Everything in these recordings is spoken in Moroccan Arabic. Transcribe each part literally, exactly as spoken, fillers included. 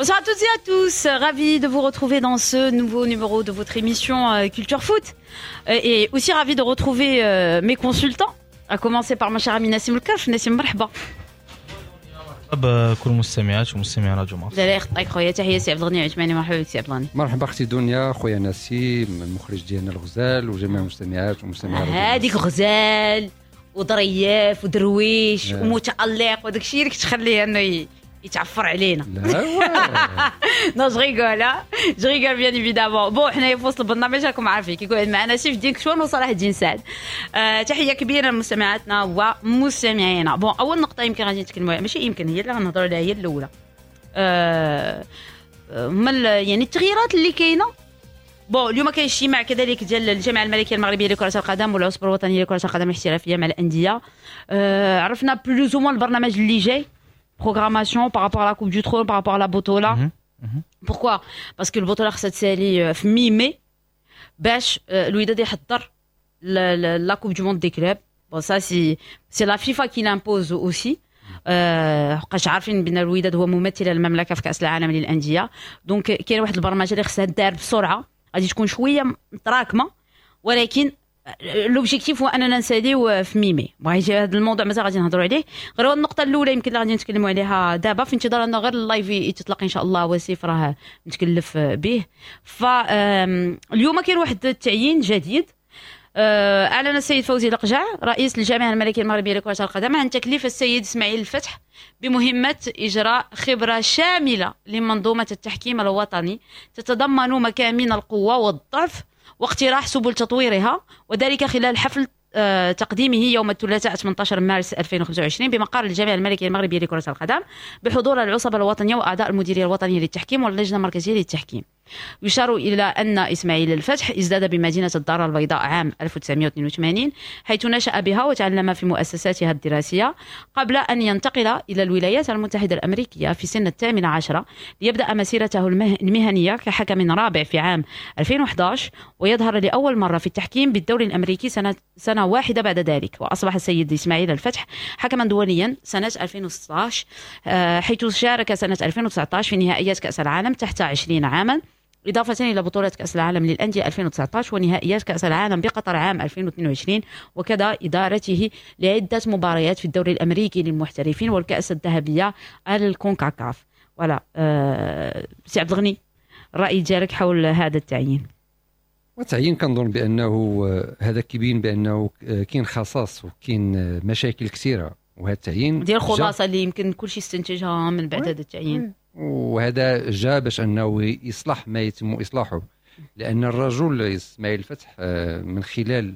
Bonsoir à toutes et à tous, ravi de vous retrouver dans ce nouveau numéro de votre émission euh, Culture Foot Euh, et aussi ravi de retrouver euh, mes consultants, à commencer par ma chère amie Nassim الكرف. نسيم، مرحبا. بكل المستمعات ومستمعي راديو مارس. لا لا يخطيك خويا، تحية سي عبد الغني عثماني، مرحبا بك سي عبد الغني. مرحبا اختي دنيا، خويا نسيم المخرج ديالنا الغزال، وجميع المستمعات ومستمعي راديو هذيك غزال وظريف ودرويش آه. ومتألق وداك الشيء اللي كتخليه انه ي- يتعفر علينا. لا واه. Non, je rigole, je rigole bien évidemment. Bon، حنايا في وسط البرنامج راكم عارفين كيكون معنا سيف الدين كشوان وصلاح الدين سعد. آه تحية كبيرة لمستمعاتنا ومستمعينا. Bon، اول نقطة يمكن غادي نتكلموا عليها، ماشي يمكن، هي اللي غنهضروا عليها هي الاولى، آه هما ال- يعني التغييرات اللي كاينه. Bon، اليوم كاين اجتماع كذلك ديال الجامعة الملكية المغربية لكرة القدم والعصبه الوطنية لكرة القدم الاحترافية مع الانديه. آه عرفنا plus ou moins البرنامج اللي جاي، programmation par rapport à la Coupe du Trône، par rapport à la Botola. مهم. مهم. Pourquoi؟ Parce que البطولة خصها تسالي في mi-mai باش آه، الوداد يحضر la Coupe du monde des clubs. Bon، ça c'est c'est la FIFA qui l'impose aussi، حقاش عارفين بان الوداد هو ممثل المملكة في كاس العالم للانديه، donc كاين واحد البرمجة اللي خصها دار بسرعه، غادي تكون شوية متراكمه، ولكن l'objectif هو اننا نساليو في mi-mai. بغيتي هذا الموضوع مازال غادي نهضروا عليه، غير هو النقطة الاولى يمكن اللي غادي نتكلموا عليها دابا، في انتظار ان غير ال live يتطلق ان شاء الله، وسيف راه متكلف به. ف آم، اليوم كاين واحد التعيين جديد. آه، اعلن السيد فوزي لقجع رئيس الجامعة الملكية المغربية لكرة القدم عن تكليف السيد اسماعيل الفتح بمهمة اجراء خبره شاملة لمنظومه التحكيم الوطني تتضمن مكامن القوة والضعف واقتراح سبل تطويرها، وذلك خلال حفل آه، تقديمه يوم الثلاثاء ثمانية عشر مارس ألفين وخمسة وعشرين بمقر الجامعة الملكية المغربية لكرة القدم بحضور العصبة الوطنية وأعضاء المديرية الوطنية للتحكيم واللجنة المركزية للتحكيم. يشار إلى أن إسماعيل الفتح ازداد بمدينة الدار البيضاء عام ألف وتسعمائة واثنين وثمانين، حيث نشأ بها وتعلم في مؤسساتها الدراسية، قبل أن ينتقل إلى الولايات المتحدة الأمريكية في سن الثامنة عشرة ليبدأ مسيرته المهنية كحكم رابع في عام ألفين وأحد عشر، ويظهر لأول مرة في التحكيم بالدوري الأمريكي سنة, سنة واحدة بعد ذلك. وأصبح السيد إسماعيل الفتح حكما دوليا سنة ألفين وستة عشر، آه، حيث شارك سنة ألفين وتسعة عشر في نهائيات كأس العالم تحت عشرين عاما، إضافة إلى بطولة كأس العالم للأندية ألفين وتسعة عشر ونهائيات كأس العالم بقطر عام ألفين واثنين وعشرين، وكذا إدارته لعدة مباريات في الدوري الأمريكي للمحترفين والكأس الذهبية الكونكاكاف. Voilà، أه سي عبد الغني، الرأي ديالك حول هذا التعيين؟ وتعيين كنظن بانه آه، هذا كيبين بانه آه، كاين خصاص وكاين آه، مشاكل كثيره، وهذا التعيين ديال الخلاصة اللي يمكن كل شيء استنتجها من بعد هذا التعيين. وهذا جاء باش انه يصلح ما يتم اصلاحه، لان الرجل اسماعيل الفتح من خلال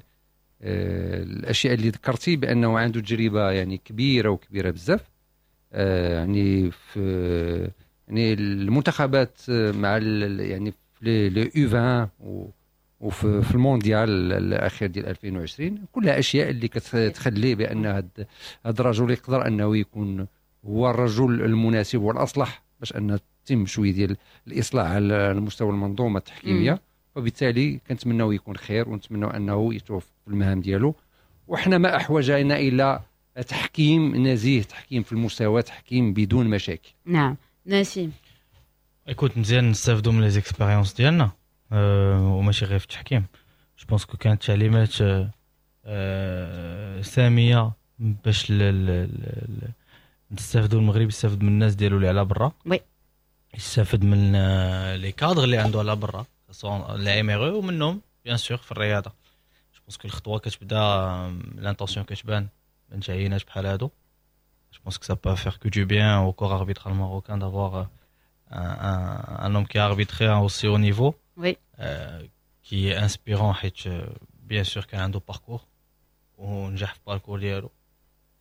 الاشياء اللي ذكرتي بانه عنده تجربه يعني كبيرة وكبيره بزاف، يعني في يعني المنتخبات مع يعني في les U عشرين وفي في المونديال الاخير ديال ألفين وعشرين، كلها اشياء اللي كتخلي بان هذا الرجل يقدر انه يكون هو الرجل المناسب والاصلح باش ان تتم شوية ديال الاصلاح على المستوى المنظومة التحكيميه. وبالتالي كنتمناو يكون خير ونتمناو انه يتوفق في المهام ديالو، وحنا ما احوجنا الى تحكيم نزيه، تحكيم في المستوى، تحكيم بدون مشاكل. نعم، نسيم. Écoute، مزيان نستافدوا من les expériences ديالنا أه وماشي غير في التحكيم. Je pense que كانت تعليمات أه سامية باش نستافدوا، المغرب يستافد من الناس ديالو اللي على برا، Oui يستافد من les cadres اللي عنده على برا، les M R E ومنهم bien sûr في الرياضه. Je pense que الخطوة كتبدا، l'intention كتبان من تعيينات بحال هادو. Je pense que ça peut faire que du bien au corps arbitral marocain d'avoir un, un, un homme qui a arbitré à aussi haut niveau, Oui. euh, qui est inspirant حيت bien sûr كان عنده parcours ونجح في parcours ديالو،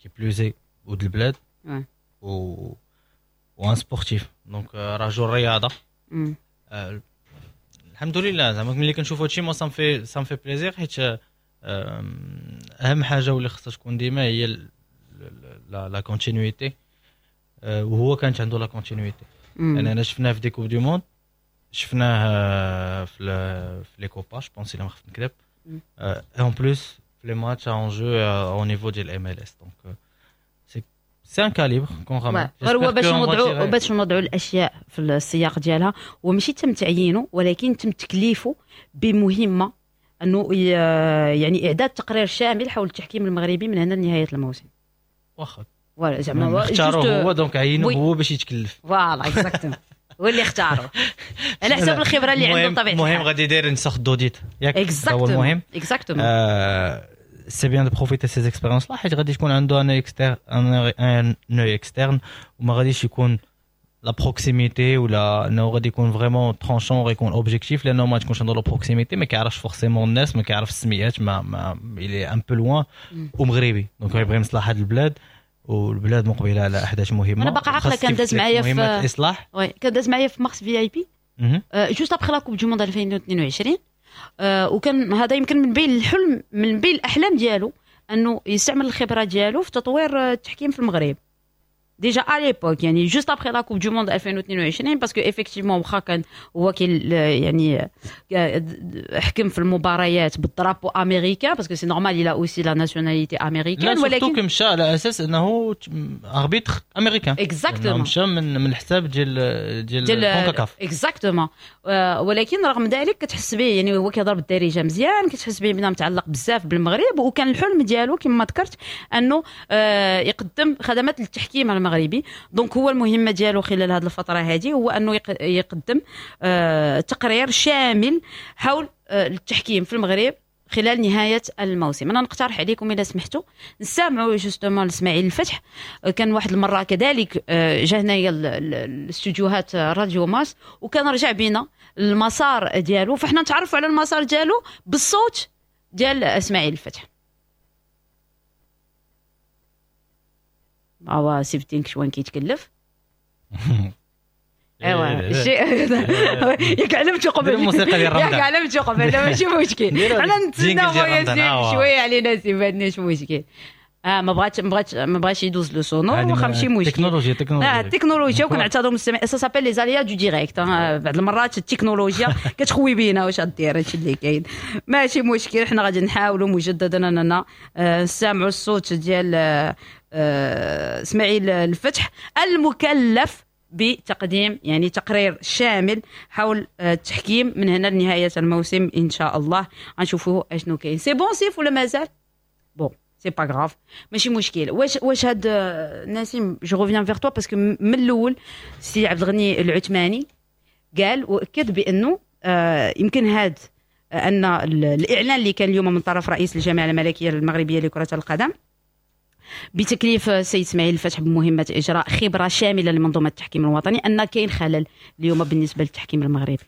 qui plus est ولد البلاد Ouais. و و un sportif، donc رجل رياضه. Mm. آه، الحمد لله، زعما ملي كنشوف هادشي moi ça me fait ça me fait plaisir، حيت آم، اهم حاجة واللي خصها تكون ديما هي ال- la la continuité، وهو كانت عنده la continuité. Mm. يعني انا شفناه في des Coupes du monde، شفناه آه، في ال- في les Copas je pense، الا ما خفت نكذب، مم. en plus في les matchs en jeu au niveau ديال MLS، donc c'est c'est un calibre qu'on ramène. غير هو باش نوضعوا باش نوضعوا الاشياء في السياق ديالها، هو ماشي تم تعيينه ولكن تم تكليفه بمهمة انه يعني اعداد تقرير شامل حول التحكيم المغربي من هنا لنهاية الموسم. واخا voilà زعما اختاروه هو، donc عينوه هو باش يتكلف. voilà exactement، هو اللي اختارو على حسب الخبرة اللي عنده بطبيعة الحال. المهم غادي يدير une sorte d'audit، ياك هو المهم. exactement، c'est bien de profiter ces expériences-là، حيت غادي تكون عنده un externe un œil externe، وما غاديش يكون la proximité، ولا انه غادي يكون vraiment tranchant، غيكون objectif، لانه ما تكونش عنده la proximité، ما كيعرفش forcément الناس، ما كيعرف السميات، ما ما il est un peu loin، ومغربي donc يبغي مصلحة البلاد، والبلاد مقبله على احداث مهمة. انا باقا عاقلة كان داز معايا في الاصلاح، oui كان داز معايا في Mars VIP juste après la Coupe du Monde ألفين واثنين وعشرين، وكان هذا يمكن من بين الحلم من بين الاحلام ديالو انه يستعمل الخبرة ديالو في تطوير التحكيم في المغرب déjà à l'époque، يعني juste après la Coupe du Monde ألفين واثنين وعشرين، parce que effectivement واخا كان هو كي يعني حكم في المباريات بال drapeau américain، parce que c'est normal، il a aussi la nationalité américaine، ولكن مشى على اساس انه arbitre américain. exactement، مشى من من الحساب ديال ديال كونكاكاف. exactement، ولكن رغم ذلك كتحس به يعني هو كيهضر بالدارجة مزيان، كتحس به بنا متعلق بزاف بالمغرب، وكان الحلم ديالو كما ذكرت انه يقدم خدمات للتحكيم المغربي. donc هو المهمة ديالو خلال هذه الفترة هذه هو انه يقدم آه تقرير شامل حول آه التحكيم في المغرب خلال نهاية الموسم. انا نقترح عليكم اذا سمحتوا نسمعوا justement لاسماعيل الفتح. كان واحد المرة كذلك آه جا هنايا الاستوديوهات راديو ماس، وكان رجع بينا المسار ديالو، فاحنا نتعرفوا على المسار ديالو بالصوت ديال اسماعيل الفتح. اوا سيفتين كشوان كيتكلف. ايوا شي ياك علمتو قبل الموسيقى ديال رمضان، ياك علمتو قبل، ماشي مشكل. حنا نتسناو خويا سيف شوية علينا سيف، ماشي مشكل. اه ما بغاتش ما بغاتش ما بغاش يدوز le sonore، واخا ماشي مشكل. تكنولوجيا تكنولوجيا اه التكنولوجيا، وكنعتذروا المستمع، ça s'appelle les aléas du direct. بعض المرات التكنولوجيا كتخوي بينا، واش غدير، هادشي اللي كاين ماشي مشكل. حنا غادي نحاولوا مجددا اننا نسمعوا الصوت ديال اسماعيل الفتح المكلف بتقديم يعني تقرير شامل حول التحكيم من هنا لنهاية الموسم ان شاء الله. غنشوفوا اشنو كاين. c'est bon سيف ولا مازال؟ bon c'est pas grave، ماشي مشكل. واش واش هاد نسيم، je reviens vers toi parce que من الاول سي عبد الغني العثماني قال واكد بانه آه يمكن هاد ان الاعلان اللي كان اليوم من طرف رئيس الجامعة الملكية المغربية لكرة القدم بتكليف السيد اسماعيل الفتح بمهمة اجراء خبره شاملة لمنظومه التحكيم الوطني، ان كاين خلل اليوم بالنسبة للتحكيم المغربي.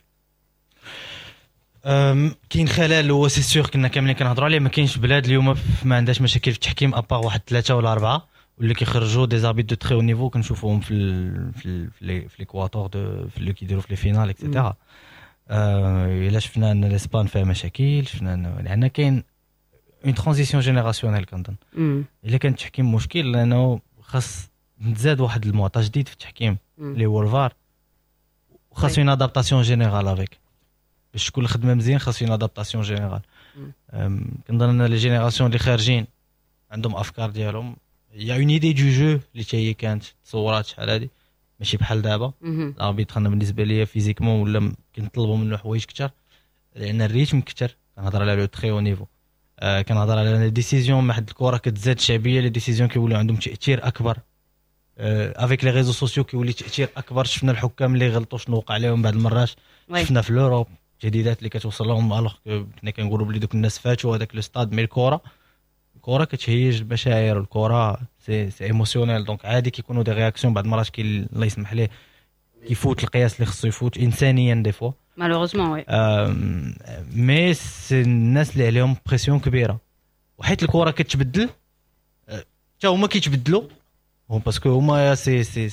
كاين خلل هو c'est sûr، كنا كاملين كنهضروا عليه. ما كاينش بلاد اليوم ما عندهاش مشاكل في التحكيم à part واحد ثلاثة ولا اربعة واللي كيخرجوا des arbitres de très haut niveau، كنشوفوهم في ال في ال في les quarts de في اللي كيديروا في les finales et cetera. الا شفنا ان l'Espagne فيها مشاكل، شفنا ان لان كاين une transition générationnelle كنظن. الا كان التحكيم مشكل، لانه خاص نتزاد واحد المعطى جديد في التحكيم اللي هو الفار، وخاص une adaptation générale avec باش تكون الخدمة مزيان، خاص une adaptation générale. كنظن ان les générations اللي خارجين عندهم افكار ديالهم، y a une idée du jeu اللي حتى هي كانت تصورات شحال هادي ماشي بحال دابا. l'arbitre انا بالنسبة ليا physiquement ولا كنطلبوا منه حوايج كثر، لان ال rythme كثر. كنهضر على le très haut niveau، آه كنهضر على les décisions، ما حد الكره كتزاد شعبية، les décisions كيوليو عندهم تاثير اكبر avec les réseaux sociaux، كيولي تاثير اكبر. شفنا الحكام اللي غلطوا شنو وقع لهم بعض المرات، شفنا في l'Europe التهديدات اللي كتوصل لهم، alors كنا كنقولوا بلي دوك الناس فاتوا هذاك le stade. mais الكره الكره كتهيج المشاعر، الكره c'est c'est émotionnel، donc عادي كيكونوا des réactions بعض المرات كي الله يسمح ليه كيفوت القياس اللي خصو يفوت انسانيا des fois malheureusement. oui mais c'est الناس اللي عليهم pression كبيرة، وحيت الكره كتبدل حتى هما كيتبدلوا، parce que هما c'est c'est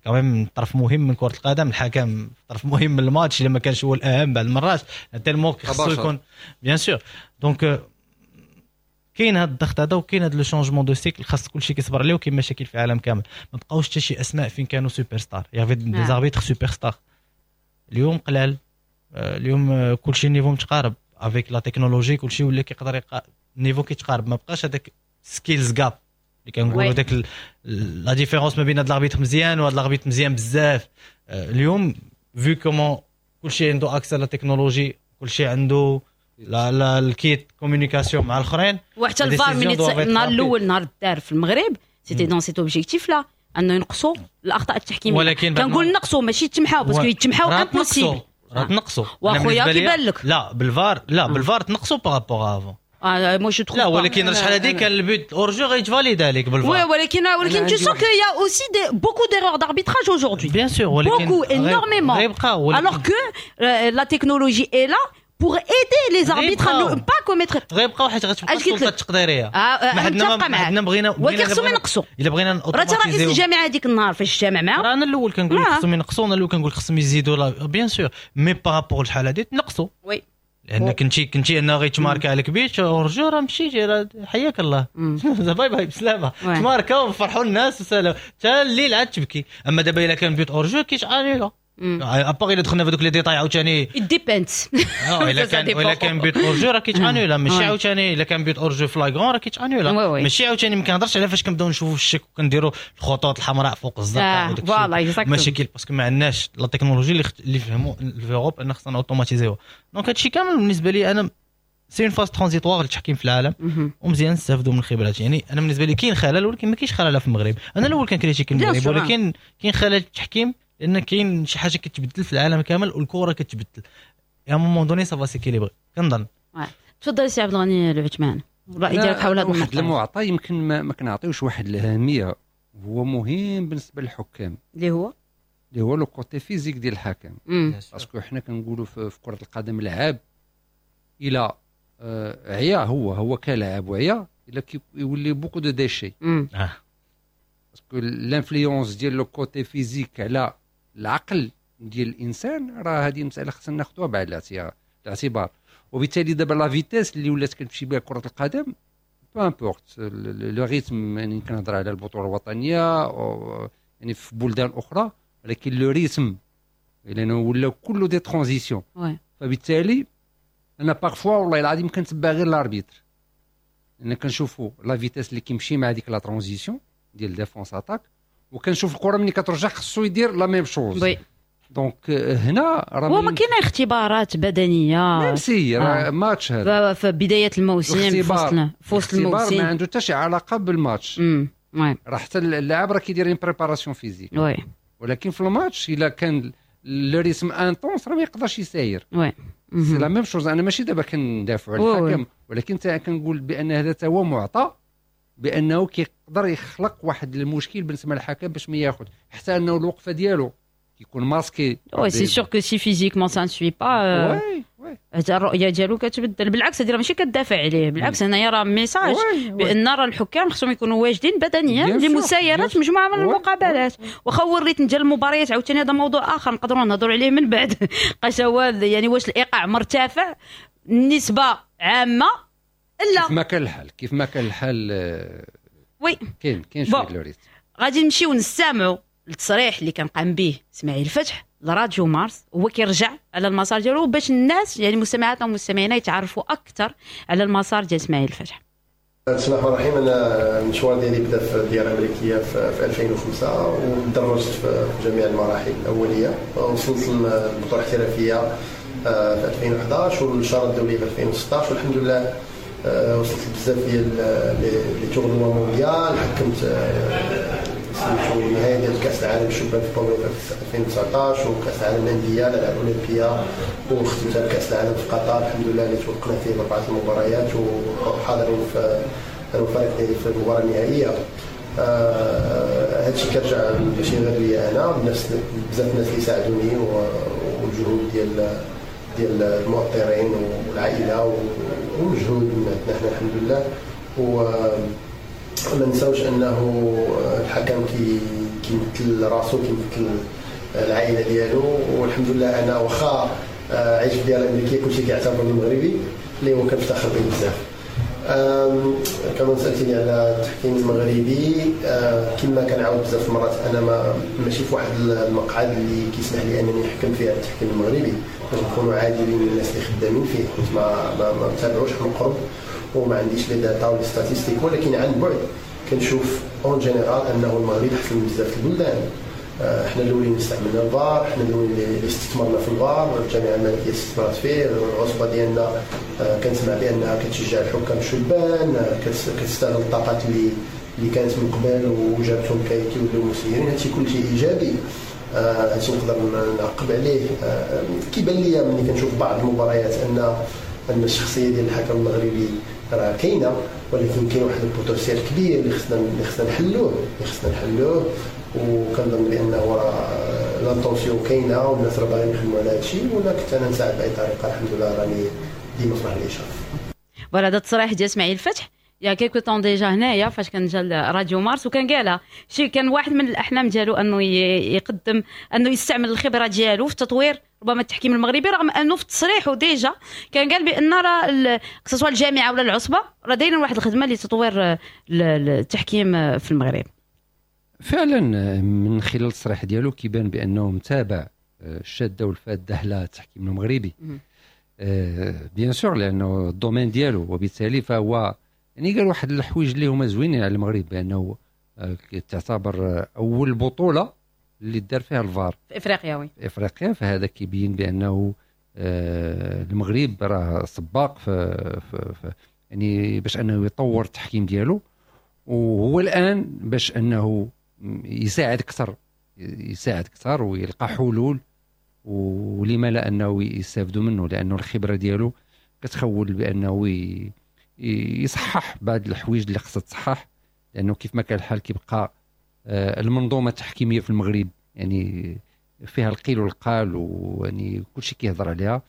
quand même طرف مهم من كره القدم، الحكم طرف مهم من الماتش الا ما كانش هو الاهم بعض المرات tellement خصو يكون bien sûr. donc كاين هذا الضغط هذا وكاين هذا le changement de cycle، خاص كلشي كيصبر عليه، وكاين مشاكل في العالم كامل. ما بقاوش حتى شي اسماء فين كانوا superstars، y avait des arbitres superstars اليوم قلال. اليوم كلشي niveau متقارب avec la technologie، كلشي ولا كيقدر يقا... niveau كيتقارب، ما بقاش هذاك skills gap. اللي كنقولوا داك la différence ما بين هاد l'arbitre مزيان وهاد l'arbitre مزيان بزاف. اليوم vu comment كلشي عنده accès la technologie، كلشي عنده la la ال kit communication مع الاخرين. وحتى الفار من النهار الاول نهار دار في المغرب c'était dans cet objectif-là، انه ينقصوا الاخطاء التحكيميه. ولكن كنقول نقصوا ماشي تمحاو، parce que يتمحاو impossible. راه تنقصوا. واخويا كيبان لك لا بالفار، لا بالفار تنقصوا par rapport avant. اه moi je trouve لا، ولكن شحال هذيك كان ال but hors-jeu غيتفاليد عليك بالفار. oui، ولكن ولكن tu sens qu'il y a aussi des, beaucoup d'erreurs d'arbitrage aujourd'hui. bien sûr، ولكن beaucoup énormément. غيبقاو. alors que euh, la technologie est là pour aider les arbitres à ne pas commettre. غيبقاو حيت غتبقى السلطة التقديريه. آه ما حدنا ما حدنا بغينا ولكن خصهم ينقصوا. الا بغينا راه رئيس الجامعة هذيك النهار فاش اجتمع معاهم، راه انا الاول كنقول خصهم ينقصوا، انا الاول كنقول خصهم يزيدوا، bien sûr، mais par rapport لشحال هادي تنقصوا. oui لان كنتي كنتي انا غيتماركا عليك but hors-jeu، راه مشيتي، حياك الله، bye bye، بسلامه، تماركا وفرحوا الناس وسلام، حتى الليل عاد تبكي. اما دابا الا كان but hors-jeu كيتانيلا، à part الا دخلنا في دوك les détails عاوتاني. dépend. الا كان الا كان but hors-jeu راه كيتانولا، ماشي عاوتاني الا كان but hors-jeu flagrant راه كيتانولا، ماشي عاوتاني. ما كنهضرش على فاش كنبداو نشوفوا الشك وكنديروا الخطوط الحمراء فوق الزرقاء وداك الشيء مشاكل، parce que ما عندناش la technologie اللي اللي فهموا في Europe ان خصنا اوتوماتيزيوها. donc هادشي كامل بالنسبة لي انا c'est une phase transitoire للتحكيم في العالم، ومزيان نستافدوا من الخبرات. يعني انا بالنسبة لي كاين خلل، ولكن ما كاينش خلل في المغرب. انا الاول كان critique المغرب، ولكن كاين خلل التحكيم لان كاين شي حاجة كتبدل في العالم كامل والكره كتبدل. à un moment donné ça va s'équilibrer كنظن. تفضل سي عبد الغني العثمان، الراي ديالك حول هذا. واحد المعطى يمكن ما, ما كنعطيوش واحد الاهميه، هو مهم بالنسبة للحكام. اللي هو اللي هو le côté physique ديال الحكم، parce que حنا كنقولوا في, في كره القدم لعاب الى آه، عيا، هو هو كلاعب وعيا، الا كيولي beaucoup de déchets، parce que l'influence ديال le côté physique على العقل ديال الانسان، راه هذه مسالة خصنا ناخذوها بعين الاعتبار. وبالتالي دابا la vitesse اللي ولات كتمشي بها كره القدم، peu importe le rythme، يعني كنهضر على البطولة الوطنية أو يعني في بلدان اخرى، ولكن le rythme لانه ولا كله des transitions. فبالتالي انا parfois والله العظيم كنتبع غير l'arbitre، لان كنشوفوا la vitesse اللي كيمشي مع ديك la transition ديال défense attaque، وكنشوف الكره ملي كترجع خصو يدير la même chose. oui donc هنا راه هو ما كاين اختبارات بدنيه. même si راه ماتش هذا في بداية الموسم، في وسط في وسط الموسم. ما عنده حتى شي علاقة بالماتش، راه حتى اللاعب راه كيدير une préparation physique. oui ولكن في الماتش الا كان le rythme intense راه ما يقدرش يساير. oui c'est la même chose. انا ماشي دابا كندافع على الحكم، ولكن كنقول بان هذا هو معطى بانه كيقدر يخلق واحد المشكل بالنسبة للحكم باش ما ياخذ، حتى انه الوقفة ديالو كيكون masqué. oui، c'est sûr que si physiquement ça ne suit pas، oui oui الرؤية ديالو كتبدل. بالعكس، هذه راه ماشي كتدافع عليه، بالعكس هنايا راه message بان راه الحكام خصهم يكونوا واجدين بدنيا لمسايره مجموعة من المقابلات. واخا هو ال rythme ديال المباريات عاوتاني هذا موضوع اخر نقدروا نهضروا عليه من بعد، قاش هو يعني واش الايقاع مرتفع نسبه عامه؟ لا. كيف ما كان الحال، كيف ما كان الحال، oui كاين كاين شوية le rythme. غادي نمشيو نستمعوا التصريح اللي كان قام به اسماعيل الفتح لراديو مارس، هو كيرجع على المسار ديالو باش الناس يعني مستمعاتنا ومستمعينا يتعرفوا اكثر على المسار ديال اسماعيل الفتح. بسم الله الرحمن الرحيم. انا المشوار ديالي بدا في الديار الامريكية في ألفين وخمسة، وتدرجت في جميع المراحل الاوليه، وصلت للبطولة الاحترافية آه، في ألفين وحداش والشاره الدولية في ألفين وستاش، والحمد لله آه، وصلت بزاف ديال les tournois mondiaux. حكمت آه، سميتو النهائي ديال كاس العالم الشبان في بولونيا في ألفين وتسعطاش، وكاس العالم الانديه، الالعاب الاولمبيه، وختمتها بكاس العالم في قطر، الحمد لله اللي توفقنا فيه باربعة المباريات وحاضرين في الفريق ديالي في المباراة النهائيه. آه هادشي كيرجع ماشي غير ليا انا، بنفس بزاف الناس اللي ساعدوني، والجهود ديال ديال المؤطرين والعائلة ومجهود من عندنا حنا، الحمد لله. و ما نساوش انه الحكم كي كيمثل راسو، كيمثل العائلة ديالو. والحمد لله انا واخا عايش في الديار الامريكيه، كلشي كيعتبرني مغربي، اللي هو كنفتخر به بزاف. كما سالتيني على التحكيم المغربي، كما كنعاود بزاف المرات، انا ما ماشي في واحد المقعد اللي كيسمح لي انني نحكم فيه على التحكيم المغربي باش نكونوا عادلين للناس اللي خدامين فيه، حيت ما ما, ما متابعوش من قرب وما عنديش les data و les statistiques، ولكن عن بعد كنشوف بانه آه، كنشوف en général انه المغرب احسن من بزاف البلدان. حنا الاولين استعملنا الفار، حنا الاولين اللي استثمرنا في الفار، الجامعة الملكية استثمرت فيه، العصبة ديالنا كنسمع بانها كتشجع الحكام الشبان، كتستغل الطاقات اللي اللي كانت من قبل وجابتهم كيوليو مسيرين. هادشي كلشي ايجابي، هادشي نقدر نعقب عليه. كيبان ليا ملي كنشوف بعض المباريات ان ان الشخصية ديال الحكم المغربي راه كاينه، ولكن كاين واحد ال potentiel كبير اللي خصنا اللي خصنا نحلوه اللي خصنا نحلوه وكنظن بانه راه l'intention كاينه والناس راه باغيين يخدموا على هادشي، ولا كنت انا نساعد باي طريقه الحمد لله راني ديما في الاشارة. voilà هذا التصريح ديال اسماعيل الفتح il y a quelque temps déjà هنايا فاش كان جا راديو مارس، وكان قالها شي كان واحد من الاحلام ديالو انه يقدم انه يستعمل الخبرة ديالو في تطوير ربما التحكيم المغربي، رغم انه في تصريحه déjà كان قال بان راه سواء الجامعة ولا العصبة راه دايرين واحد الخدمة لتطوير التحكيم في المغرب. فعلا من خلال التصريح ديالو كيبان بانه متابع الشاده والفاده على التحكيم المغربي، bien sûr لانه ال domaine ديالو، وبالتالي فهو يعني قال واحد الحوايج اللي هما زوينين على المغرب، بانه تعتبر اول بطوله اللي دار فيها الفار في افريقيا. oui في افريقيا، فهذا كيبين بانه المغرب راه سباق في, في, في يعني باش انه يطور التحكيم ديالو، وهو الان باش انه يساعد اكثر يساعد اكثر ويلقى حلول، ولما لا انه يستافدوا منه، لانه الخبرة ديالو كتخول بانه يصحح بعض الحوايج اللي خصها تصحح، لانه كيف ما كان الحال كيبقى المنظومة التحكيميه في المغرب يعني فيها القيل والقال، ويعني كلشي كيهضر عليها.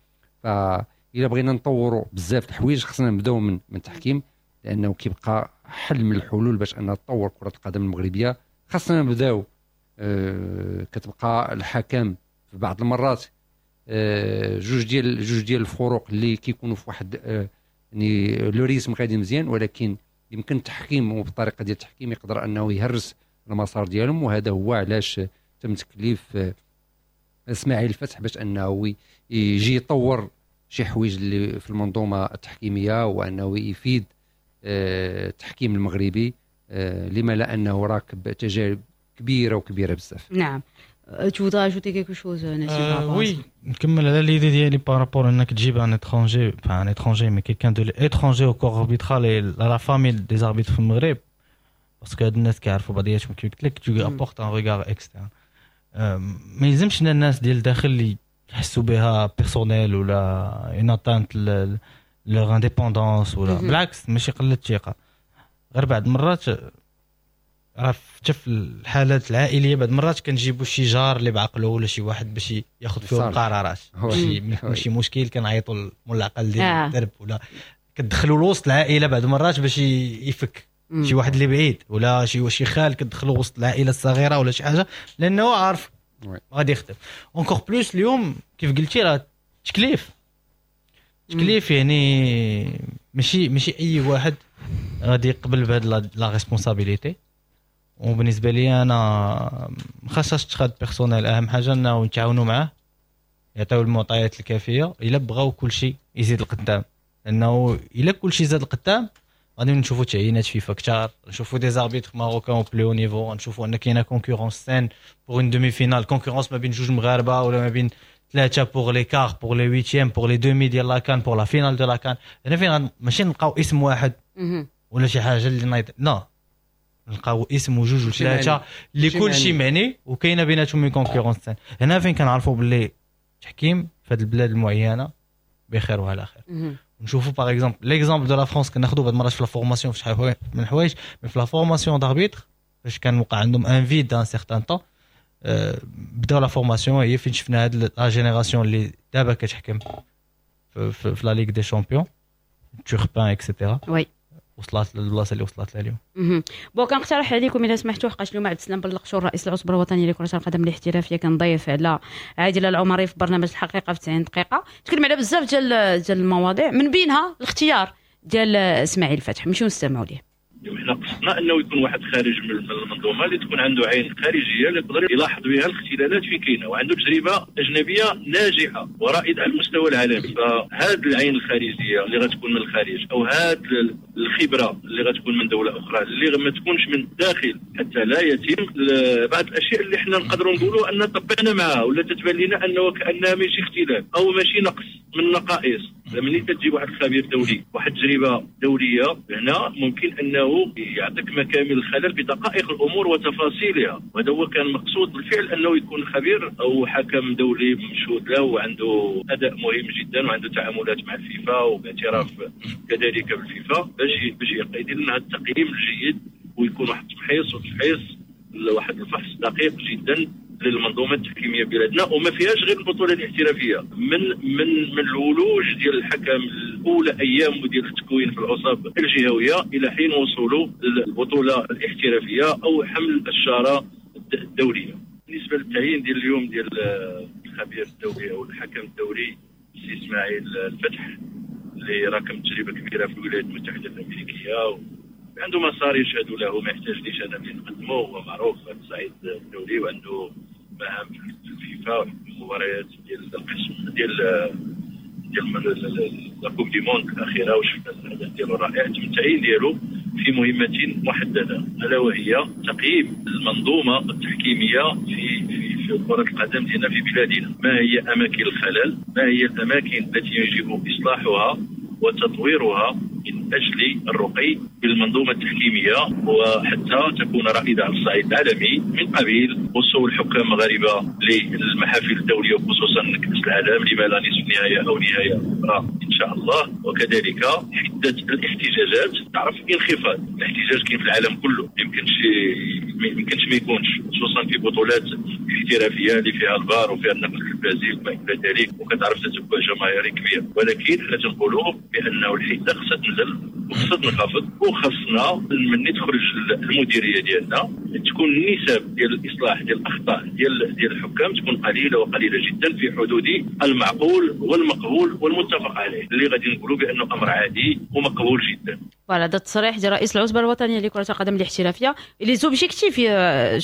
فإلا بغينا نطوروا بزاف الحوايج خصنا نبداو من من التحكيم، لانه كيبقى حل من الحلول باش ان تطور كره القدم المغربية. خاصنا نبداو آه كتبقى الحكم في بعض المرات آه جوج ديال جوج ديال الفروق اللي كيكونوا في واحد آه يعني le rythme غادي مزيان، ولكن يمكن التحكيم وبالطريقه ديال التحكيم يقدر انه يهرس المسار ديالهم. وهذا هو علاش تم تكليف آه، اسماعيل الفتح باش انه يجي يطور شي حوايج اللي في المنظومة التحكيميه، وانه يفيد آه، التحكيم المغربي، آه، لما لا انه راكب تجارب كبيرة وكبيره بزاف. نعم، tu voudrais ajouter quelque chose Nassim؟ euh, oui، نكمل على l'idée ديالي par rapport انك تجيب un étranger، enfin un étranger mais quelqu'un de l'étranger au corps arbitral et à la famille des arbitres في المغرب، parce que هاد الناس كيعرفوا بعضياتهم، كيف قلت لك tu apportes un regard externe. ما يلزمش الناس ديال الداخل اللي يحسوا بها personnel ولا une atteinte leur indépendance ولا، بالعكس ماشي قلة الثقه، غير بعض المرات راه حتى في الحالات العائلية بعض المرات كنجيبوا شي جار اللي بعقله ولا شي واحد باش ياخذ فيهم قرارات، شي شي مشكل كنعيطوا لمول العقل ديال آه. الدرب ولا كتدخلوا لوسط العائلة بعض المرات باش يفك شي واحد اللي بعيد، ولا شي شي خال كتدخلوا وسط العائلة الصغيرة ولا شي حاجه، لانه عارف غادي يخدم. encore plus اليوم كيف قلتي راه تكليف تكليف، يعني ماشي ماشي اي واحد غادي يقبل بهاد la responsabilité. وبالنسبة لي انا ما خاصهاش تخاد personnel، اهم حاجة انه نتعاونوا معاه، يعطيو المعطيات الكافيه الا بغاو كل شيء يزيد القدام، لانه الا كل شيء زاد القدام غادي نشوفوا تعيينات فيفا كثار، نشوفوا des arbitres marocains au plus haut niveau، نشوفوا ان كاينه concurrence saine pour une demi-finale، concurrence ما بين جوج مغاربة ولا ما بين ثلاثة pour les quarts، pour les huitièmes، pour les demis ديال la CAN، pour la finale de la CAN. هنا فين ماشي نلقاو اسم واحد ولا شي حاجة اللي نايض، non، نلقاو اسم وجوج وثلاثة اللي كل شيء معني وكاينه بيناتهم une concurrence saine. هنا فين كنعرفوا باللي التحكيم في هذه البلاد المعينة بخير وعلى خير. نشوفوا par exemple l'exemple de la France، كناخذوا بعض المرات في la formation في شحال من الحوايج، mais في la formation d'arbitres فاش كان وقع عندهم un vide d'un certain temps بداو la formation، هي فين شفنا هاد la génération اللي دابا كتحكم في, في, في la Ligue des champions، Turpin et cetera، oui وصلت للبلاصه اللي وصلت لها اليوم. bon، كنقترح عليكم اذا سمحتوا، حقاش اليوم عبد السلام بلقشور رئيس العصبة الوطنية لكرة القدم الاحترافية كان ضيف على عادل العمري في برنامج الحقيقة في تسعين دقيقه، تكلم على بزاف ديال ديال المواضيع من بينها الاختيار ديال اسماعيل الفتح. نمشيو نستمعوا ليه. حنا خصنا انه يكون واحد خارج من المنظومة اللي تكون عنده عين خارجية اللي يقدر يلاحظ بها الاختلالات فين كاينه، وعنده تجربه اجنبية ناجحة ورائدة على المستوى العالمي. فهاد العين الخارجية اللي غتكون من الخارج او هاد الخبرة اللي غتكون من دولة اخرى اللي ما تكونش من الداخل، حتى لا يتم بعض الاشياء اللي حنا نقدروا نقولوا ان طبقنا معها ولا تتبان لنا انه كانها ماشي اختلال او ماشي نقص من النقائص. ملي تجيب واحد الخبير دولي واحد التجربة دولية هنا ممكن انه يعطيك مكامن الخلل بدقائق الامور وتفاصيلها، وهذا هو كان مقصود بالفعل انه يكون خبير او حكم دولي مشهود له وعنده اداء مهم جدا وعنده تعاملات مع الفيفا وباعتراف كذلك بالفيفا باش باش يدير لنا التقييم الجيد ويكون واحد التمحيص وتفحيص واحد الفحص دقيق جدا للمنظومة التحكيميه بلادنا، وما فيهاش غير البطولة الاحترافية. من من من الولوج ديال الحكم الاولى ايام ديال التكوين في العصب الجهوية الى حين وصوله للبطولة الاحترافية او حمل الشارة الدولية. بالنسبة للتعيين ديال اليوم ديال الخبير الدولي او الحكم الدولي السي اسماعيل الفتح اللي راكم تجربه كبيرة في الولايات المتحدة الامريكية عنده مسار يشهد له، ما يحتاجليش انا اللي نقدمه، هو معروف على الصعيد الدولي وعنده مهام في الفيفا والمباريات ديال القسم ديال ديال la Coupe du monde الاخيرة، وشفنا الاداء ديالو رائع. تم التعيين ديالو في مهمة محددة الا وهي تقييم المنظومة التحكيميه في في في كره القدم ديالنا في بلادنا. ما هي اماكن الخلل؟ ما هي الاماكن التي يجب اصلاحها وتطويرها من اجل الرقي بالمنظومه التحكيميه وحتى تكون رائدة على الصعيد العالمي، من قبيل وصول حكام مغاربة للمحافل الدولية وخصوصا كاس العالم لما لا نصف نهاية او نهاية اخرى ان شاء الله. وكذلك حده الاحتجاجات، تعرف انخفاض الاحتجاج كاين في العالم كله، ما يمكنش ما يمكنش ما يكونش، خصوصا في بطولات احترافية اللي فيها الفار وفيها النقل التلفزيوني وما الى ذلك، وكتعرف تتبع جماهيري كبير. ولكن حنا تنقولوا بانه الحدة خصها تنزل وخصها تنخفض، وخصنا مني تخرج المديرية ديالنا تكون النسب ديال الاصلاح ديال الاخطاء ديال ديال الحكام تكون قليله وقليله جدا في حدود المعقول والمقبول والمتفق عليه، اللي غادي نقولوا بانه امر عادي ومقبول جدا. voilà هذا التصريح ديال رئيس العصبة الوطنية لكرة القدم الاحترافية، les objectifs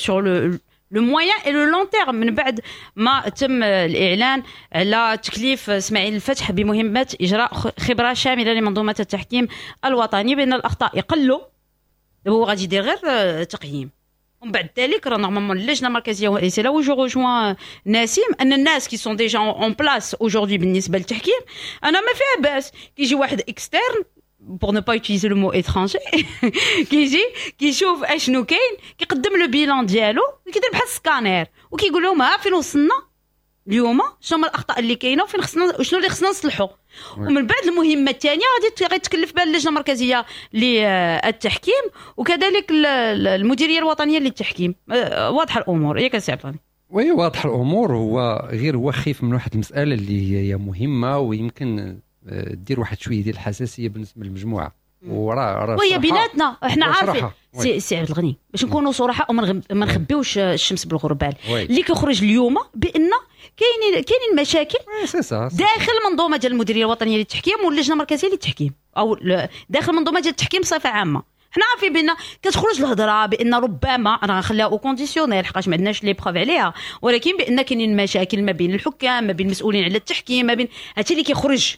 sur le le moyen et le long terme من بعد ما تم الاعلان على تكليف اسماعيل الفتح بمهمة اجراء خبره شاملة لمنظومه التحكيم الوطني بان الاخطاء يقلوا. دابا هو غادي يدير غير تقييم، ومن بعد ذلك راه normalement اللجنة المركزية، c'est là où je rejoins نسيم، ان الناس qui sont déjà en place aujourd'hui بالنسبة للتحكيم انا ما فيها باس كيجي واحد externe pour ne pas utiliser le mot étranger كيجي كيشوف اشنو كاين، كيقدم le bilan ديالو، كيدير بحال السكانير وكيقول لهم ها فين وصلنا اليوم، شنو هما الاخطاء اللي كاينه وفين خصنا شنو اللي خصنا نصلحو. ومن بعد المهمة الثانية غادي غيتكلف بها اللجنة المركزية للتحكيم وكذلك المديرية الوطنية للتحكيم. واضحة الامور ياك سي عبد الغني؟ oui واضح الامور. هو غير هو خايف من واحد المسالة اللي هي مهمة ويمكن دير واحد شوية ديال الحساسية بالنسبة للمجموعة، وراه راه وهي بيناتنا احنا عارفين سي, سي عبد الغني، باش نكونوا صراحة وما نخبيوش الشمس بالغربال، اللي كيخرج اليوم بان كاينين كاينين مشاكل داخل المنظومة ديال المديرية الوطنية للتحكيم واللجنة المركزية للتحكيم، او داخل المنظومة ديال التحكيم بصفة عامة. حنا عارفين بان كتخرج الهضرة بان ربما، انا غنخليها au conditionnel حقاش ما عندناش les preuves عليها، ولكن بان كاينين مشاكل ما بين الحكام، ما بين المسؤولين على التحكيم، ما بين هادشي اللي كيخرج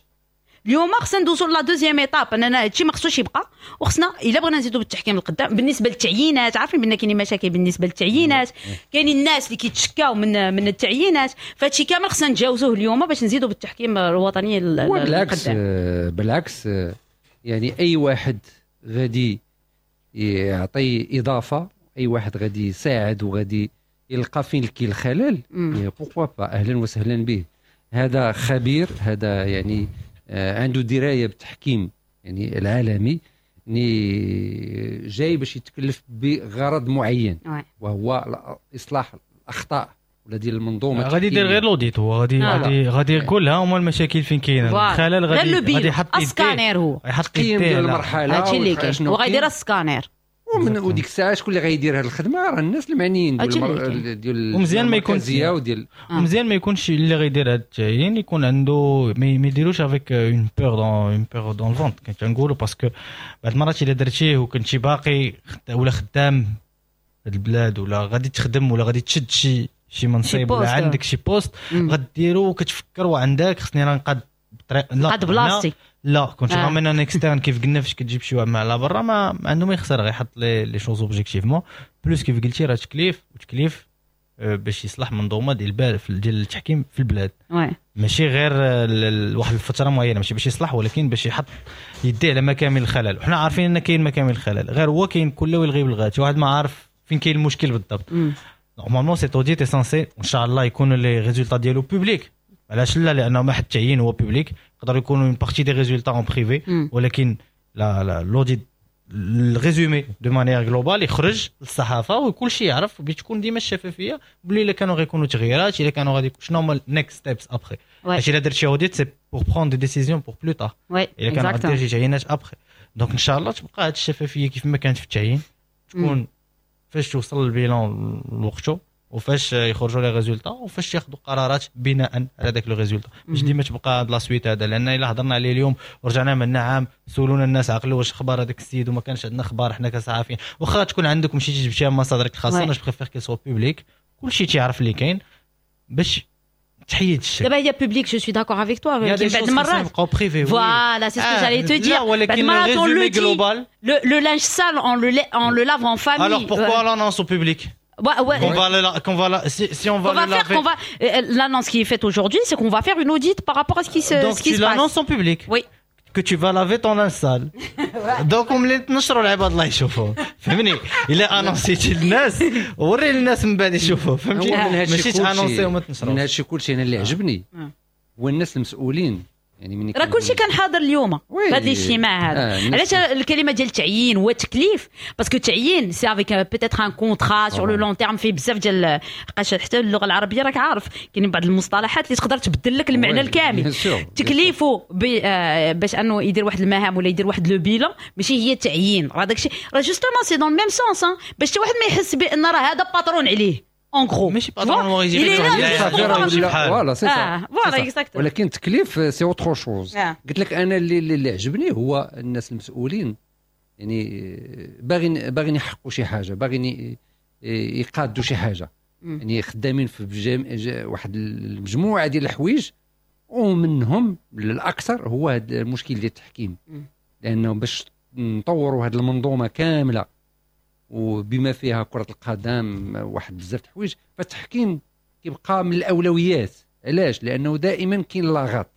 اليوم. خصنا ندوزو la deuxième étape، اننا هادشي ما خصوش يبقى، وخصنا الا بغينا نزيدو بالتحكيم القدام. بالنسبة للتعيينات عارفين بان كاينين مشاكل بالنسبة للتعيينات، كاينين الناس اللي كيتشكاو من من التعيينات، فهادشي كامل خصنا نتجاوزوه اليوم باش نزيدو بالتحكيم الوطني. بالعكس بالعكس، يعني اي واحد غادي يعطي اضافه، اي واحد غادي يساعد وغادي يلقى فين كاين الخلل، pourquoi pas، اهلا وسهلا به. هذا خبير، هذا يعني آه، عنده دراية بالتحكيم يعني العالمي، يعني جاي باش يتكلف بغرض معين وهو اصلاح الاخطاء ولا ديال المنظومة. غادي يدير غير l'audit، هو غادي آه. غادي غادي يقول ها هما المشاكل فين كاينه، الخلل، غادي غادي يحط السكانير، هو يحط يديه ديال المرحله. هادشي اللي كاين، وغايدير السكانير. ومن وديك الساعة شكون اللي غيدير هذه الخدمة؟ راه الناس المعنيين ديال المر... ديال ومزيان ما يكونش وديال ومزيان ما يكونش اللي غيدير هذا التعيين يكون عنده ما يديروش avec une peur dans une peur dans le ventre كنقولوا، parce que بعض المرات الا درتيه وكنتي باقي ولا خدام في البلاد ولا غادي تخدم ولا غادي تشد شي شي منصب ولا عندك شي poste غديرو وكتفكر وعندك خصني راه نقاد بطريقة لا قاد بلاصتي لا كنت ramènes un externe كيف قلنا فاش كتجيب شي واحد مع على برا ما عنده ما يخسر، غيحط les les choses objectivement. plus كيف قلتي راه تكليف وتكليف باش يصلح منظومة ديال ديال التحكيم في البلاد، ماشي غير واحد الفترة معينة، ماشي باش يصلح ولكن باش يحط يديه على مكامن الخلل. وحنا عارفين ان كاين مكامن الخلل، غير هو كاين كل ويلغي بالغات، واحد ما عارف فين كاين المشكل بالضبط. normalement cet audit est censé ان شاء الله يكونوا les résultats ديالو publics. علاش لا؟ لانه ما حد التعيين هو public، يقدر يكونوا une partie des résultats en privé، ولكن لا لا l'audit ال résumé de manière globale يخرج للصحافة وكل شيء يعرف، بتكون ديما الشفافية بلي الا كانوا غيكونوا تغييرات، الا كانوا غادي شنو هما next steps après. حيت الا درت شي audit c'est pour prendre des décisions pour plus tard، الا كان غادير شي تعيينات après. donc ان شاء الله تبقى هذه الشفافية كيف ما كانت في التعيين، تكون فاش توصل ال bilan لوقتو وفاش يخرجوا les résultats وفاش ياخذوا قرارات بناء على داك le résultat، باش ديما تبقى هاد la suite هذا. لان الا هضرنا عليه اليوم ورجعنا من عام سولونا الناس عقلوا واش اخبار هذاك السيد وما كانش عندنا اخبار حنا كصحفيين، واخا تكون عندك مشيتي جبتيها من مصادرك الخاصة، انا je préfère qu'il soit public، كلشي تيعرف اللي كاين باش تحيد الشك. دابا هي publique، je suis d'accord avec toi، ولكن بعض المرات voilà c'est ce que j'allais te dire. بعض المرات on le global le linge sale on le on le lave en famille. Alors pourquoi l'annonce au public? Ouais, ouais. Qu'on va le, qu'on va la, si, si on va, qu'on va le faire, laver. Qu'on va, l'annonce qui est faite aujourd'hui, c'est qu'on va faire une audit par rapport à ce qui se, Donc ce qui tu se passe. l'annonces en public. Oui. Que tu vas laver ton linge sale. Donc ملي تنشروا العباد الله يشوفوه، فهمني؟ الا annoncيتي للناس وري للناس من بعد يشوفوه، فهمتي؟ ماشي ت annoncer وما تنشروش. من هادشي كلشي انا اللي عجبني هو الناس المسؤولين، يعني من راه كلشي كان حاضر اليوم في هذا الاجتماع هذا. آه علاش الكلمة ديال التعيين هو التكليف؟ parce que التعيين c'est avec peut-être un contrat sur le long terme، فيه بزاف ديال حقاش حتى اللغة العربية راك عارف كاينين بعض المصطلحات اللي تقدر تبدل لك المعنى الكامل. تكليفه باش انه يدير واحد المهام ولا يدير واحد le bilan ماشي هي التعيين. راه داكشي راه justement c'est dans le même sens، باش حتى واحد ما يحس بان راه هذا patron عليه. en gros ماشي patron هو يجي voilà c'est ça voilà exactement. ولكن التكليف c'est autre chose. قلت لك انا اللي اللي عجبني هو الناس المسؤولين، يعني باغيين باغيين يحققوا شي حاجة، باغيين يقادوا شي حاجة، يعني خدامين في واحد المجموعة ديال الحوايج، ومنهم الاكثر هو هذا المشكل ديال التحكيم. لانه باش نطوروا هذه المنظومة كاملة وبما فيها كرة القدم واحد بزاف الحوايج، فالتحكيم كيبقى من الأولويات. علاش؟ لأنه دائما كاين لاغط،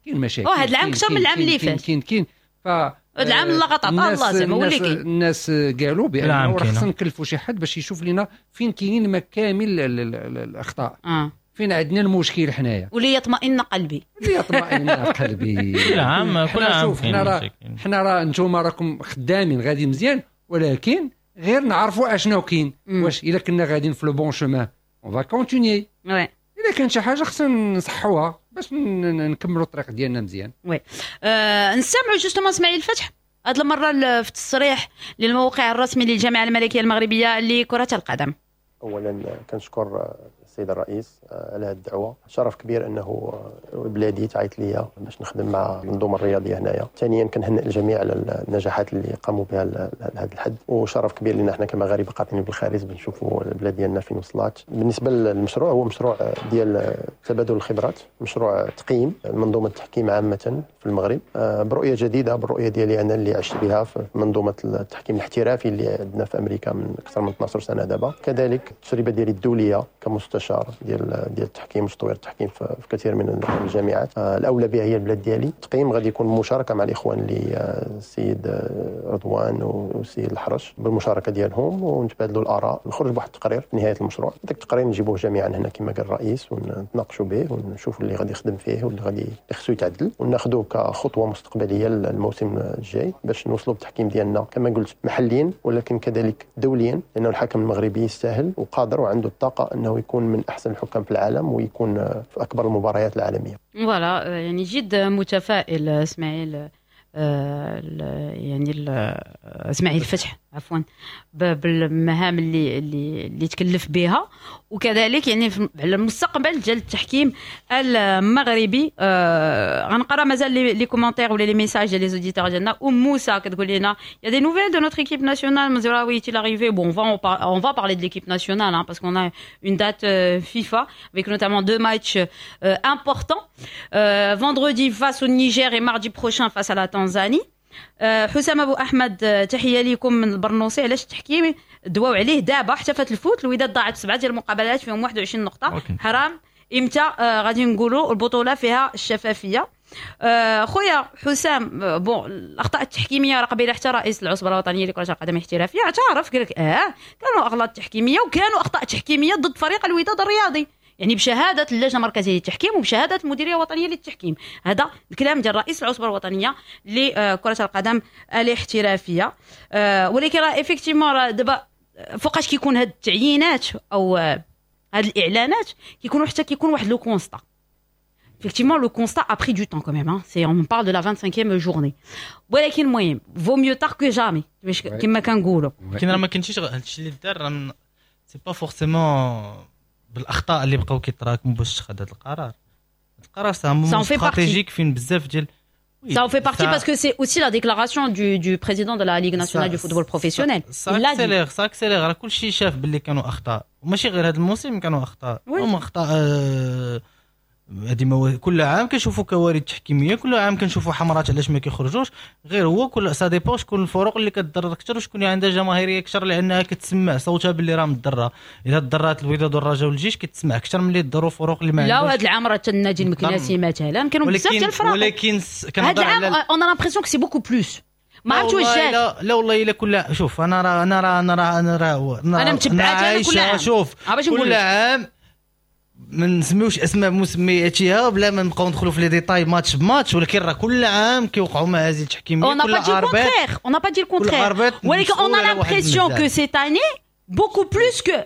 كاين مشاكل. هذا العام أكثر من العام اللي فات. كاين كاين ف هذا العام اللغط عطا الله زعما هو اللي كاين. الناس قالوا بأنه راه خصنا نكلفوا شي حد باش يشوف لنا فين كاينين مكامل الأخطاء. آه. فين عندنا المشكل حنايا، وليطمئن قلبي. ليطمئن قلبي. كل عام كل عام حنا راه حنا راه انتم راكم خدامين غادي مزيان، ولكن غير نعرفوا اشنو كاين. واش الا كنا غاديين في le bon chemin on va continuer، الا كان شي حاجة خصنا نصحوها باش نكملوا الطريق ديالنا مزيان. oui أه نسمعوا justement اسماعيل الفتح هذه المرة في التصريح للموقع الرسمي للجامعة الملكية المغربية لكرة القدم. اولا كنشكر السيد الرئيس على هذه الدعوة، شرف كبير انه بلادي تعيط ليا باش نخدم مع المنظومة الرياضية هنايا. ثانيا كنهنئ الجميع على النجاحات اللي قاموا بها لهذا الحد، وشرف كبير لنا حنا كمغاربه قاطنين بالخارج بنشوفوا البلاد ديالنا فين وصلات. بالنسبة للمشروع، هو مشروع ديال تبادل الخبرات، مشروع تقييم منظومة التحكيم عامة في المغرب برؤية جديدة، بالرؤية ديالي انا اللي عشت بها في منظومة التحكيم الاحترافي اللي عندنا في امريكا من اكثر من اثنا عشر سنة دابا. كذلك التجربة ديالي الدولية كمستشار ديال ديال التحكيم وتطوير التحكيم في كثير من الجامعات. الاولى بها هي البلاد ديالي. التقييم غادي يكون مشاركة مع الاخوان اللي السيد رضوان والسيد الحرش، بالمشاركة ديالهم ونتبادلوا الاراء، نخرج بواحد التقرير في نهاية المشروع. داك التقرير نجيبوه جميعا هنا كما قال الرئيس ونتناقشوا به ونشوفوا اللي غادي يخدم فيه واللي غادي خصو يتعدل، وناخذوه كخطوه مستقبلية للموسم الجاي باش نوصلوا بالتحكيم ديالنا كما قلت محليا ولكن كذلك دوليا، لانه الحكم المغربي يستاهل وقادر وعنده الطاقة انه يكون من احسن الحكام في العالم ويكون في اكبر المباريات العالمية. voilà، يعني جد متفائل اسماعيل، يعني اسماعيل الفتح عفوا بالمهام اللي اللي اللي تكلف بها، وكذلك يعني على المستقبل ديال التحكيم المغربي. آه غنقرا مازال les commentaires ولا les messages ديال les auditeurs ديالنا. ام موسى كتقول لنا y a des nouvelles de notre équipe nationale مزراوي est-il arrivé. Bon, on va on va parler de l'équipe nationale hein, parce qu'on a une date euh, FIFA avec notamment deux matchs euh, importants, euh, vendredi face au Niger et mardi prochain face à la Tanzanie. حسام ابو احمد، تحية لكم من البرنوسي. علاش التحكيم دواو عليه دابا حتى فات الفوت؟ الوداد ضاعت سبعة ديال المقابلات فيهم واحد وعشرين نقطه، حرام. امتى آه غادي نقولوا البطولة فيها الشفافيه؟ آه خويا حسام، bon، الاخطاء التحكيميه راه قبيلة حتى رئيس العصبة الوطنية لكرة القدم الاحترافية اعترف، قال لك اه كانوا اغلاط تحكيميه وكانوا اخطاء تحكيميه ضد فريق الوداد الرياضي، يعني بشهادة اللجنة المركزية للتحكيم وبشهاده المديرية الوطنية للتحكيم. هذا الكلام ديال رئيس العصبة الوطنية لكرة القدم الاحترافيه. آه، ولكن راه effectivement راه دابا فوقاش كيكون هاد التعيينات او هاد الاعلانات كيكونوا حتى كيكون واحد le constat. Effectivement, le constat a pris du temps quand même. Hein. C'est, on parle de la vingt-cinquième journée. ولكن المهم vaut mieux tard que jamais باش كما كنقولوا. ولكن راه ما كنتيش هادشي اللي دار، c'est pas forcément بالاخطاء اللي بقاو كيتراكموا باش تخد هذا القرار. القرار c'est un stratégique فين بزاف ديال Ça en fait partie parce que c'est aussi la déclaration du, du président de la Ligue nationale du football professionnel. Ça accélère, ça accélère. راه كلشي شاف باللي كانوا اخطاء، وماشي غير هذا الموسم كانوا اخطاء، هما اخطاء هذه كل عام كنشوفوا كوارث تحكيميه، كل عام كنشوفوا حمرات علاش ما كيخرجوش. غير هو كل ça dépend شكون الفرق اللي كتضرر اكثر وشكون اللي عندها جماهيرية اكثر، لانها كتسمع صوتها باللي راه مضره. اذا تضرات الوداد والرجاء والجيش كتسمع اكثر من اللي تضروا فرق اللي ما لا، وهذا العام راه النادي المكناسي مثلا كانوا بزاف ديال الفرق. ولكن هذا العام on a l'impression que c'est beaucoup plus، ما عرفتش واش جات. لا لا والله الا كل، شوف، انا راه انا راه انا راه انا راه انا متبعات انا كل عام. شوف، كل عام ما نسميوش اسماء مسمياتها بلا ما نبقاو ندخلوا في les détails match ب match، ولكن راه كل عام كيوقعوا مهازل تحكيميه. كل arbitre، on n'a pas dit le contraire، ولكن on a l'impression que cette année beaucoup plus que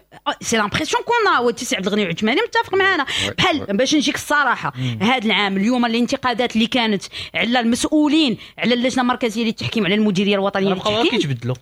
c'est l'impression qu'on a. سي عبد الغني العثماني متفق معنا. بحال باش نجيك الصراحه، هذا العام اليوم الانتقادات اللي كانت على المسؤولين، على اللجنة المركزية للتحكيم، على المديرية الوطنية للتحكيم، كيتبدلوا.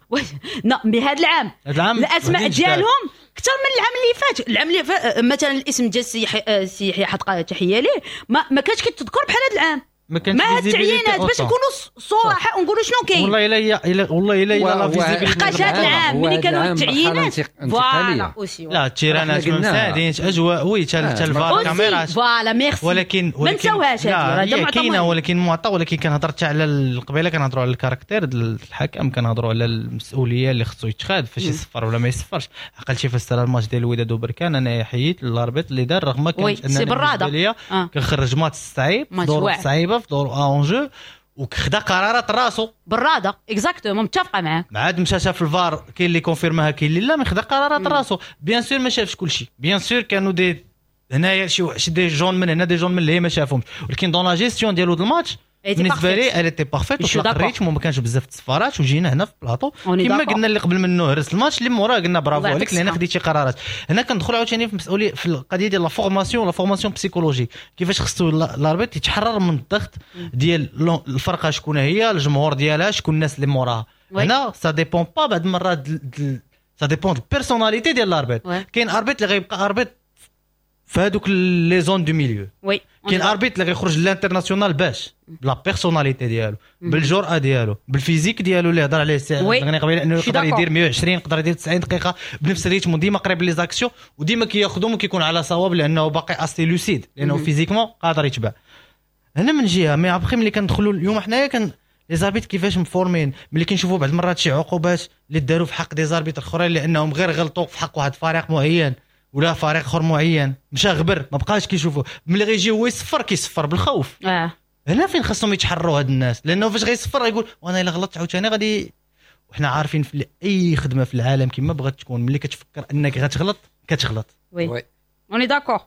non mais هذا العام العام الاسماء ديالهم اكثر من العام اللي فات. العام اللي فات مثلا الاسم ديال السي سي يحيى حدقه، تحية ليه، ما, ما كانش كيتذكر بحال هذا العام. ما كانش. مع التعيينات، باش نكونوا صراحة ونقولوا شنو كاين. والله الا الا والله الا الا la visibilité. حقاش هذا العام ملي كانوا التعيينات voilà aussi. لا، التيرانات ما مساعدينش، اجواء oui، حتى الفار، كاميرات. voilà، merci. ولكن ما نساوهاش. هذه كاينه ولكن معطى، ولكن كنهضر حتى على القبيله، كنهضروا على ال caractère ديال الحكم، كنهضروا على المسؤولية اللي خصو يتخاد فاش يصفر ولا ما يصفرش. عقلتي فاش سال الماتش ديال الوداد وبركان، انا حييت l'arbitre اللي دار، رغم كانت انا بالنسبة ليا كنخرج ماتش صعيب، ظروف صعيبه، في ظروف enjeu، وخدا قرارات راسو. براده، exactement، متفقه معاك. عاد مشى شاف الفار، كاين اللي confirma ها، كاين اللي لا، mais خدا قرارات راسو. bien sûr ما شافش كلشي، bien sûr كانوا des هنايا شي des jaunes من هنا، des jaunes من اللي ما شافهمش، ولكن dans la gestion ديالو الماتش بالنسبة لي elle était parfaite، وطلق ال rythme وما كانش بزاف التصفارات. وجينا هنا في بلاطو كما قلنا اللي قبل منه هرس الماتش، اللي موراه قلنا برافو عليك لان خديتي قرارات. هنا كندخل عاوتاني في مسؤوليه، في القضية ديال la formation، la formation psychologique، كيفاش خصو l'arbitre يتحرر من الضغط ديال الفرقه، شكون هي الجمهور ديالها، شكون الناس اللي موراها. هنا ça dépend pas، بعض المرات ça dépend ال personnalité ديال l'arbitre. كاين arbitre اللي غيبقى arbitre في هذوك les zones du milieu، oui كاين arbitre اللي غيخرج l'international باش ب la personnalité ديالو، بالجرأه ديالو، بال physique ديالو اللي هضر عليه السي غني قبيله، انه يقدر يدير مية وعشرين، يقدر يدير تسعين دقيقة بنفس ال rythme وديما قريب les actions وديما كياخذهم وكيكون على صواب، لانه باقي assez lucide، لانه physiquement قادر يتبع. هنا من جهه، mais après ملي كندخلوا اليوم حنايا كان les arbitres كيفاش مفورمين، ملي كنشوفوا بعض المرات شي عقوبات اللي داروا في حق des arbitres اخرين لانهم غير غلطوا في حق واحد الفريق معين ولا فريق اخر معين، مشى غبر ما بقاش كيشوفوا. ملي غيجي هو يصفر كيصفر بالخوف. اه هنا فين خاصهم يتحروا هاد الناس، لانه فاش غيصفر غيقول وانا الا غلطت عاوتاني غادي. وحنا عارفين في اي خدمة في العالم كما بغات تكون، ملي كتفكر انك غتغلط كتغلط. oui، on est d'accord.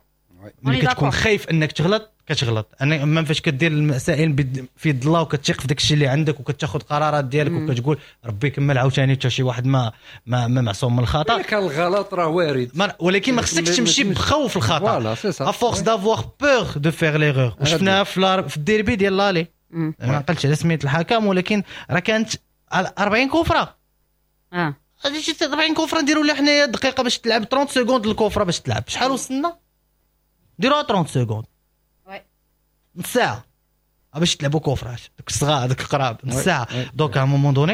ملي كتكون خايف انك تغلط كتغلط. انا même فاش كدير المسائل في يد الله وكتثق في داك الشيء اللي عندك وكتاخذ قرارات ديالك وكتقول ربي يكمل، عاوتاني حتى شي واحد ما ما, ما معصوم من الخطا. ولكن الغلط راه وارد. ولكن ما خصكش تمشي بخوف الخطا، voilà c'est ça، à force d'avoir peur de faire l'erreur. وشفناها في في الديربي ديال l'aller، ما عقلتش على سميت الحكم، ولكن راه كانت أربعين coup franc. اه. غادي شي أربعين coup franc نديروا لها حنايا دقيقة باش تلعب ثلاثين secondes ال coup franc باش تلعب. شحال وصلنا؟ ديروها ثلاثين secondes، نص ساعة باش تلعبوا coup franc ات دوك الصغار دوك القراب، نص ساعة. donc à un moment donné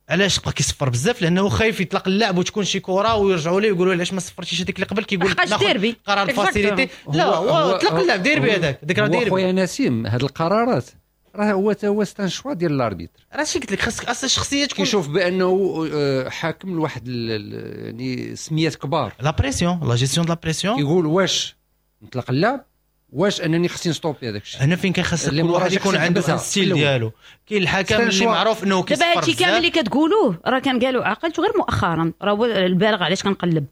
علاش بقى كيصفر بزاف؟ لانه خايف يطلق اللعب وتكون شي كره ويرجعوا ليه ويقولوا علاش ما صفرتيش هذيك اللي قبل، كيقول ناخذ قرار facilité. لا هو طلق اللعب ديربي هذاك، ديك راه ديربي. خويا نسيم هاد القرارات راه هو تا هو c'est un choix ديال l'arbitre. راه شي قلت لك خاصك اصلا الشخصية تكون كيشوف بانه حاكم لواحد يعني سميات كبار، la pression، la gestion de la pression، كيقول واش نطلق اللعب واش انني خصني نستوبي هذاك الشيء. هنا فين كيخص كل واحد يكون عنده ال style ديالو. كاين الحكم اللي معروف انه كيصفر. دابا هادشي كامل اللي كتقولوه راه كان قالوا عقلته غير مؤخرا، راه هو البالغ علاش كنقلب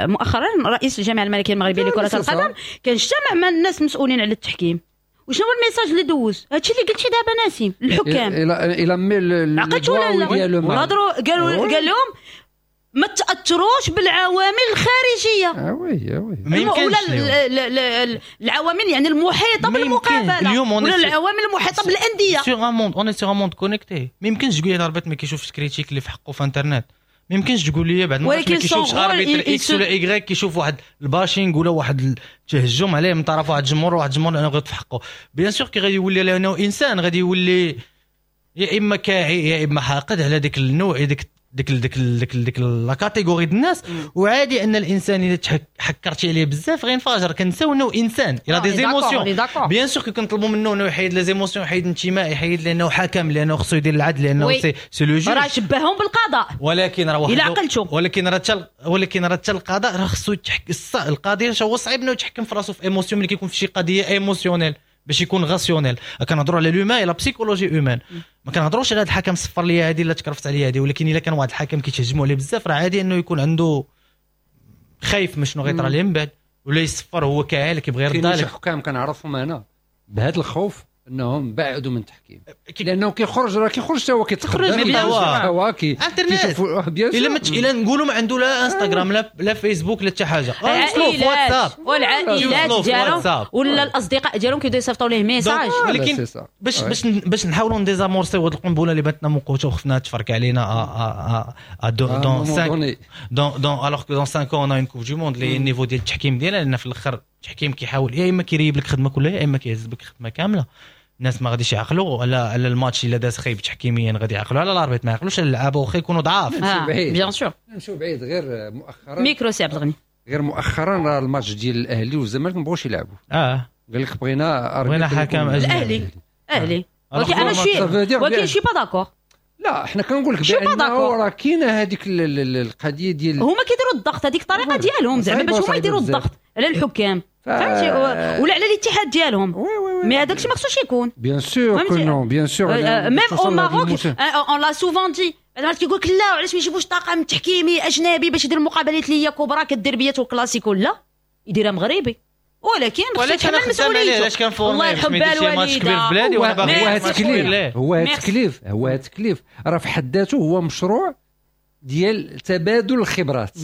مؤخرا رئيس الجامعة الملكية المغربية لكرة القدم كان اجتمع مع الناس المسؤولين على التحكيم. وشنو هو ال message اللي دوز؟ هادشي اللي قلتي دابا ناسي الحكام الى الى مي عقلتوا ولا لا؟ وهضروا قالوا قال لهم ما تاثروش بالعوامل الخارجية. اه oui اه oui ما يمكنش ولا العوامل يعني المحيطة بالمقابلة ولا العوامل المحيطة بالاندية. sur un monde on est sur un monde connecté. ما يمكنش تقول لي l'arbitre ما كيشوفش critiques اللي في حقه في انترنت. ما يمكنش تقول لي بعد ما كيشوفش arbitre X ولا Y كيشوف واحد ال bashing ولا واحد التهجم عليه من طرف واحد الجمهور وواحد الجمهور لانه غلط في حقه. bien sûr كي غادي يولي لانه انسان غادي يولي يا اما كاعي يا اما حاقد على ديك النوع ديك ديك ديك ديك ديك la catégorie ديال الناس. وعادي ان الانسان اذا حكرتي عليه بزاف غينفجر. كنساو انه انسان il a des émotions. bien sûr كنطلبوا منه انه يحيد les émotions، يحيد الانتماء، يحيد لانه حكم، لانه خصو يدير العدل، لانه c'est c'est le juge. راه شبههم بالقضاء، ولكن راه الا عقلتو ولكن راه حتى ولكن راه حتى القضاء راه خصو يتحكم. القاضي هو صعيب انه يتحكم في راسو في émotion ملي كيكون في شي قضية émotionnelle باش يكون rationnel. كنهضروا على l'humain، la psychologie humaine، ما كنهضروش على هذا الحكم صفر لي هذه لا تكرفت عليا هذه. ولكن الا كان واحد الحكم كيتهجموا عليه بزاف راه عادي انه يكون عنده خايف من شنو غيطرى ليه من بعد، ولا يصفر هو كاعل كيبغي يرد عليك. كاين شي حكام كنعرفهم انا بهذا الخوف انهم بعدوا من التحكيم، لانه كيخرج راه كيخرج حتى هو كيتخرج هو كي انترنت. الا ما الا نقولوا ما عنده لا انستغرام لا لا فيسبوك لا حتى حاجة، وصلوا في واتساب والعائلات ديالهم ولا الاصدقاء ديالهم كيبداو يصيفطوا ليه message. ولكن باش باش باش نحاولوا ن désamorcer هاد القنبلة اللي باتنا موقوته وخفنا تفرك علينا ا dans cinq dans dans alors que dans cinq ans on a une Coupe du Monde les niveaux ديال التحكيم ديالنا، لان في الاخر التحكيم كيحاول يا اما كيريب لك خدمة كلها يا اما كيهز بك خدمة كاملة. الناس ما غاديش يعقلوا على على الماتش الا داز خايب تحكيميا، غادي يعقلوا على l'arbitre، ما يعقلوش على اللعابه واخا يكونوا ضعاف. bien sûr نمشيو بعيد غير مؤخرا ميكرو سي عبد الغني، غير مؤخرا راه الماتش ديال الاهلي والزمالك ما بغاوش يلعبوا. اه قال لك بغينا بغينا حكم اجنبي. الاهلي اهلي ولكن انا شي ولكن je suis pas d'accord. لا حنا كنقول لك بانه راه كاينه هذيك القضية ديال هما كيديروا الضغط، هذيك الطريقة ديالهم زعما باش هما يديروا الضغط على الحكام، فهمتي، ولا على الاتحاد ديالهم. mais هذاك الشيء ما خصوش يكون. bien sûr que non، bien sûr même au Maroc on l'a souvent dit، كيقول لك لا علاش ما يجيبوش طاقم تحكيمي اجنبي باش يدير المقابلات اللي هي كبرى كالديربيات والكلاسيكو، لا يديرها مغربي، ولكن خصو يتحمل مسؤوليته. الله يرحم بال والديه. هو هذا التكليف هو هذا التكليف هو هذا التكليف راه في حد ذاته هو مشروع ديال تبادل الخبرات.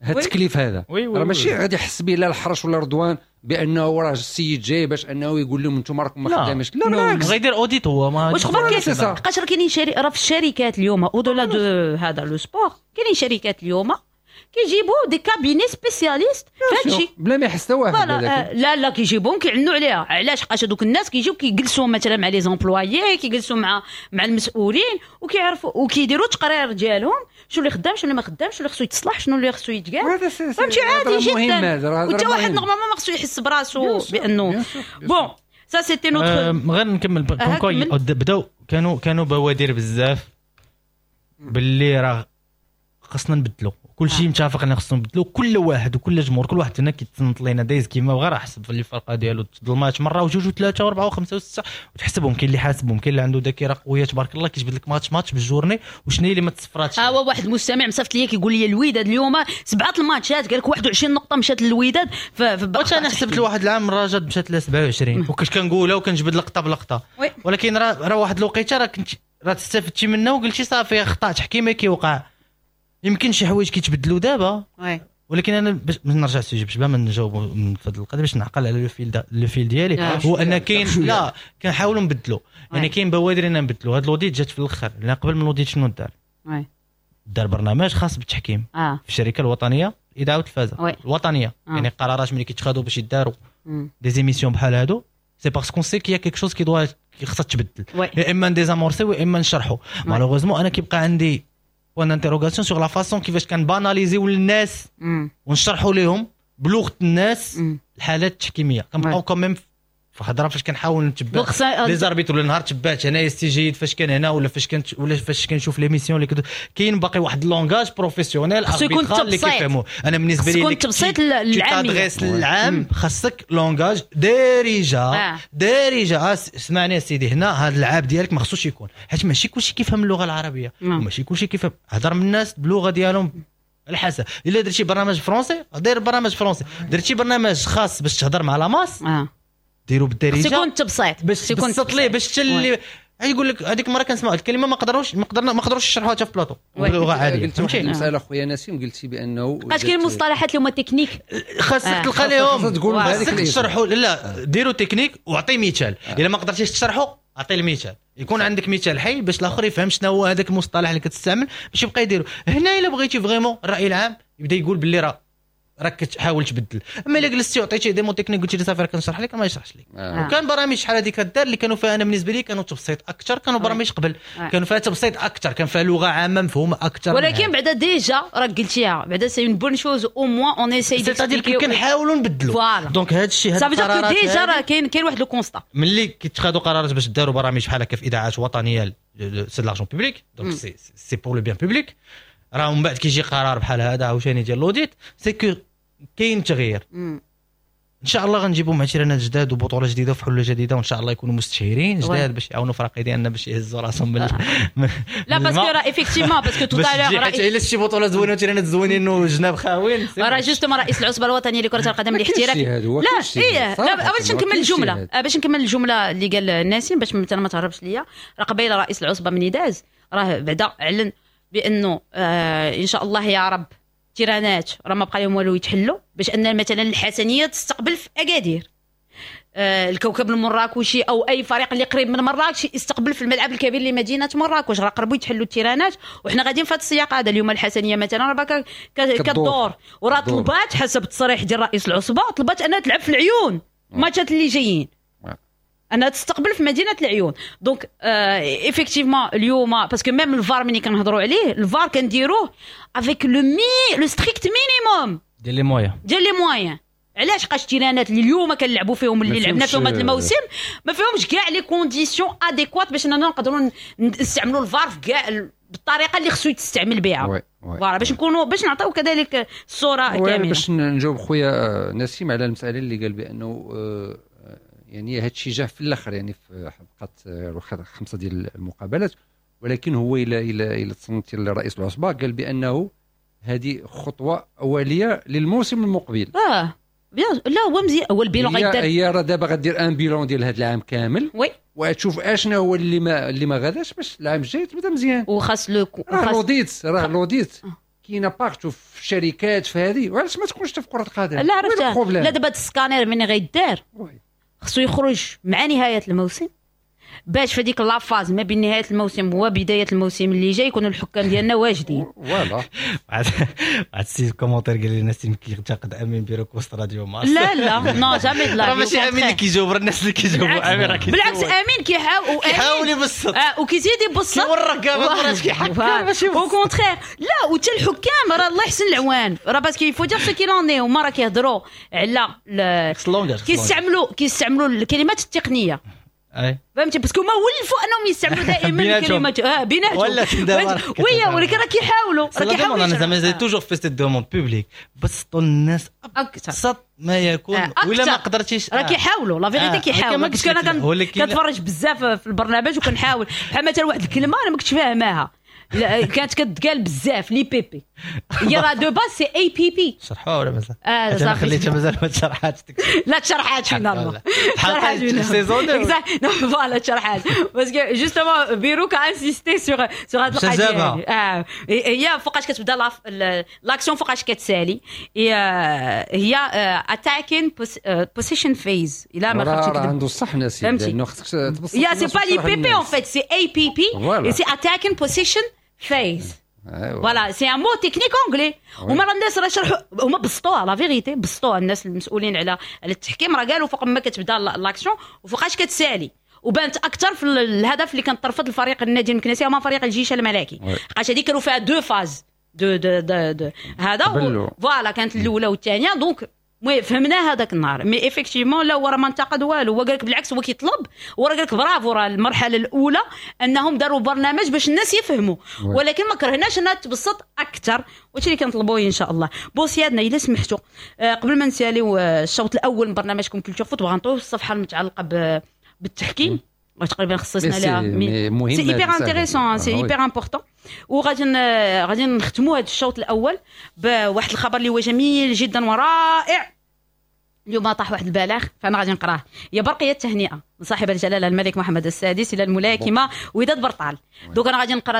هذا التكليف هذا راه ماشي غادي يحس به لا الحرش ولا رضوان بانه راه السيد جاي باش انه يقول لهم انتم راكم ما خدامينش. لا بالعكس غيدير audit هو ما واش خبر كاين. لحقاش راه كاينين راه في الشركات اليوم au-delà de هذا le sport، كاينين شركات اليوم كيجيبوا des cabinets spécialistes في هادشي بلا ما يحس واحد. لا لا كيجيبوهم كيعنوا عليها. علاش؟ حقاش هذوك الناس كيجيو كيجلسوا مثلا مع les employés، كيجلسوا مع مع المسؤولين وكيعرفوا وكيديروا تقرير ديالهم شنو اللي خدام شنو اللي ما خدامش، شنو اللي خصو يتصلح شنو اللي خصو يتقال. فهمتي؟ عادي جدا. وحتى واحد normalement ما خصو يحس براسو بانه bon ça c'était notre. غير نكمل بداو كانوا كانوا بوادر بزاف باللي راه خصنا نبدلو كل شيء، متفق ان خصنا نبدلو كل واحد وكل جمهور، كل واحد هنا كيتصنت لينا دايز كيما بغا راه حسب في الفرقة ديالو الماتش مرة وجوج وثلاثة واربعة وخمسة وستة وتحسبهم. كاين اللي حاسبهم، كاين اللي عنده ذاكره قوية تبارك الله كيجبد لك match match بال journée وشنو هي اللي ما تصفراتش. ها هو واحد المستمع مصيفط لي كيقول لي الوداد اليوم سبعة الماتشات، قال لك واحد وعشرين نقطة مشات للوداد. ف واش انا حسبت لواحد العام الرجاء مشات لها سبعة وعشرين وكنت كنقولها وكنجبد لقطة بلقطة، ولكن راه راه واحد الوقيته راه كنت راه استفدتي منها وقلتي صافي خطا تحكيمي كيوقع، يمكن شي حوايج كيتبدلوا دابا. ولكن انا باش نرجع لل sujet باش بلا ما نجاوب من فضل القضية باش نعقل على le fil le fil ديالي، هو ان كاين لا كنحاولوا نبدلوا، يعني كاين بوادر ان نبدلوا. هاد l'audit جات في الاخر، لان قبل من l'audit شنو دار؟ دار برنامج خاص بالتحكيم آه. في الشركة الوطنية الاذاعة والتلفازه الوطنية آه. يعني قرارات ملي كيتخادوا باش يداروا des émissions بحال هادو c'est parce qu'on sait qu'il y a quelque chose qui doit خصها تبدل، يا اما désamorcer ويا اما نشرحوا. malheureusement انا كيبقى عندي point d'interrogation sur la façon كيفاش كن banaliser يو للناس ونشرحوا لهم بلغه الناس الحالات التحكيميه. كنبقاو quand même في هضره فاش كنحاول نتبع les arbitres ولا نهار تبعت هنايا السي جيد فاش كان هنا ولا فاش كنت ولا فاش كنشوف l'émission اللي كدو... كاين باقي واحد langage professionnel arbitral اللي كيفهموه. انا بالنسبة لي يكون تبسيط العامية العام خاصك langage دارجه آه. دارجه. اسمعني سيدي، هنا هذا العاب ديالك ما خصوش يكون، حيت ماشي كلشي كيفهم اللغة العربية وماشي كلشي كيفهم. هضر من الناس باللغة ديالهم على حسب. الا درتي برنامج français دير برنامج français، درتي برنامج خاص باش تهضر مع la masse آه. ديروا بالدارجة، يكون تبسيط باش تبسط ليه باش حتى اللي يقول لك هذيك المرة كنسمع واحد الكلمة ما قدروش ما قدرنا ما قدروش يشرحوها حتى في بلاطو بلغه عادية. قلت واحد المسالة خويا نسيم، قلتي بانه بقاش كاين مصطلحات اللي هما تكنيك خاصك آه. تلقى لهم، خاصك تشرحوا. لا آه. ديروا تكنيك وعطي مثال. الا ما قدرتيش تشرحوا عطي المثال، يكون عندك مثال حي باش الاخر يفهم شنو هو هذاك المصطلح اللي كتستعمل باش يبقى يديرو. هنا الا بغيتي vraiment الراي العام يبدا يقول باللي راه راك كتحاول تبدل. اما الا جلستي وعطيتي des mots techniques قلتي لي صافي راه كنشرح لك ما يشرحش لك. آه. وكان برامج شحال هذيك كدار اللي كانوا فيها انا بالنسبة لي كانوا تبسيط اكثر، كانوا برامج قبل آه. كانوا فيها تبسيط اكثر، كان فيها لغة عامة مفهومه اكثر. ولكن بعدا déjà راك قلتيها، بعدا c'est une bonne chose au moins on essaie c'est-à-dire كنحاولوا نبدلوا. donc هذا الشيء هذا القرارات déjà راه كاين كاين واحد le constat ملي كيتخادوا قرارات باش داروا برامج بحال هكا في اذاعات وطنية c'est l'argent public، donc c'est c'est pour le bien public. راه من بعد كيجي قرار بحال هذا عاوتاني ديال l'audit، c'est que كاين تغيير. مم. ان شاء الله غنجيبوا معترانات جداد وبطولة جديدة وفي حله جديدة، وان شاء الله يكونوا مستشهرين جداد باش يعاونوا فرق ديالنا باش يهزوا راسهم من لا parce que راه effectivement parce que tout à l'heure حيت الا شي بطوله زوينة وتيرانات زوينين وجناب خاوين راه justement رئيس العصبة الوطنية لكرة القدم الاحترافي. لا ايه لا باش نكمل الجملة، باش نكمل الجملة اللي قال ناسم باش مثلا ما تهربش ليا. راه قبيلة رئيس العصبة من داز راه بعدا اعلن بانه آه ان شاء الله يا رب تيرانات راه ما بقى لهم والو يتحلوا، باش ان مثلا الحسنيه تستقبل في اكادير، آه الكوكب المراكشي او اي فريق اللي قريب من مراكش يستقبل في الملعب الكبير لمدينة مراكش. راه قربوا يتحلوا التيرانات وحنا غاديين في هذا السياق هذا. اليوم الحسنيه مثلا راه كدور وراه طلبات حسب التصريح ديال رئيس العصبة، طلبات انها تلعب في العيون ماتشات اللي جايين، انها تستقبل في مدينة العيون. donc effectivement اليوم parce que même الفار ملي كنهضروا عليه، الفار كنديروه avec le mi le strict minimum ديال les moyens ديال les moyens. علاش قاش التيرانات اللي اليوم كنلعبوا فيهم اللي لعبنا فيهم هذا الموسم ما فيهمش كاع les conditions adéquates باش اننا نقدروا نستعملوا الفار في كاع بالطريقة اللي خصو يتستعمل بها. voilà باش نكونوا باش نعطيو كذلك الصورة كاملة. باش نجاوب خويا نسيم على المسالة اللي قال بانه يعني هذا الشيء جا في الاخر، يعني في بقات خمسة ديال المقابلات، ولكن هو الى الى الى تصنت لرئيس العصبة قال بانه هذه خطوة اوليه للموسم المقبل. اه bien لا هو مزيان، هو ال bilan غيدار، هي راه دابا غدير un bilan ديال هذا العام كامل oui وتشوف اشنا هو اللي ما اللي ما غاداش باش العام الجاي تبدا مزيان. وخاص le راه l'audit راه l'audit كاينه partout في الشركات في هذه، وعلاش ما تكونش في كره القدم؟ لا عرفتها. لا دابا السكانير من غيدار خصو يخرج مع نهاية الموسم باش في ديك la phase ما بين نهاية الموسم وبداية الموسم اللي جاي يكونوا الحكام ديالنا واجدين. voilà واحد السيد commentaire قال لي نسيم كينتقد امين بيروك وسط راديو مارس. لا لا non jamais لا، راه ماشي امين اللي كيجاوب، راه الناس اللي كيجاوبوا. امين راه بالعكس، امين كيحاول كيحاول يبسط اه وكيزيد يبسط كيورك كاع مرات كيحكم ماشي au contraire. لا وحتى الحكام راه الله يحسن العوان، راه parce qu'il faut dire ce qu'il en est. هما راه كيهضروا على كيستعملوا كيستعملوا الكلمات التقنية اي فهمتي، parce que ما ولفوا انهم يستعملوا دائما الكلمات اه بيناتهم ولا oui، ولكن راه كيحاولوا راه كيحاولوا. انا زعما j'ai toujours fait cette demande publique، بسطوا الناس ابسط ما يكون آه. ولا ما قدرتيش راه كيحاولوا la vérité كيحاولوا. parce que انا كنتفرج بزاف في البرنامج وكنحاول بحال مثلا واحد الكلمة انا ما كنتش فاهماها كانت كتقال بزاف les PP، هي راه de base c'est APP. شرحوها ولا مازال؟ اه صافي خليتها مازال ما تشرحاتش. لا تشرحات finalement تشرحات saison voilà تشرحات parce que justement بيروك insisté sur sur هاد القضية. اه هي فوقاش كتبدا l'action فوقاش كتسالي، هي attacking possession phase. الا ما خفتش راه عنده الصح ناسي لانه خصك تبسط. يا c'est pas les PP en fait c'est APP، c'est attacking possession phase. voilà، c'est un mot technique anglais. هما راه الناس راه شرحوا، هما بسطوها، la vérité بسطوها الناس المسؤولين على على التحكيم، راه قالوا فوق ما كتبدا l'action وفوقاش كتسالي، وبانت اكثر في الهدف اللي كان ترفض الفريق النادي المكناسي هما فريق الجيش الملكي، حقاش هذه كانوا فيها deux phases de de de, de هذا، voilà، كانت الاولى والثانيه. donc المهم فهمنا هذاك النهار، mais effectivement لا، هو راه ما انتقد والو، هو قال لك بالعكس، هو كيطلب، هو راه قال لك برافو، راه المرحلة الاولى انهم داروا برنامج باش الناس يفهموا، ولكن ما كرهناش انها تبسط اكثر، وهادشي اللي كنطلبوه ان شاء الله. bon سيادنا، الا سمحتوا، آه، قبل ما نساليو آه، الشوط الاول من برنامجكم Culture Foot، بغا نطويو الصفحة المتعلقة بالتحكيم، تقريبا خصصنا لها، mais c'est hyper intéressant، c'est hyper important. وغادي غادي نختموا هذا الشوط الاول بواحد الخبر اللي هو جميل جدا ورائع. اليوم طاح واحد البلاغ، فانا غادي نقراه. هي برقية التهنئة من صاحب الجلاله الملك محمد السادس الى الملاكمة وداد برطال. donc انا غادي نقرا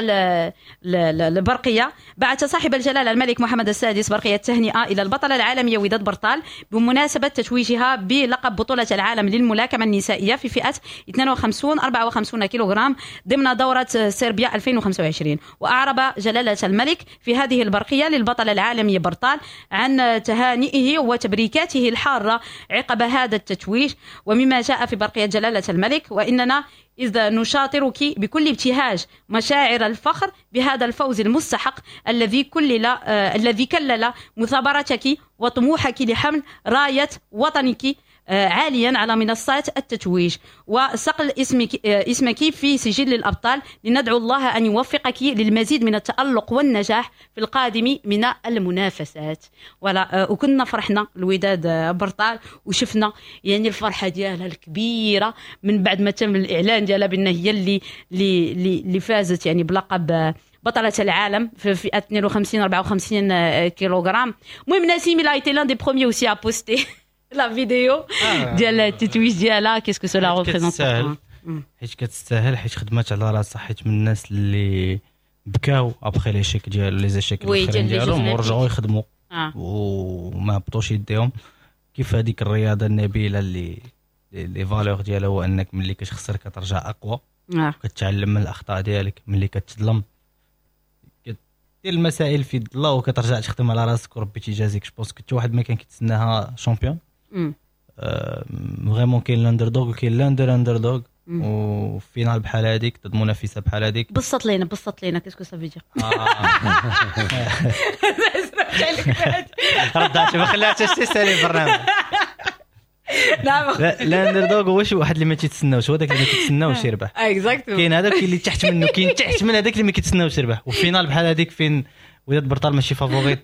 البرقيه. بعث صاحب الجلاله الملك محمد السادس برقية التهنئة الى البطلة العالمية وداد برطال بمناسبة تتويجها بلقب بطوله العالم للملاكمه النسائية في فئة اثنين وخمسين أربعة وخمسين كيلوغرام ضمن دوره صربيا ألفين وخمسة وعشرين. واعرب جلاله الملك في هذه البرقيه للبطله العالمية برطال عن تهانئه وتبريكاته الحارة عقب هذا التتويج. ومما جاء في برقية جلالة الملك: وإننا إذ نشاطرك بكل ابتهاج مشاعر الفخر بهذا الفوز المستحق الذي كلل آه الذي كلل مثابرتك وطموحك لحمل راية وطنك آه، عاليا على منصات التتويج وصقل اسمك آه، اسمك في سجل الابطال. لندعو الله ان يوفقك للمزيد من التالق والنجاح في القادم من المنافسات. voilà، آه، وكنا فرحنا الوداد برطال وشفنا يعني الفرحة ديالها الكبيرة من بعد ما تم الاعلان ديالها بان هي اللي اللي اللي فازت يعني بلقب بطلة العالم في فئة اثنين وخمسين أربعة وخمسين كيلوغرام. المهم نسيم il a été l'un des premiers aussi à poster la vidéo ديال التتويج ديالها. qu'est-ce que cela représente؟ حيت كتستاهل، حيت خدمات على راسها، حيت من الناس اللي بكاو après l'échec ديال les échecs الاخرين ديالهم ورجعوا يخدموا آه. وما هبطوش يديهم. كيف هذيك الرياضة النبيلة اللي les valeurs ديالها هو انك ملي كتخسر كترجع اقوى آه. كتعلم من الاخطاء ديالك، ملي كتظلم كدير المسائل في يد الله وكترجع تخدم على راسك وربي تيجازيك. je pense حتى واحد ما كان كيتسناها championne vraiment. كاين l'underdog وكاين l'under underdog، و finale بحال هذيك ضد منافسه بحال هذيك. بسط لينا، بسط لينا، qu'est-ce que ça veut dire؟ ردات ما خلاتش تسالي البرنامج. نعم. l'underdog هو شي واحد اللي ما تيتسناوش، هو داك اللي ما كيتسناوش يربح. exactement. كاين هذاك اللي تحت منه، كاين تحت من هذاك اللي ما كيتسناوش يربح. و finale بحال هذيك فين وداد برطال ماشي favorite،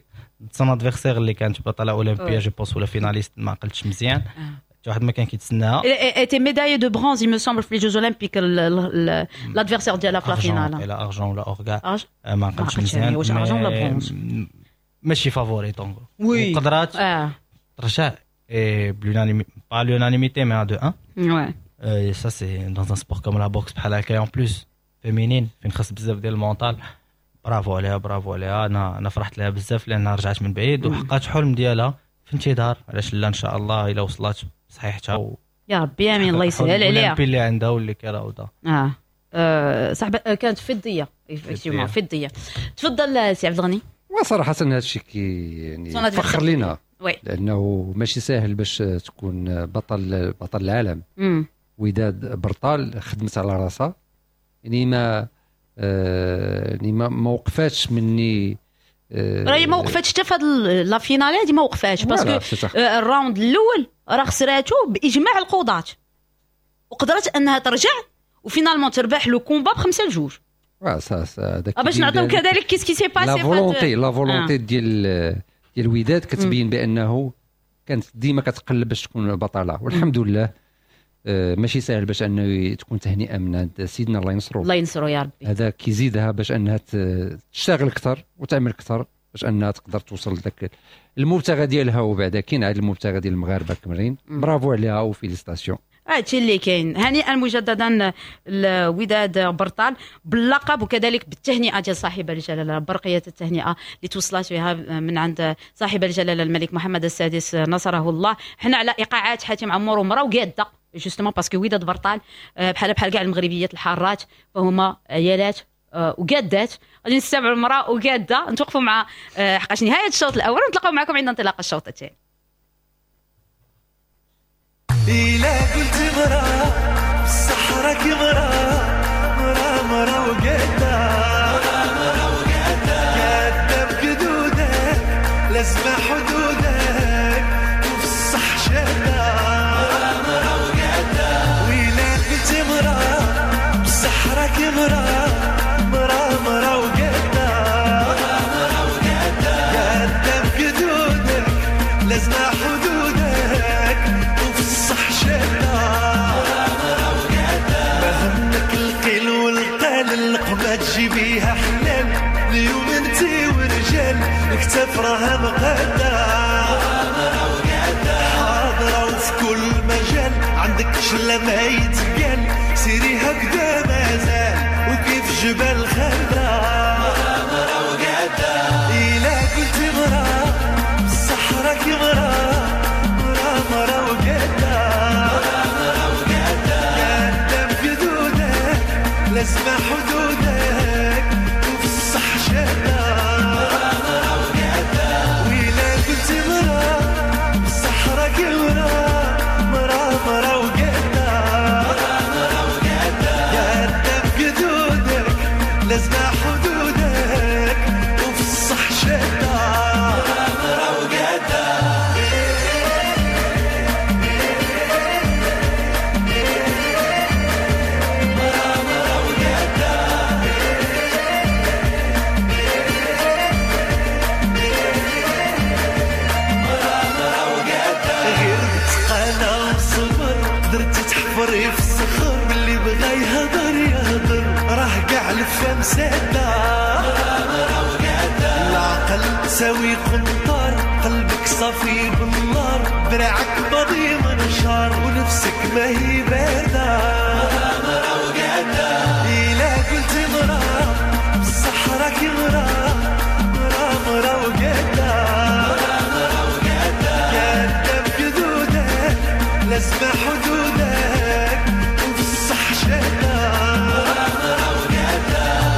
son adversaire اللي كانت بطلة اولمبيه je pense ولا finaliste، ما عقلتش مزيان، حتى واحد ما كان كيتسناها. était médaillée de bronze il me semble في les Jeux Olympiques، l'adversaire ديالها في la finale. لا argent ولا or كاع ما عقلتش مزيان. واش argent ولا برونز. ماشي favorite donc oui وقدرات ترجع ب l'unanimité، pas l'unanimité mais deux un. Ouais. Et ça c'est dans un sport comme la boxe بحال هكا، en plus féminine، فين خاص بزاف ديال ال mental. برافو عليها، برافو عليها. انا انا فرحت لها بزاف لانها رجعت من بعيد وحققت حلم ديالها في انتظار، علاش لا، ان شاء الله الا وصلت صحيحتها و... يا ربي امين، الله يسهل عليها. الاولمبي اللي عندها واللي كيراودها. اه, آه صاحب آه، كانت فضية effectivement، فضيه. تفضل سي عبد الغني. وصراحة هذا الشيء كي يعني فخر لنا oui. لانه ماشي ساهل باش تكون بطل بطل العالم. مم. وداد برطال خدمت على راسها، يعني ما آه يعني ما ما وقفاتش مني. آه راهي ما وقفاتش حتى في هاد la finale هادي، ما وقفاتش parce que آه، ال round الاول راه خسراتو باجماع القضاة وقدرت انها ترجع و finalement تربح le combat بخمسة لجوج. باش نعطيو كذلك qu'est-ce qui s'est passé. la volonté la volonté ديال ديال الوداد كتبين بانه كانت ديما كتقلب باش تكون بطله، والحمد لله. آه، ماشي سهل باش انه تكون تهنئة من عند سيدنا، الله ينصرو. الله ينصرو يا ربي. هذا كيزيدها باش انها تشتغل اكثر وتعمل اكثر باش انها تقدر توصل لذاك المبتغى ديالها، وبعدا كاين عاد المبتغى ديال المغاربة كاملين. برافو عليها و félicitations. هادشي اللي كاين. هنيئا مجددا الوداد برطال باللقب وكذلك بالتهنئه ديال صاحب الجلاله، برقية التهنئة اللي توصلت بها من عند صاحب الجلاله الملك محمد السادس نصره الله. حنا على ايقاعات حاتم عمور ومرا وقاده justement parce que وداد برطال آه، بحال بحال كاع المغربيات الحارات، فهما عيالات وقادات. غادي نستمعوا المراة وقاده، نتوقفوا مع حقاش نهاية الشوط الاول ونتلاقاو معكم عند انطلاق الشوط الثاني. إلا قلت مرا بصح راكي مرا مرا مرا وقادة مرا وقادة قادة بقدودك لازم حدودك وفي الصح شادة مرا مرا وقادة. وإلا قلت مرا بصح راكي مرا مرا مرا وقادة مرا مرا وقادة قادة بقدودك لازم حدودك وفي الصح شادة ما همك القيل والقال اللقمة تجيبيها حلال اليوم انتي ورجال الكتاف راها مقادة حاضرة وفي كل مجال عندك شلة ما يتقال سيري هكذا مازال وكيف جبال خضرا إلا قلت مرا بصح راكي مرا مرا مرا وقادة قادة بقدودك لازم حدودك وفي الصح شادة وإلا قلت مرا بصح راكي مرا مرا مرا وقادة قادة بقدودك لازم حدودك وفي الصح شادة مرا وقادة. غير بتقالة وصبر درتي تحفري في الصخر واللي بغى يهضر يهضر راه كاع الفم سادة العقل ساوي قنطار قلبك صافي بالنار دراعك ماضي منشار ونفسك ما هي باردة إلا قلت مرا بصح راكي مرا مرا مرا وقادة قادة بقدودك لازم حدودك وفي الصح شادة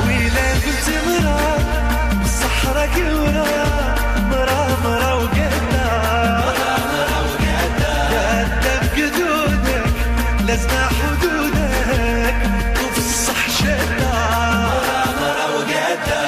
وإلا قلت مرا بصح راكي مرا مرا مرا وقادة قادة بقدودك لازم حدودك وفي الصح شادة مرا وقادة.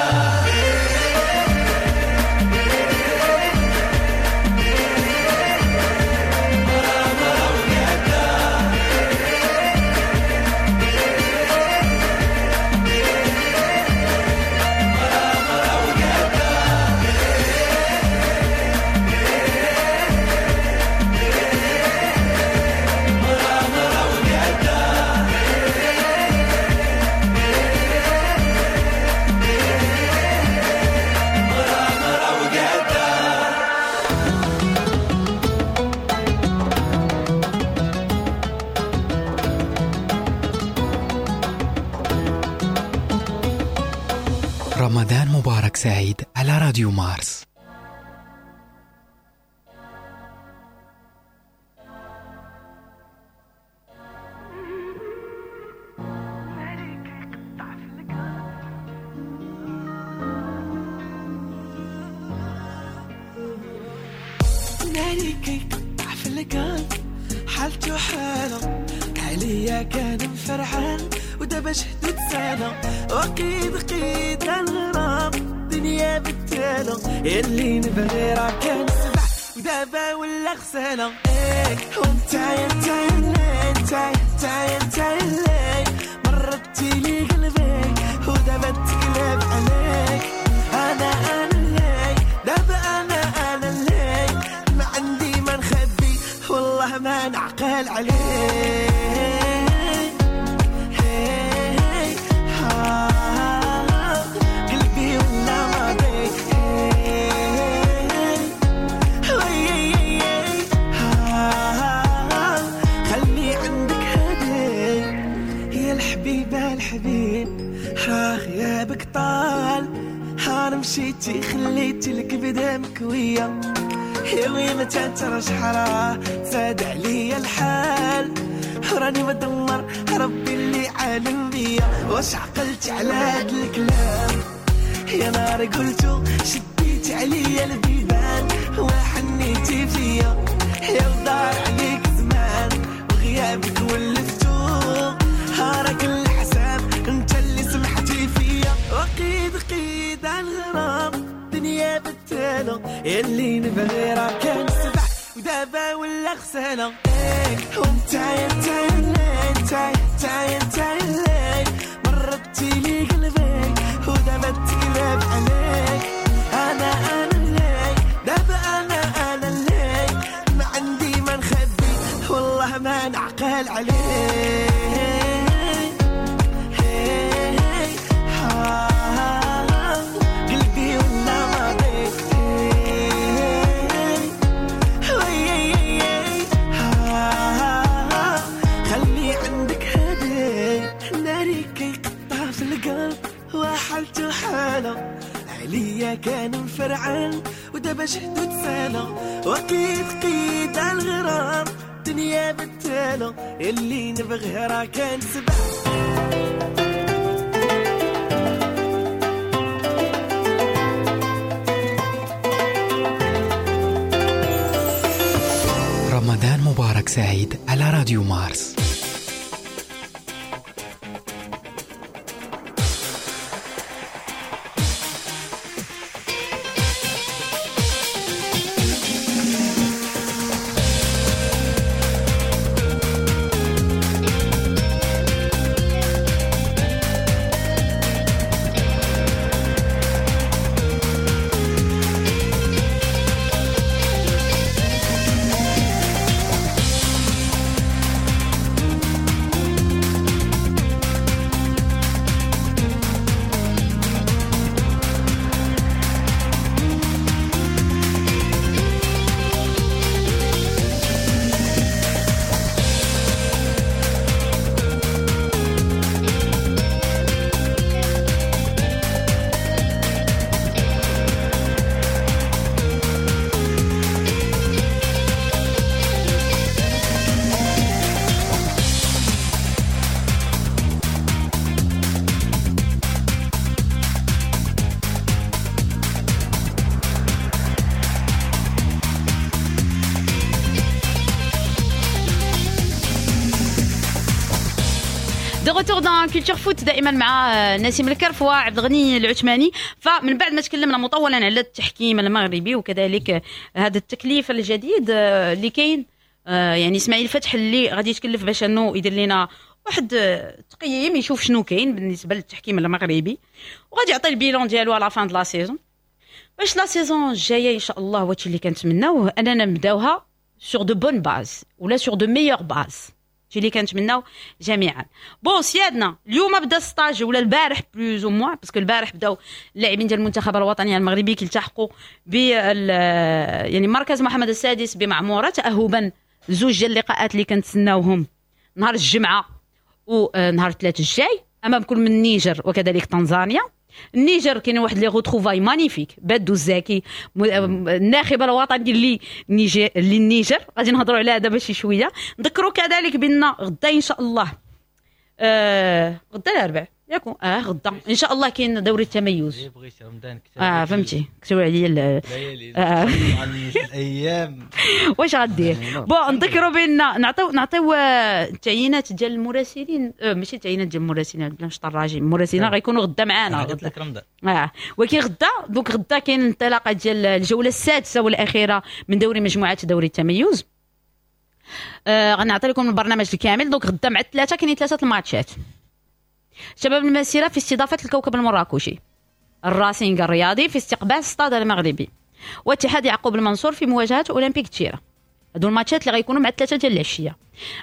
رمضان مبارك سعيد على راديو مارس. ناري كيقطع في القلب حالته حالة عليا كان مفرحان ودابا شهدو تسالة وقيد قيد الغرام دنيا بالتالة اللي نبغي راه كان سبع ودابا ولا غسالة. ايه وانت انت انت انت انت اللي مرتي لي قلبي ودابا تقلب عليك. انا انا اللي دابا انا انا اللي ما عندي ما نخبي والله ما نعقل عليك. قلبي ولا ماضي خلي عندك هدي يا الحبيبة الحبيب راه غيابك طال هار مشيتي خليتي الكبدة مكوية يا وين ما تنترش حرا زاد عليا الحال. راني مدمر ربي اللي عالم بيا. واش عقلت على هاد الكلام يا نار قلتو شديت عليا البيبان وحنيتي فيا يا ودار عليك زمان وغيابك ولفتو هارك الحساب انت اللي سمحتي فيا. وقيد قيد على الغرام دنيا بالتالة اللي نبغي راه كان سبع ودابا ولا غسالة. وانت يا انت انت انت اللي مرتي لي قلبي ودابا تقلب عليك. انا انا اللي دابا انا انا اللي ما عندي ما نخبي والله ما نعقل عليك. قلبي ولا ماضي خلي عندك هدي ناري كيقطع في القلب وحالته حالة عليا كان مفرعان ودابا جهدو تسالة. وقيد قيد على الغرام دنيا بالتالة اللي نبغيها راه كان سبع. رمضان مبارك سعيد على راديو مارس. retour dans Culture Foot دائما مع نسيم الكرف وعبد الغني العثماني. فمن بعد ما تكلمنا مطولا على التحكيم المغربي وكذلك هذا التكليف الجديد اللي كاين، يعني اسماعيل فتح اللي غادي يتكلف باش انه يدير لنا واحد التقييم يشوف شنو كاين بالنسبة للتحكيم المغربي وغادي يعطي ال bilan ديالو à la fin de la saison، باش la saison الجاية ان شاء الله وهادشي اللي كنتمناوه اننا نبداوها sur de bonnes bases ولا sur de meilleures bases، هادشي اللي كنتمناو جميعا. bon سيادنا اليوم بدا stage ولا البارح plus ou moins، parce que البارح بداو اللاعبين ديال المنتخب الوطني المغربي كيلتحقوا ب يعني مركز محمد السادس بمعموره تاهبا زوج ديال اللقاءات اللي كنتسناوهم نهار الجمعة ونهار الثلاث الجاي امام كل من النيجر وكذلك تنزانيا. النيجر كاين واحد les retrouvailles magnifiques، بادو الزاكي الناخب الوطني اللي نيجر للنيجر غادي نهضروا عليها دابا شي شوية. نذكروا كذلك بان غدا ان شاء الله آه غدا الاربع ياكو اه غدا ان شاء الله كاين دوري التميز. بغيتي رمضان كتب اه فهمتي كتبوا عليا الايام واش غدير. bon نذكروا بان نعطيو نعطيو التعيينات ديال المراسلين، آه ماشي التعيينات ديال المراسلين بلا مش طراجي، المراسلين غيكونوا غدا معانا قلت لك رمضان اه ولكن غدا donc غدا كاين الانطلاقة ديال الجولة السادسة والاخيرة من دوري مجموعات دوري التميز. آه غنعطي لكم البرنامج الكامل. donc غدا مع الثلاثة كاينين ثلاثة الماتشات. شباب المسيرة في استضافة الكوكب المراكشي، الراسينغ الرياضي في استقبال ستاد المغربي، واتحاد يعقوب المنصور في مواجهة أولمبيك تشيرة. هادو الماتشات اللي غيكونوا مع الثلاثة ديال العشية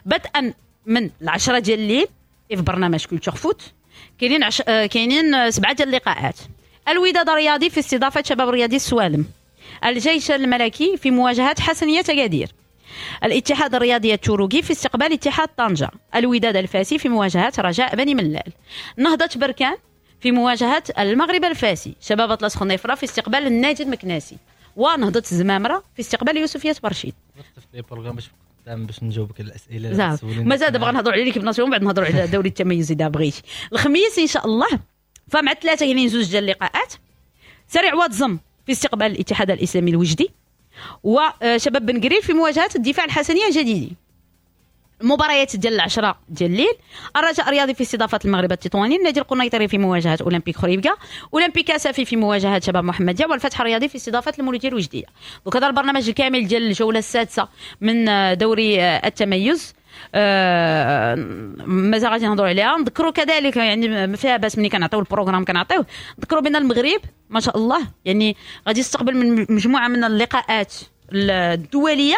بدءا من العشرة ديال الليل في برنامج Culture Foot. كاينين عش... كاينين سبعة ديال اللقاءات. الوداد الرياضي في استضافة شباب رياضي السوالم، الجيش الملكي في مواجهة حسنية أكادير، الاتحاد الرياضي التروكي في استقبال اتحاد طنجة، الوداد الفاسي في مواجهة رجاء بني ملال، نهضة بركان في مواجهة المغرب الفاسي، شباب أطلس خنيفرة في استقبال النادي المكناسي، ونهضة الزمامرة في استقبال يوسفية برشيد. خدام باش نجاوبك على الاسئلة. مازال دابا غنهضروا على l'équipe nationale، بعد نهضروا على دوري التميز اذا بغيتي. الخميس ان شاء الله فمع الثلاثة كاينين زوج ديال اللقاءات، سريع واتزم في استقبال الاتحاد الاسلامي الوجدي، وشباب بن قرير في مواجهة الدفاع الحسنيه الجديدي. المباريات ديال العشرة ديال الليل، الرجاء الرياضي في استضافة المغرب التطواني، النادي القنيطري في مواجهة اولمبيك خريبكا، اولمبيك اسفي في مواجهة شباب محمديه، والفتح الرياضي في استضافة المولوديه الوجديه. donc هذا البرنامج الكامل ديال الجولة السادسة من دوري التميز، آه مازال غادي نهضروا عليها. نذكروا كذلك يعني ما فيها باس ملي كنعطيو ال programme كنعطيوه، نذكروا بان المغرب ما شاء الله يعني غادي يستقبل من مجموعة من اللقاءات الدولية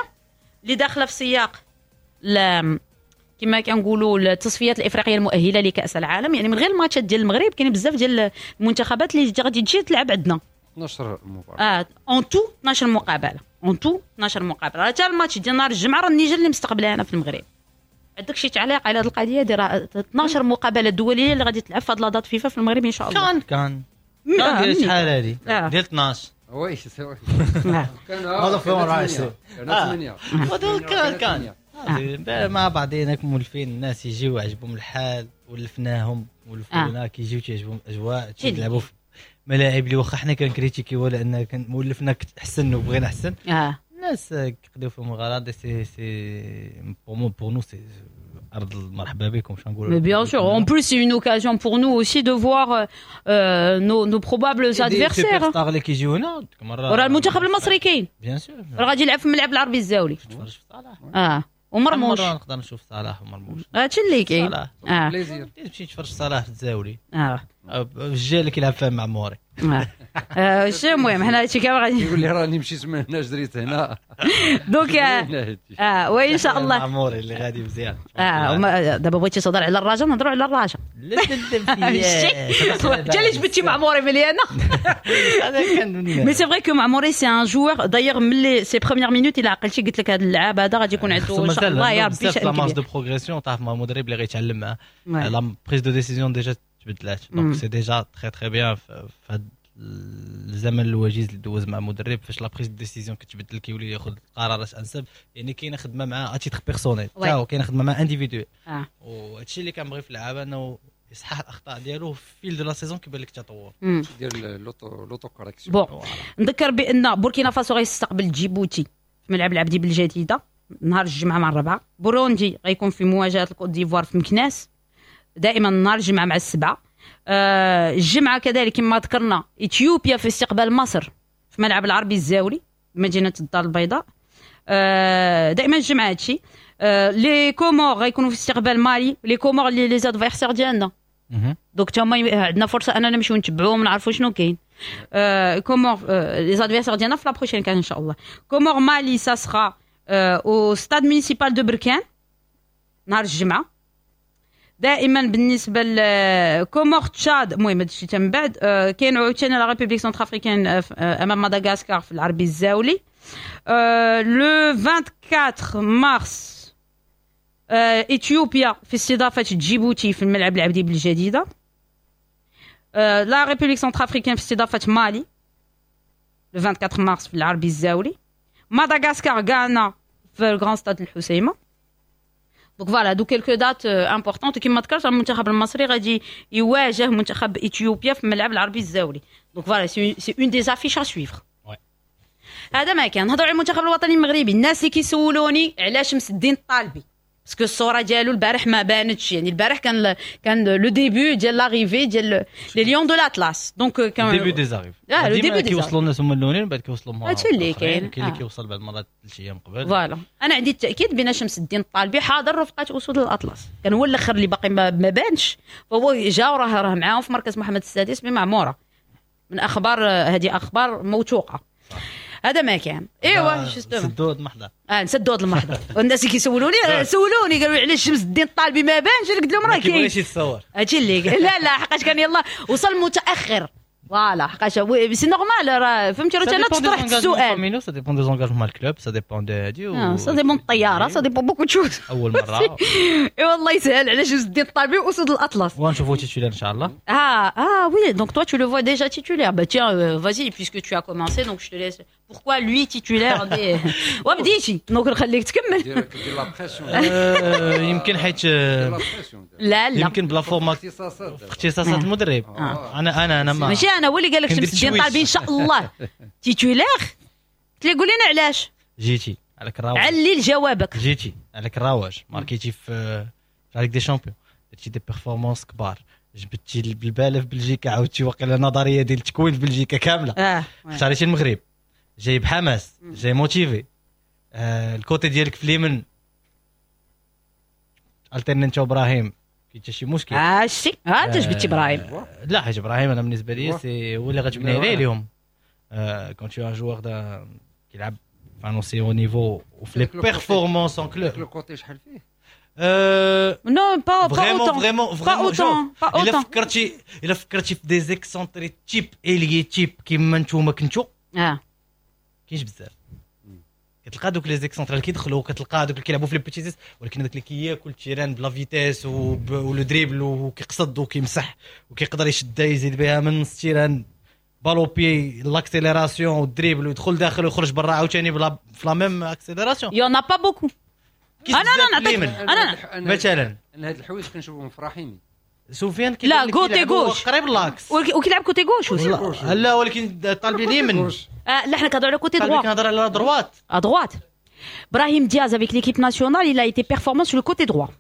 اللي داخله في سياق كما كنقولوا التصفيات الافريقية المؤهله لكاس العالم. يعني من غير الماتشات ديال المغرب كاين بزاف ديال المنتخبات اللي غادي تجي تلعب عندنا. اثنا عشر مباراة. اه en tout اثنا عشر مقابله، en tout اثنا عشر مقابله. حتى الماتش ديال نهار الجمعة راه النيجر اللي مستقبلها انا في المغرب. عندك شي تعليق على هذه القضية ديال اثنا عشر مقابله دولية اللي غادي تلعب في هذه la date FIFA في المغرب ان شاء الله؟ كان كان كان ديال شحال هذه ديال اثنا عشر. oui. كان هذا فيهم أربعة وعشرين. ثمانية. كان كان مع بعضينا مولفين، الناس يجيو عجبهم الحال، ولفناهم ولفونا، آه. كيجيو تيعجبهم الاجواء، تيلعبوا في ملاعب اللي واخا حنا كنكريتيكيو لان كان مولفنا احسن وبغينا احسن. اه الناس كيقضيو فيهم الغرض، c'est c'est pour moi pour nous c'est ارض مرحبا بكم، شنو نقولوا. Mais bien sûr, en plus c'est une occasion pour nous aussi de voir euh, nos, nos probables adversaires. stars اللي كيجيو هنا. وراه المنتخب المصري كاين. bien sûr. راه غادي يلعب في الملعب العربي الزاولي. تفرج في صلاح. اه ومرموش. مرة نقدر نشوف صلاح ومرموش. هادشي اللي كاين. صلاح. اه plaisir. تمشي تفرج صلاح في الزاولي. اه الجيل اللي كيلعب فيها معموري. اه آه، شي المهم حنا هادشي كامل غادي يقول لي راني مشيت من هنا جريت هنا. donc اه وان شاء الله. معموري اللي غادي مزيان. اه وما- دابا بغيتي تهضر على الرجاء نهضروا على الرجاء. لا لا لا. انت اللي جبتي معموري مليانه. هذا كان mais c'est vrai que معموري c'est un joueur، d'ailleurs من les ses premières minutes الى عقلتي قلت لك هذا اللعاب هذا غادي يكون عنده ان شاء الله يا ربي بزاف شأن la marge كبير. de progression، تعرف مع المدرب اللي غيتعلم معاه. Ouais. la prise de décision déjà تبدلات، مم. donc c'est déjà très très bien في هذا الزمن الوجيز اللي دوز مع مدرب، فاش la prise de décision كتبدل كيولي ياخذ قرارات انسب، يعني كاينه خدمة مع à titre personnel. Ouais. تا هو كاينه خدمة مع individuel. اه وهادشي اللي كنبغي في اللعابه انه يصحح الاخطاء ديالو في fil de la saison كيبان لك تطور. مم. دير l'auto l'autocorrection. bon نذكر بان بوركينا فاسو غيستقبل جيبوتي في ملعب العبدي بالجديده نهار الجمعة مع الربعه. بوروندي غيكون في مواجهة الكوت ديفوار في مكناس دائما نهار الجمعة مع السبعه. آه الجمعة كذلك كما ذكرنا اثيوبيا في استقبال مصر في ملعب العربي الزاولي بمدينة الدار البيضاء، آه دائما الجمعة هادشي. آه les Comores غيكونوا في استقبال مالي، les Comores اللي les adversaires ديالنا، donc تما عندنا فرصة اننا نمشيو نتبعوهم نعرفوا شنو كاين. آه Comores les adversaires ديالنا في la prochaine CAN ان شاء الله. Comores Mali ça sera au stade municipal de بركان نهار الجمعه. دائما بالنسبة ل Comores تشاد، المهم هادشي من بعد. آه، كاين عاوتاني la République centrafricaine آه، آه، امام مدغاسكار في العربي الزاولي le أربعة وعشرين مارس. اثيوبيا في استضافة جيبوتي في الملعب العبدي بالجديده. la République centrafricaine في استضافة مالي le أربعة وعشرين مارس في العربي الزاولي. مدغاسكار غانا في ال grand stade الحسيمه. donc voilà deux quelques dates importantes. كما ذكرت المنتخب المصري غادي يواجه منتخب اثيوبيا في الملعب العربي الزاولي، donc voilà c'est une des affiches à suivre. هذا ما كان. نهضروا على المنتخب الوطني المغربي. الناس اللي كيسولوني علاش شمس الدين الطالبي، parce que الصورة ديالو البارح ما بانتش، يعني البارح كان كان le début ديال l'arrivée ديال les Lions de l'Atlas، donc كان début des arrivées. اه le début. كيوصلوا الناس هما الاولين، بعد كيوصلوا هادشي اللي كاين. كاين اللي كيوصل بعد مرات ثلاث ايام قبل. voilà انا عندي التاكيد بان شمس الدين الطالبي حاضر رفقه اسود الاطلس، كان هو الاخر اللي باقي ما بانش، فهو جا وراه راه معاهم في مركز محمد السادس بمعموره. من اخبار هذه اخبار موثوقه. هذا ما كان. ايوا justement نسدوا هذا المحضر. اه نسدوا هذا المحضر. والناس اللي كيسولوني سولوني قالوا علاش شمس الدين الطالبي ما بانش، قلت لهم راه كاين. كيبغيش يتصور. هادشي اللي لا لا حقاش كان يلا وصل متاخر، voilà حقاش c'est normal راه فهمتي، راه انا تطرحت السؤال. ça dépend des engagements مع ال club، ça dépend de هادي. ça dépend الطياره، ça dépend beaucoup de choses. اول مره. ايوا الله يسهل على شمس الدين الطالبي واسود الاطلس. ونشوفوا titulaire ان شاء الله. Ah, ah oui, donc toi tu le vois déjà titulaire. Bah tiens, euh, vas-y, puisque tu as commencé, donc je te laisse. Pourquoi lui titulaire des وبديتي donc نخليك تكمل. دير دير la pression. آه، يمكن حيت دير la pression. لا لا، يمكن بلا formation اختصاصات. اختصاصات المدرب. آه. انا انا انا ما ماشي انا هو اللي قال لك كندير شمس الدين تشويش. طالبي ان شاء الله titulaire. قلت لي قول لنا علاش. جيتي عليك الرواج. علل جوابك. جيتي عليك الرواج، ماركيتي في في Ligue des champions، درتي des performances كبار، جبتي البالة في بلجيكا، عاودتي واقيلا نظرية ديال التكوين في بلجيكا كامله. اه اختاريتي المغرب، جاي بحماس، جاي motivé. آه ال côté ديالك في اليمين alterner انت وابراهيم، كاين حتى شي مشكل؟ اه شتي، ها انت جبتي ابراهيم. لا، حيت ابراهيم انا بالنسبة لي c'est هو اللي غتبني عليه اليوم. quand tu as un joueur كيلعب في un aussi haut niveau وفي les performances en club. le côté شحال فيه؟ non، pas pas vraiment autant. vraiment pas vraiment autant، pas الا autant. فكرتي الا فكرتي في des excentrés type ailier type كيما نتوما كنتو، اه كاينش بزاف. كتلقى دوك les excentrés اللي كيدخلوا، كتلقى دوك اللي كيلعبوا في les petits espaces، ولكن داك اللي كياكل terrain ب la vitesse و le dribble وكيقصد وكيمسح وكيقدر يشدها يزيد بها من نص terrain، balle au pied، l'accélération وال dribble، ويدخل داخل ويخرج برا عاوتاني بلا في la même accélération. y en a pas beaucoup. انا انا نعطيك انا مثلا انا هاد الحوايج كنشوفهم في رحيمي. سفيان. لا، côté gauche. قريب l'axe. وكيلعب côté gauche aussi. لا، ولكن طالبي اليمين. آه لا، حنا كنهضروا على côté طالبي droit. كنهضر على droite. à droite. Brahim Diaz avec l'équipe nationale, il a été performant sur le côté droit.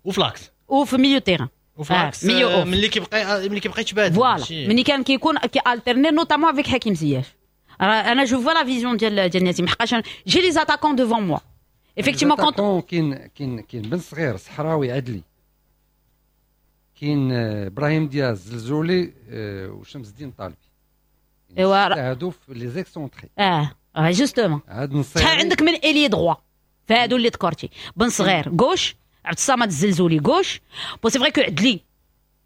وفي l'axe. وفي milieu terrain. وفي l'axe. milieu off. ملي كيبقى ملي كيبقى يتبادل. voilà، ملي كان كيكون كي alterner notamment avec حكيم زياش. انا je vois la vision ديال ديال نسيم، حقاش j'ai les attaquants devant moi. Effectivement quand كاين كاين كاين بن صغير، صحراوي، عدلي، كاين ابراهيم دياز، زلزولي، وشمس الدين طالبي. ايوا هادو في les excentrés. اه اه justement. هاد نصيري. شحال عندك من ailier droit فهادو اللي ذكرتي؟ بن صغير gauche، عبد الصمد الزلزولي gauche. bon، c'est vrai que عدلي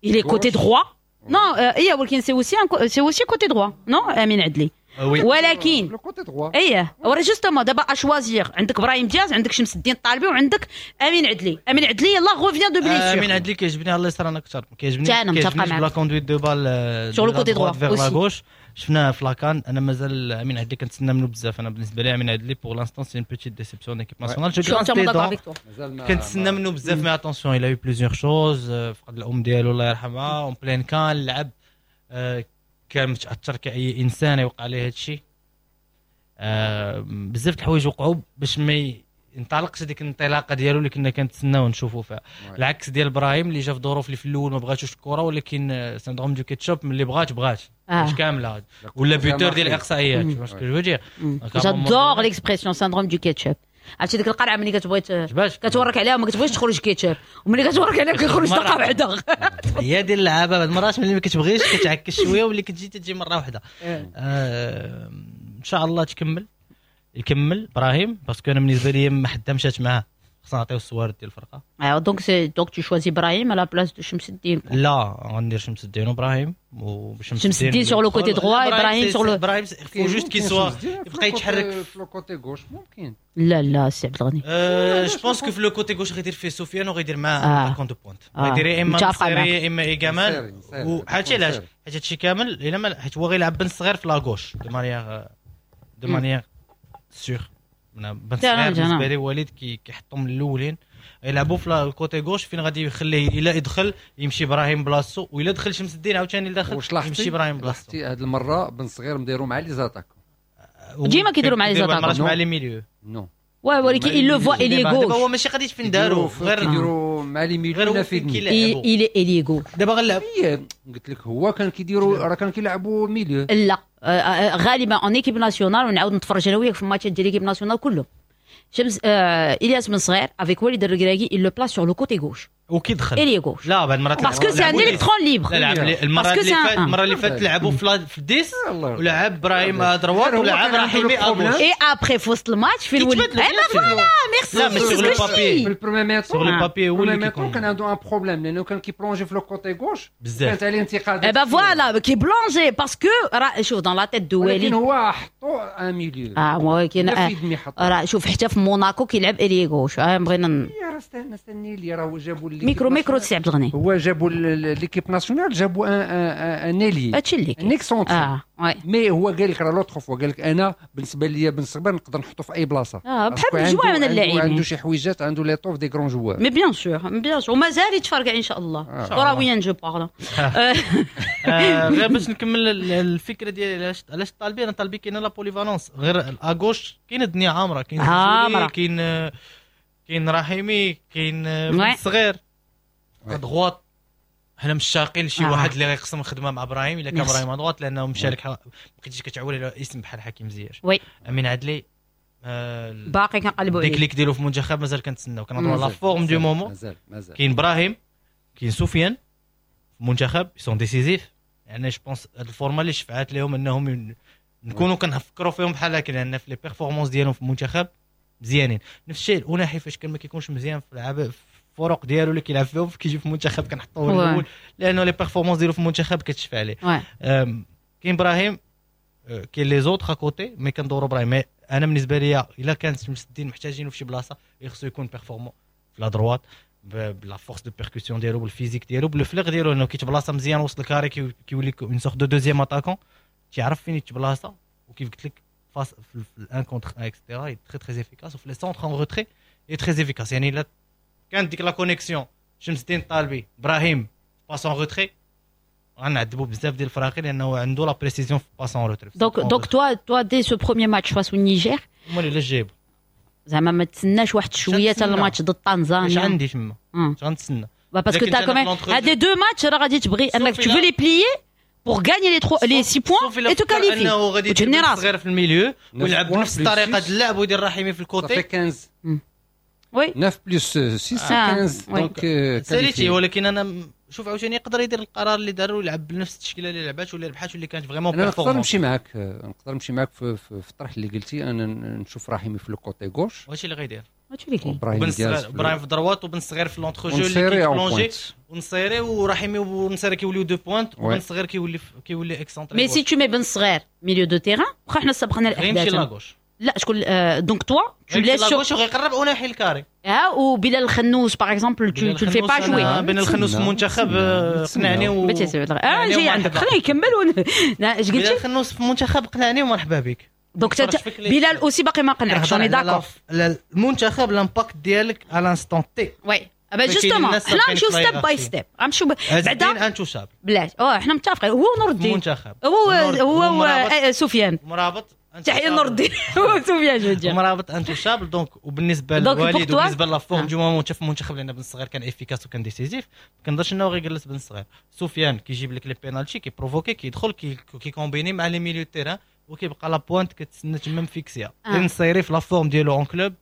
il est côté droit، non؟ ايه، ولكن c'est aussi c'est aussi côté droit، non؟ امين عدلي. oui. ولكن le côté droit. ايه، ورا justement دابا à choisir، عندك ابراهيم دياز، عندك شمس الدين الطالبي، وعندك امين عدلي. امين عدلي يلاه revient de blessure. امين عدلي كيعجبني على اليسار انا اكثر، كيعجبني. انا متفقه معاك la conduite de balle sur le côté droit vers la gauche، شفناها في la CAN. انا مازال امين عدلي كنتسنى منه بزاف. انا بالنسبة لي امين عدلي pour l'instant c'est une petite déception équipe nationale. je كنتسنى منه بزاف، mais attention، il a eu plusieurs choses. فقد الام ديالو الله يرحمها en pleine CAN، لعب، كان متاثر كاي انسان يوقع عليه هذا الشيء. آه بزاف د الحوايج وقعوا باش ما ينطلقش هذيك الانطلاقة ديالو اللي كنا كنتسناو نشوفوا فيها. العكس ديال ابراهيم اللي جا في ظروف اللي في الاول ما بغاتوش الكره، ولكن syndrome du ketchup، ملي بغات بغات آه. كامله، ولا buteur ديال الاقصائيات، واش je veux dire. j'adore l'expression syndrome du ketchup. عرفتي ديك القرعة ملي كتبغي كتورك عليها وما كتبغيش تخرج كيتشوب، وملي كتورك عليها كيخرج دقه واحده. هي ديال اللعابه، بعض المرات ملي ما كتبغيش كتعكس شويه، واللي كتجي تجي مرة واحده. آه ان شاء الله تكمل، يكمل ابراهيم، parce que انا بالنسبة لي ما حدا مشات معاه، خصنا نعطيو الصوارد ديال الفرقه. ايوا، donc c'est donc tu choisis ابراهيم à la place de شمس الدين؟ لا، غندير شمس الدين وابراهيم. وشمس الدين sur le côté droit، ابراهيم sur le ابراهيم faut juste qu'il soit يبقى يتحرك. في le côté gauche ممكن. لا لا، سي عبد الغني. je pense que في le côté gauche غيدير فيه سفيان وغيدير معاه attaquant de pointe، غيدير يا اما نصيري يا اما ايغامان. وحاجه علاش؟ حيت هادشي كامل الا ما حيت هو غيلعب بن صغير في la gauche de manière de manière sûre. بن صغير بالنسبة لي وليد كيحطهم من الاولين يلعبوا في ال côté gauche، فين غادي يخليه الا يدخل يمشي ابراهيم بلاصتو، والا دخل شمس الدين عاوتاني لداخل يمشي ابراهيم بلاصتو. هذه المرة بن صغير مديرو مع les attaquants. ديما كيديروا مع les attaquants. مع les milieux. non. oui، ولكن il le voit ailier gauche. هو ماشي غادي فين داروا. غير كيديروا مع les milieux. غير في il est ailier gauche. دابا غنلعب. قلت لك هو كان كيديروا، راه كان كيلعبوا milieu. لا، غالبا en équipe nationale، ونعاود نتفرج انا وياك في الماتشات ديال l'équipe nationale كلهم، شمس آه الياس بن صغير avec وليد الركراكي il le place sur le côté gauche. وكيدخل ailier gauche. لا، بعد مرات parce que c'est un électron libre. لا، لعب المرة اللي فاتت المرة اللي فاتت لعبوا في في dix، ولعب ابراهيم droite ولعب رحيمي à gauche. et après في وسط الماتش في الولد voilà، merci. لا، mais sur le papier في ال première mi-temps sur le papier هو اللي كيكون كان عنده un problème لانه كان كي plonger في le côté gauche. بزاف. كانت عليه انتقادات. eh ben voilà، كي plonger parce que راه شوف dans la tête de وليد. ولكن هو حطو un milieu. اه ولكن راه شوف حتى في موناكو كيلعب ailier gauche، بغينا راه استنى استني لي، راه جابوا micro micro سي عبد الغني. هو جابوا l'équipe nationale، جابوا un un ailier. هادشي اللي كاين، un excentré. اه oui. mais هو قال لك راه l'autre fois قال لك انا بالنسبة لي بن صغير نقدر نحطه في اي بلاصه. اه، بحال مجموعة من اللاعبين. عنده شي حويجات، عنده l'étoffe des grands joueurs. mais bien sûr، bien sûr، ومازال يتفرقع ان شاء الله كرويا je parle. غير باش نكمل الفكرة ديالي، علاش علاش الطالبي؟ انا الطالبي كاينه la polyvalence، غير à gauche كاين الدنيا عامره، كاين عامره، كاين كاين رحيمي، كاين الصغير. droite حنا مشتاقين لشي آه. واحد اللي غيقسم الخدمة مع ابراهيم الا كان ابراهيم à droite، لانه مشارك، ما بقيتيش كتعول على اسم بحال حكيم زياش. oui. امين عدلي آه باقي كنقلبوا عليه، déclic ديالو في المنتخب مازال كنتسناو، كنهضروا la forme du moment. مازال مازال. كاين ابراهيم، كاين سفيان في المنتخب sont décisifs، يعني je pense هاد ال forme اللي شفعات لهم انهم نكونوا كنفكروا فيهم بحال هكا، لان في les performances ديالهم في المنتخب مزيانين. نفس الشيء الاوناحي، فاش كان ما كيكونش مزيان في العاب في الفرق ديالو اللي كيلعب فيهم، كيجي في المنتخب كنحطوه الاول، لانه les performances ديالو في المنتخب كتشفع عليه. كاين ابراهيم، كاين les autres à côté، mais كندورو ابراهيم. انا بالنسبة لي الا كانت شمس الدين محتاجينه في شي بلاصه، خصو يكون performant في la droite ب la force de percussion ديالو، بال physique ديالو، بال flair ديالو، انه كيتبلاصه مزيان وسط ال carré، كيولي une sorte de deuxième attaquant، تيعرف فين يتبلاصه، وكيف قلت لك face في ال un contre un et cetera très très efficace، وفي les centres en retrait très efficace. يعني الا كانت ديك la connexion شمس الدين الطالبي ابراهيم passe en retrait، غنعذبوا بزاف ديال الفراقي، لانه عنده la précision في passe en retrait. donc donc toi toi dès ce premier match face au Niger هما اللي جايبو. زعما ما تسناش واحد شوية حتى الماتش ضد طنزانيا؟ اش عندي تما؟ اش غنتسنى؟ parce que t'as quand même هاد les deux matchs راه غادي تبغي انك tu veux les plier pour gagner les trois les six points et te qualifier. انه غادي يدير صغير في ال milieu ويلعب بنفس الطريقة ديال اللعب ويدير رحيمي في ال côté. صافي خمسطاش. oui. تسعة plus ستة خمسطاش، donc ساليتي. ولكن انا شوف عاوتاني يقدر يدير القرار اللي دار ويلعب بنفس التشكيلة اللي لعبات واللي ربحات واللي كانت vraiment performante. نقدر نمشي معاك، نقدر نمشي معاك في, في, في الطرح اللي قلتي. انا نشوف رحيمي في ال côté gauche. وهادشي اللي غيدير. هادشي اللي كاين. بن صغير، ابراهيم في droite وبن صغير في l'entrejeu اللي كي plonger، ونصيري ورحيمي ونصيري كيوليو deux pointes، وبن صغير كيولي كيولي excentré. mais si tu mets بن صغير milieu de terrain، واخا حنا سبقنا الاحداث، غيمشي la gauche. لا شكون؟ donc toi tu laisses la gauche وغيقرب اوناحي ال carré. اه، وبلال الخنوس par exemple tu tu fais pas jouer؟ بلال الخنوس في المنتخب قنعني و اه جاي عندك، خليه يكمل. اش قلتي؟ بلال الخنوس في المنتخب قنعني ومرحبا بك. donc بلال aussi باقي ما قنعكش، on est d'accord. المنتخب l'impact ديالك à l'instant T. oui، bah justement حنا نمشيو step by step، غنمشيو بعدا intouchable. بلاش، اه حنا متفقين، هو نور الدين المنتخب. هو هو سفيان. مرابط. تحية نور الدين، هو سفيان je dis. مرابط intouchable. donc وبالنسبة للوالد وبالنسبة la forme du moment في المنتخب، لان بن الصغير كان efficace وكان décisif، ما كنظنش انه غيجلس بن الصغير. سفيان كيجيب لك les penaltys، كي provoquer، كيدخل، كي combiner مع les milieux terrain، وكيبقى la pointe كتسنى تما مفيكسيا. نصيري في la forme ديالو en club.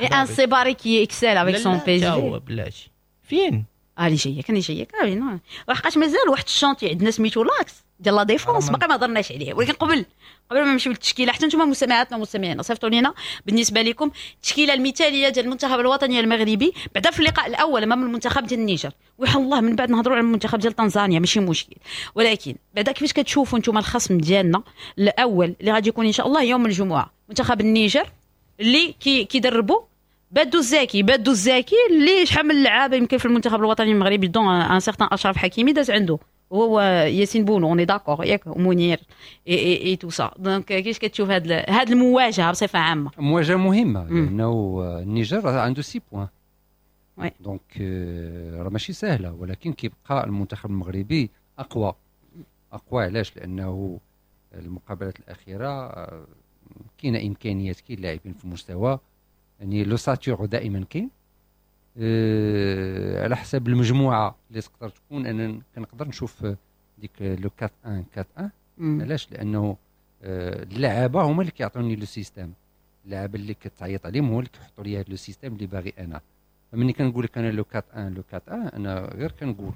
et un سيباري qui excelle avec son P S G. هو بلاتي فين؟ اه اللي جاية كان جاية كاين، وحقاش مازال واحد ال chantier عندنا سميتو l'axe ديال la défense باقي ما هضرناش عليه. ولكن قبل قبل ما نمشيو للتشكيله، حتى نتوما مستمعاتنا ومستمعينا صيفطوا لينا بالنسبة لكم التشكيلة المثالية ديال المنتخب الوطني المغربي بعدا في اللقاء الاول امام المنتخب ديال النيجر، ويحل الله من بعد نهضروا على المنتخب ديال تنزانيا ماشي مشكل. ولكن بعدا كيفاش كتشوفوا نتوما الخصم ديالنا الاول اللي غادي يكون ان شاء الله يوم الجمعه، منتخب النيجر اللي كي كيدربوا بادو الزاكي؟ بادو الزاكي اللي شحال من اللعابه يمكن في المنتخب الوطني المغربي، dont un certain اشرف حكيمي داز عنده، هو ياسين بونو، on est d'accord ياك؟ منير et et tout ça. donc كيفاش كتشوف هاد هاد المواجهة بصفة عامه؟ مواجهة مهمه، لانه النيجر عنده six points، oui. donc راه ماشي سهله، ولكن كيبقى المنتخب المغربي اقوى اقوى. علاش؟ لانه المقابلات الاخيرة كاينه امكانيات، كاين لاعبين في المستوى، يعني l'ossature دائما كاين. أه على حسب المجموعة اللي تقدر تكون، انا كنقدر نشوف ديك le أربعة واحد أربعة واحد. علاش؟ لانه أه اللعابه هما اللي كيعطوني le système، اللعابه اللي كتعيط عليهم هو اللي كيحطوا لي هذا le système اللي باغي انا. فمني كنقول لك انا le أربعة واحد le أربعة واحد، انا غير كنقول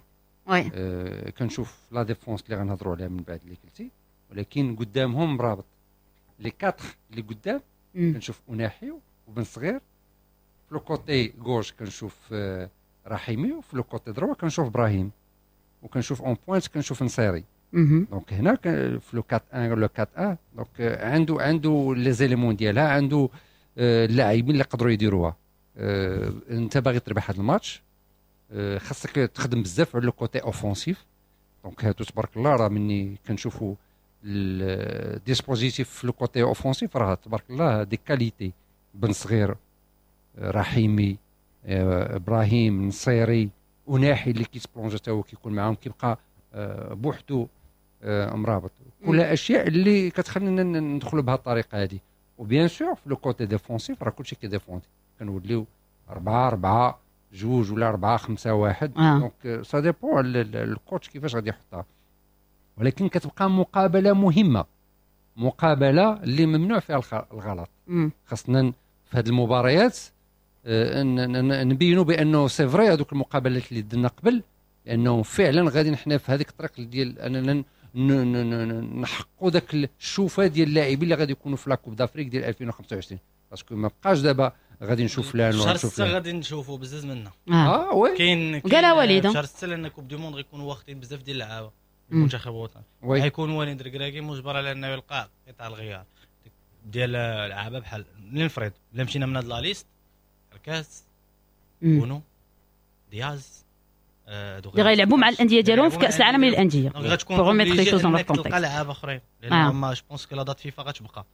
oui. أه كنشوف la défense اللي غنهضروا عليها من بعد اللي قلتي، ولكن قدامهم رابط les quatre اللي قدام. كنشوف اوناحي وبن صغير في le côté gauche، كنشوف رحيمي، وفي le côté droit كنشوف ابراهيم، وكنشوف en pointe كنشوف نصيري. donc هنا في le أربعة واحد le أربعة واحد، donc عنده عنده les éléments ديالها، عنده اللاعبين اللي يقدروا يديروها. انت باغي تربح هذا الماتش. خاصك تخدم بزاف على le côté offensif. donc هادو تبارك الله راه مني كنشوفوا ال dispositif في le côté offensif راه تبارك الله des qualités، بن صغير، رحيمي، ابراهيم، نصيري، وناحي اللي كيت plonger حتى هو كيكون معاهم، كيبقى بوحدو مرابط. كلها اشياء اللي كتخلينا ندخلوا بهذه الطريقة هذه. و bien sûr في le côté défensif راه كلشي كي défendre، كنوليو أربعة أربعة جوج ولا أربعة خمسة واحد. donc ça dépend ال coach كيفاش غادي يحطها، ولكن كتبقى مقابله مهمة، مقابله اللي ممنوع فيها الغلط. خاصنا في هذه المباريات نبينوا بانه c'est vrai هذوك المقابلات اللي درنا قبل، لانه فعلا غادي حنا في هذيك الطريق ديال اننا نحققوا ذاك الشوفه ديال اللاعبين اللي غادي يكونوا في la Coupe d'Afrique ديال ألفين وخمسة وعشرين. parce que ما بقاش دابا غادي نشوف فلان شهر ستة غادي نشوفوا بزاف منا. اه oui كاين قالها وليد شهر ستة لان Coupe du Monde غيكونوا واخدين بزاف ديال اللعابه المنتخب الوطني، غيكون وليد ركراكي مجبر على انه يلقى قطع الغيار ديال اللعابه. بحال لنفرض الا مشينا من هاد la liste، الكاس، بونو، دياز، اللي غيلعبوا مع الاندية ديالهم في كاس العالم للاندية، غتكون تلقى لعابه اخرين لان ما je pense que la date FIFA غتبقى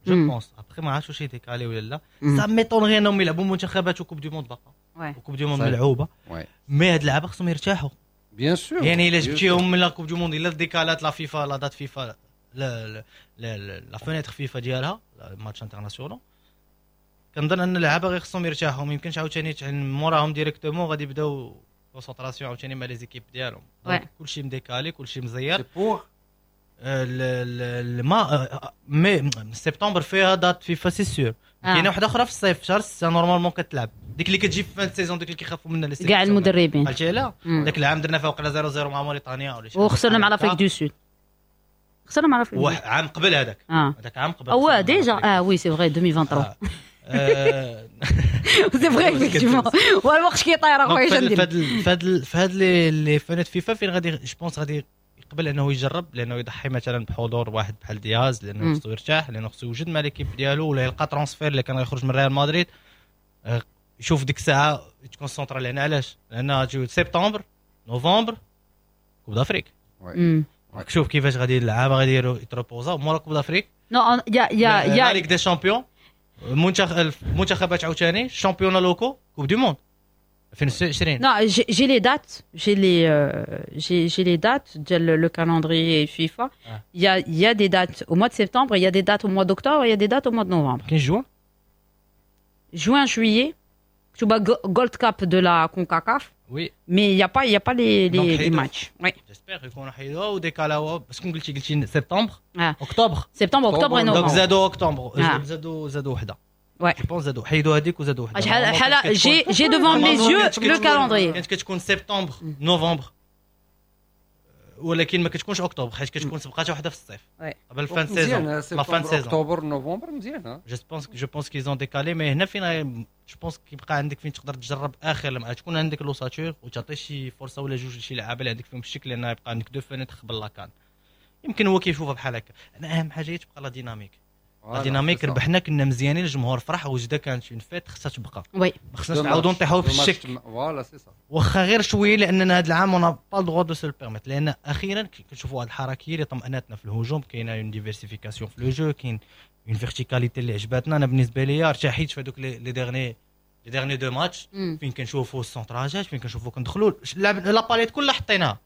je pense après ما عرفتش واش ي décaler ولا لا. ça m'étonnerait انهم يلعبوا منتخبات و Coupe du Monde باقا و Coupe du Monde ملعوبه، mais هاد اللعابه خصهم يرتاحوا bien sûr. يعني الا جبتيهم من la Coupe du Monde، الا décalat la FIFA la date FIFA la la fenêtre FIFA ديالها matchs internationaux، كنظن ان اللعابه غير خصهم يرتاحوا. ما يمكنش عاوتاني موراهم directement غادي يبداو concentration عاوتاني مع les équipes ديالهم. كلشي م décalé، كلشي مزير. ما mais سبتمبر فيها date FIFA c'est sûr. كاينه واحدة اخرى في الصيف شهر ستة normalement كتلعب، ديك اللي كتجي في fin saison، ديك اللي كيخافوا منها كاع المدربين. عرفتي لا داك العام درنا فيها وقيلا صفر صفر مع موريتانيا ولا شي، وخسرنا مع l'Afrique du Sud، خسرنا مع l'Afrique عام قبل هذاك، هذاك عام قبل. او déjà اه oui c'est vrai ألفين وثلاثة وعشرين c'est vrai effectivement. والوقت كيطير اخويا شندير. فهاد فهاد فهاد les fenêtres FIFA فين غادي je pense غادي يقبل انه يجرب، لانه يضحي مثلا بحضور واحد بحال دياز، لانه خصو يرتاح، لانه خصو يوجد مع l'équipe ديالو، ولا يلقى transfert اللي كان غيخرج من ريال مدريد يشوف ديك الساعة يت concentra. لان علاش؟ لان سبتمبر نوفمبر Coupe d'Afrique، شوف كيفاش غادي اللعابه غادي يت reposa مورا Coupe d'Afrique. non y a y a y a Ligue des Champions، منتخب المنتخبات عاوتاني championnats locaux، Coupe du Monde ألفين وعشرين. Non, j'ai les dates, j'ai les euh, j'ai j'ai les dates ديال le calendrier FIFA. Il y a il y a des dates au mois de septembre, il y a des dates au mois d'octobre, il y a des dates au mois de novembre. كاين juin Juin juillet, tu vois Gold Cup de la CONCACAF. Oui. Mais il y a pas il y a pas les les, les matchs. Oui. J'espère يكونوا حيدوها و décalaوها parce que قلتي قلتي سبتمبر اكتوبر سبتمبر اكتوبر نوفمبر. donc زادوا اكتوبر، زادوا زادوا وحده. Ouais. Je pense زادوا حيدوا هذيك وزادوا وحده. شحال j'ai j'ai devant mes yeux le calendrier. كانت كتكون سبتمبر نوفمبر، ولكن ما كتكونش اكتوبر حيت كتكون سبقات وحده في الصيف قبل fin saison. la fin saison اكتوبر نوفمبر مزيان. je pense je pense qu'ils ont décalé. mais هنا فين je pense كيبقى عندك فين تقدر تجرب اخر لما تكون عندك l'ossature وتعطي شي فرصة ولا جوج لشي لعابه اللي عندك فيهم الشكل، لان يبقى عندك deux fenêtres قبل la CAN. يمكن هو كيشوفها بحال هكا. انا اهم حاجة هي تبقى la dynamique. la dynamique ربحنا كنا مزيانين، الجمهور فرح، وجده كانت une fête خصها تبقى. oui ما خصناش نعاودوا نطيحوا في الشك voilà c'est ça، واخا غير شوية، لاننا هذا العام on n'a pas le droit de se le permettre. لان اخيرا كنشوفوا واحد الحركية اللي طمأنتنا في الهجوم، كاينه une diversification في le jeu، كاين une verticalité اللي عجباتنا. انا بالنسبة ليا ارتحيت في هذوك les derniers les derniers deux matchs فين كنشوفوا ال centrageات، فين كنشوفوا كندخلوا la palette كلها حطيناها.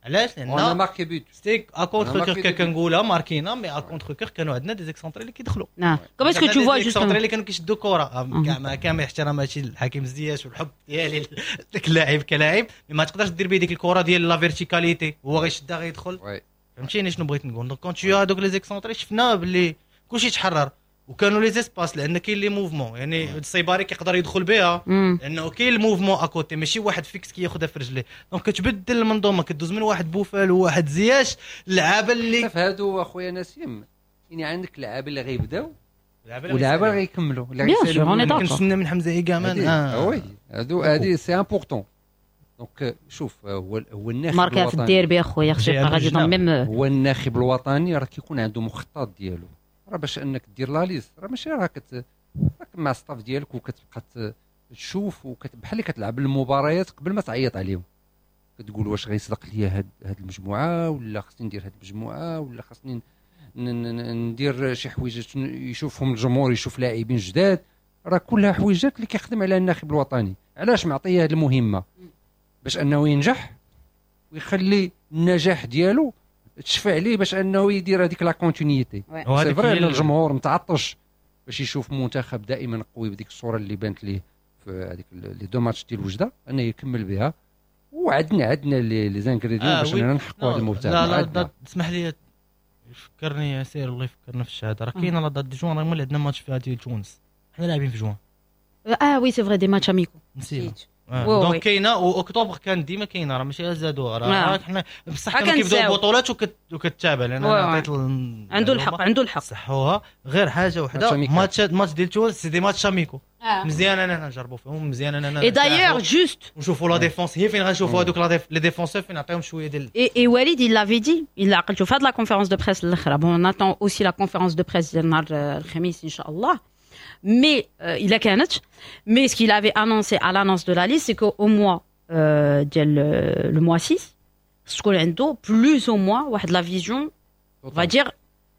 علاش؟ لان marqué but c'était à contre-cœur كنقولها ماركينا، mais à contre-cœur كانوا عندنا des excentrés اللي كيدخلوا. نعم comment est-ce que tu vois justement اللي كانوا كيشدوا كره مع كامل احتراماتي لحكيم زياش والحب ديالي داك اللاعب كلاعب، ما تقدرش دير به ديك الكره ديال la verticalité، هو غيشدها غيدخل. فهمتيني شنو بغيت نقول؟ donc quand tu as هذوك les excentrés شفنا باللي كلشي تحرر، وكانوا les espaces لان كاين les mouvements، يعني الصيباري كيقدر يدخل بها لانه كاين ال mouvement à côté، ماشي واحد fixe كياخذها في رجليه. donc كتبدل المنظومة، كدوز من واحد بوفال وواحد زياش. اللعابه اللي في هادو اخويا نسيم، يعني عندك لعابه اللي غيبداو ولعابه اللي غيكملوا اللي غيسالوا. كنتسنى من حمزة ايكامان. اه oui هادو هادي c'est important. donc شوف هو هو الناخب ماركا في الديربي اخويا خصو يبقى غادي même. هو الناخب الوطني راه كيكون عنده مخطط ديالو، راه باش انك دير la liste راه ماشي راه كت راك مع staff ديالك وكتبقى تشوف بحال اللي كتلعب المباريات قبل ما تعيط عليهم، كتقول واش غيصدق ليا هاد هاد المجموعة ولا خصني ندير هاد المجموعة ولا خصني ندير شي حويجات يشوفهم الجمهور، يشوف لاعبين جداد. راه كلها حويجات اللي كيخدم عليها الناخب الوطني. علاش معطيه هاد المهمة؟ باش انه ينجح ويخلي النجاح ديالو تشفع ليه باش انه يدير هذيك la continuité. c'est vrai ان الجمهور متعطش باش يشوف منتخب دائما قوي بديك الصورة اللي بانت ليه في هذيك les deux matchs ديال وجده، انه يكمل بها. وعندنا عندنا les ingrédients آه باش اننا نحققوا هذا المبتغى. لا لا اسمح لي فكرني يا سير الله يفكرنا في الشهادة، راه كاينه la date de juin، راه ملي عندنا ماتش في ديال تونس، حنا لاعبين في جوان. اه oui c'est vrai des matchs amicaux نسيت. آه. donc كاينه، واكتوبر كان ديما كاينه، راه ماشي زادوها، راه حنا بصح كانوا كيبداو البطولات وكتتابع لان انا عطيت عنده الحق عنده الحق صحوها. غير حاجة وحده، ماتش ماتش ديال تونس c'est des matchs amicaux، مزيان اننا نجربوا فيهم، مزيان اننا et d'ailleurs juste نشوفوا la défense هي فين غنشوفوا هذوك les défenseurs فين نعطيهم شوية ديال et et وليد il l'avait dit، الا عقلتو في هاد la conférence de presse الاخرى. bon on attend aussi la conférence de presse ديال نهار الخميس ان شاء الله. Mais euh, il a كانت. Mais ce qu'il avait annoncé à l'annonce de la liste, c'est qu'au mois euh, ديال le mois six, شكون عنده plus ou moins واحد la vision, on va dire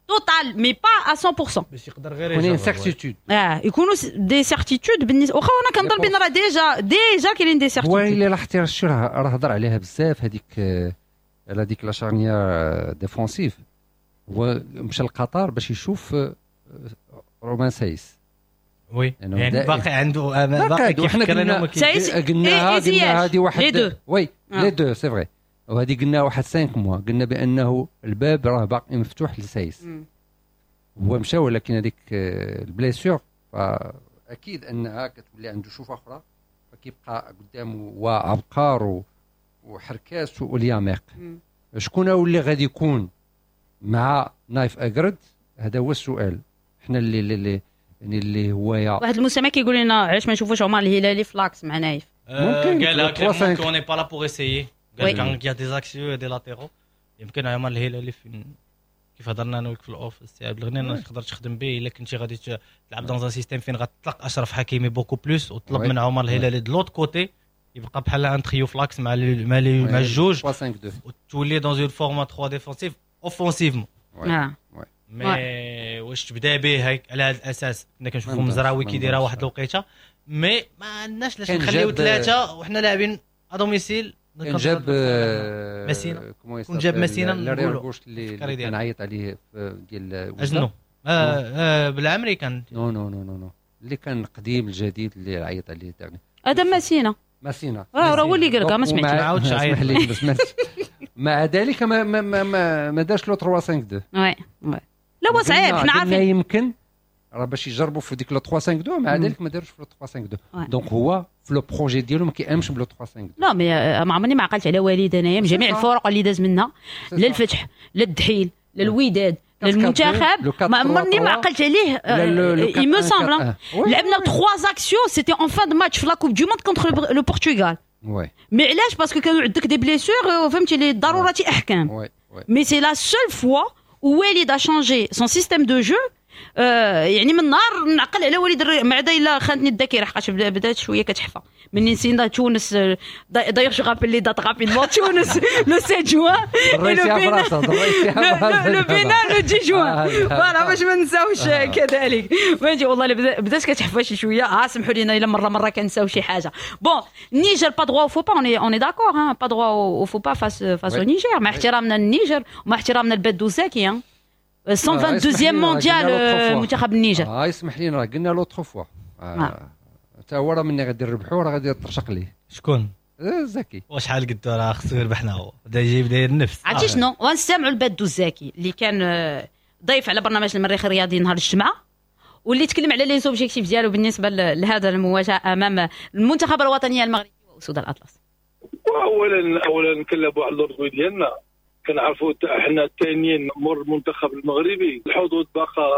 totale, mais pas à cent pour cent. باش يقدر غير يكون certitude. اه يكونوا des certitudes بالنسبة واخا انا كنظن بان راه déjà déjà كاينين des certitudes. هو الا لاحظتي راه راه هضر عليها بزاف هذيك على ديك la charnière défensive. هو مشى لقطر باش يشوف رومان سايس. oui يعني باقي عنده باقي كيفكر انه قلناها قلنا هذه واحد oui les deux c'est vrai، وهذه قلنا واحد خمسة mois، قلنا بانه الباب راه باقي مفتوح لسايس. هو مشى ولكن هذيك ال blessure فاكيد انها كتولي عنده شوفه اخرى، فكيبقى قدامه وعبقار وحركاس والياميق. شكون هو اللي غادي يكون مع نايف اكرد؟ هذا هو السؤال. حنا اللي اللي يعني اللي هو يا واحد المستمع كيقول لنا علاش ما نشوفوش عمر الهلالي ف l'axe مع نايف؟ ممكن قال qu'on n'est pas là pour essayer، قال كان y a des axiaux des latéraux. يمكن عمر الهلالي فين كيف هضرنا انا وياك في ال off السي عبد الغني تقدر تخدم به الا كنتي غادي تلعب dans un système فين غتطلق اشرف حكيمي beaucoup plus وتطلب من عمر الهلالي de l'autre côté يبقى بحال un trio ف l'axe مع مع مع الجوج وتولي dans une forme trois défensifs offensivement. mais واش تبدا به هيك على هذا الاساس؟ كنا كنشوفوا مزراوي كيديرها واحد الوقيته، mais ما عندناش علاش نخليو ثلاثة وحنا لاعبين à domicile. كان جاب ماسينا، كون جاب ماسينا نقولوا اللي كان عيط عليه ديال اجنو آه بالعمري كان non non non non اللي كان القديم الجديد اللي عيط عليه تاع هذا ماسينا ماسينا راه هو اللي قال لك ما سمعتش ما عاودش عيط لي بس مع ذلك ما ما ما, ما دارش le ثلاثة خمسة اثنين. oui oui لا هو صعيب حنا عارفين يمكن راه باش يجربوا في ديك le ثلاثة خمسة اثنين، مع ذلك ما داروش في le ثلاثة خمسة اثنين. donc هو في le projet ديالو ما كيامنش ب le ثلاثة خمسة اثنين. لا mais ما عمرني ما عقلت على وليد انايا من جميع الفرق اللي داز منها، لا الفتح لا الدحيل لا الوداد لا المنتخب، ما عمرني ما عقلت عليه. il me semble لعبنا ثلاثة axiaux c'était en fin de match في la Coupe du monde contre le Portugal. oui mais علاش؟ parce que كانوا عندك des blessures فهمتي للضرورة احكام. mais c'est la seule fois وليد a changé son système de jeu. آه يعني من نهار نعقل على وليد مع دا الا خانتني الذاكرة حقاش بدات شوية كتحفى مني نسينا تونس. d'ailleurs je rappelle les dates rapidement، تونس le سبعة جوان le Bénin le عشرة juin، voilà باش ما نساوش كذلك. فهمتي والله بدات كتحفى شي شوية. اه سمحوا لينا الا مرة مرة كنساو شي حاجة. bon النيجر pas droit au faux pas، on est d'accord hein، pas droit au faux pas face face au Niger، مع احترامنا للنيجر ومع احترامنا لبادو زاكي. مية واثنين وعشرين مونديال منتخب النيجر. اه يسمح لينا راه قلنا l'autre fois حتى هو راه مني غادي نربحو راه غادي يطرشق ليه. شكون؟ زكي. وشحال قدو راه خصو يربحنا هو بدا يجيب داير النفس. عرفتي شنو؟ ونستمعوا لبادو الزاكي اللي كان ضيف على برنامج المريخ الرياضي نهار الجمعة، واللي تكلم على les objectifs ديالو بالنسبة لهذا المواجهة امام المنتخب الوطني المغربي واسود الاطلس. اولا اولا نكلبوا على الارض ديالنا، كنعرفوا حنا الثانيين مور المنتخب المغربي، الحظوظ باقا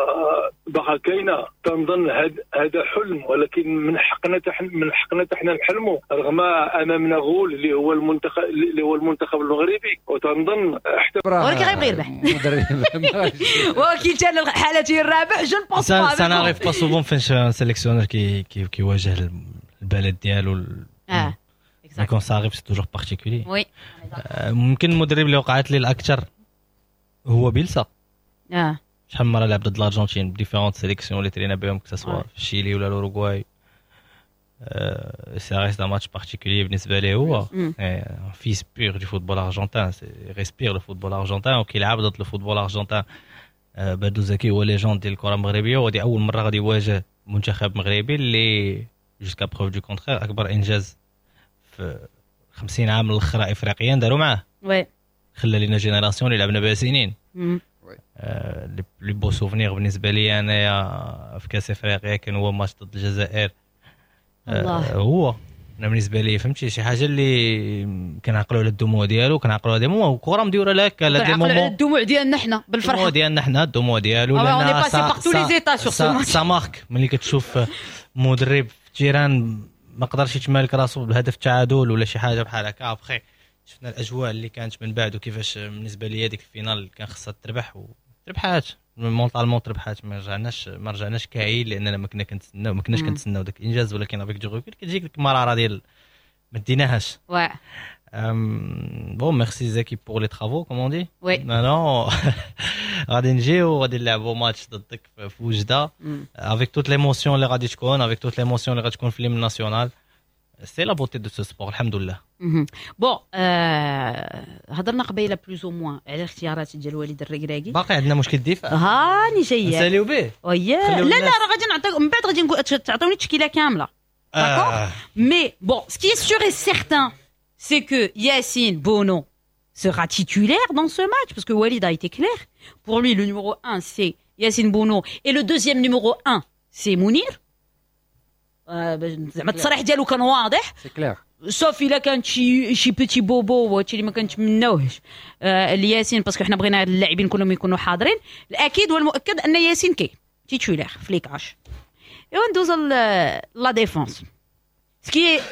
باقا كاينه. تنظن هذا حلم، ولكن من حقنا من حقنا حنا نحلموا رغم امامنا غول اللي هو المنتخب اللي هو المنتخب المغربي. وتنظن حتى ولكن غيبغي يربح ولكن حتى حالته الرابح je pense pas ça n'arrive pas souvent فين sélectionneur كي كيواجه البلد ديالو. اه quand ça arrive c'est toujours particulier. oui. ممكن المدرب اللي وقعت لي الاكثر هو بيلسا. اه شحال من مرة لعب ضد الارجنتين ب différentes sélections اللي ترينا بهم، que ce soit في الشيلي ولا الاوروغواي. ça reste un match particulier بالنسبة ليه هو fils pur du football argentin، respire le football argentin وكيلعب ضد ال football argentin. بدو زكي هو légende ديال الكره المغربيه، وهذه اول مرة غادي يواجه منتخب مغربي اللي jusqu'à preuve du contraire اكبر انجاز في خمسين عام الاخرى افريقيا داروا معاه. oui. خلى لينا génération اللي لعبنا بها سنين. les plus beaux souvenirs بالنسبة لي انايا في كاس افريقيا كان هو ماتش ضد الجزائر. الله. هو انا بالنسبة لي فهمتي شي حاجة اللي كنعقلوا على الدموع ديالو، كنعقلوا على des moments، الكره مديوره لك على des moments، على الدموع ديالنا حنا بالفرحه، الدموع ديالنا حنا الدموع ديالو، لان ça marque ملي كتشوف مدرب في terrain ما قدرش يتمالك راسو بالهدف التعادل ولا شي حاجة بحال هكا. ابخي شفنا الاجواء اللي كانت من بعد، وكيفاش بالنسبة لي هذيك ال finale كان خصها تربح وتربحات mentalement، تربحات، ما رجعناش ما رجعناش كاعي لاننا ما كنا كنتسناو ما كناش كنتسناو داك الانجاز، ولكن avec du recul كتجيك ديك المرارة ديال ما ديناهاش. oui bon merci زكي pour les travaux comme on dit. oui non غادي نجيو وغادي نلعبوا ماتش ضدك في وجده avec toute l'émotion اللي غادي تكون، avec toute l'émotion اللي غتكون في l'hymne national. c'est la beauté de ce sport، الحمد لله. bon هضرنا قبيلة plus ou moins على الاختيارات ديال وليد الركراكي. باقي عندنا مشكل الدفاع. هاني جاية نساليو به. ويا لا لا راه غادي نعطيك من بعد، غادي نقول تعطوني التشكيلة كاملة. d'accord mais bon ce qui est sûr et certain c'est que Yassine Bono sera titulaire dans ce match, parce que Walid a été clair. Pour lui, le numéro un, c'est Yassine Bono, et le deuxième numéro un, c'est Mounir. زعما التصريح ديالو كان واضح. c'est clair. sauf الا كان شي شي petit bobo وهادشي اللي ما كنتمناوهش لياسين، parce que حنا بغينا اللاعبين كلهم يكونوا حاضرين. الاكيد والمؤكد ان ياسين كي titulaire في les cages. ايوا ندوزو la défense. Ce qui est,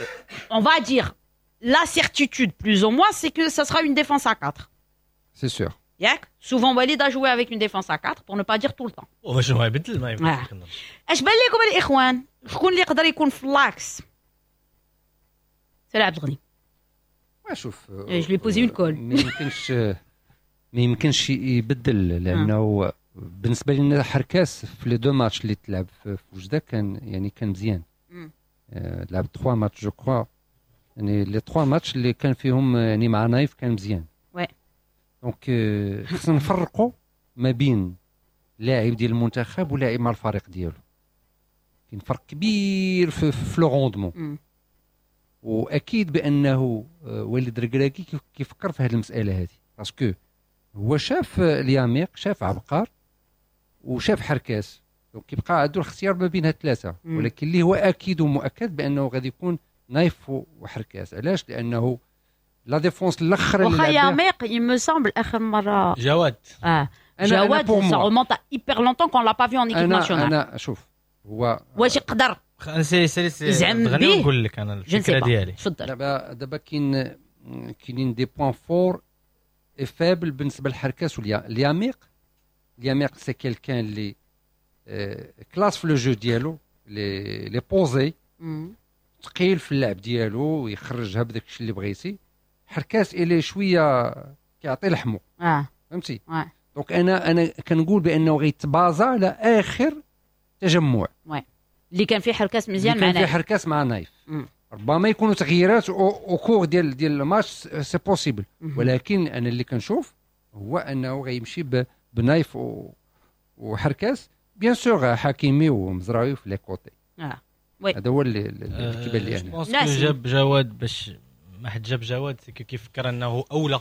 on va dire, la certitude plus ou moins, c'est que ça sera une défense à quatre. C'est sûr. ياك souvent Walid a joué avec une défense à quatre pour ne pas dire tout le temps. واش هو يبدل ما يمكنش. اش بان لكم الاخوان شكون اللي يقدر يكون في l'axe؟ سي عبد الغني. شوف je lui ai posé une colle. ما يمكنش ما يمكنش يبدل، لانه بالنسبة لنا حركاس في les deux matchs اللي تلعب في وجده كان يعني كان مزيان. لعب ثلاثة matchs je crois، يعني les ثلاثة ماتش اللي كان فيهم يعني مع نايف كان مزيان. oui donc خصنا نفرقوا ما بين لاعب ديال المنتخب ولاعب مع الفريق ديالو. كاين فرق كبير في, في le rendement. واكيد بانه وليد الركراكي كيفكر في هذه المسالة هذه، parce que هو شاف الياميق، شاف عبقار، وشاف حركاس، donc كيبقى عنده الاختيار ما بين هاد الثلاثة. ولكن اللي هو اكيد ومؤكد بانه غادي يكون نايف وحركاس. علاش؟ لانه la défense الاخر اللي واخا ياميق il me semble اخر مرة جواد اه جواد ça remonte à hyper longtemps qu'on l'a pas vu en équipe nationale. انا شوف هو واش يقدر سي سي سي زعم به نقول لك انا الفكرة ديالي. تفضل. دابا دابا كاين كاينين des points forts et faibles بالنسبة للحركاس والياميق. الياميق c'est quelqu'un اللي classe في le jeu ديالو، les les posé، ثقيل في اللعب ديالو ويخرجها بداك الشيء اللي بغيتي. حركاس الي شوية كيعطي لحمو. اه فهمتي. آه. donc انا انا كنقول بانه غيتبازا على اخر تجمع oui اللي كان فيه حركاس مزيان مع نايف، كان فيه حركاس مع نايف. مم. ربما يكونوا تغييرات au cours ديال ديال ال match، c'est possible، ولكن انا اللي كنشوف هو انه غيمشي بنايف وحركاس، bien sûr حكيمي ومزراوي في les côtés. اه oui هذا هو اللي اللي كيبان لي انا. جاب جواد باش ما حد جاب جواد كيفكر انه اولى.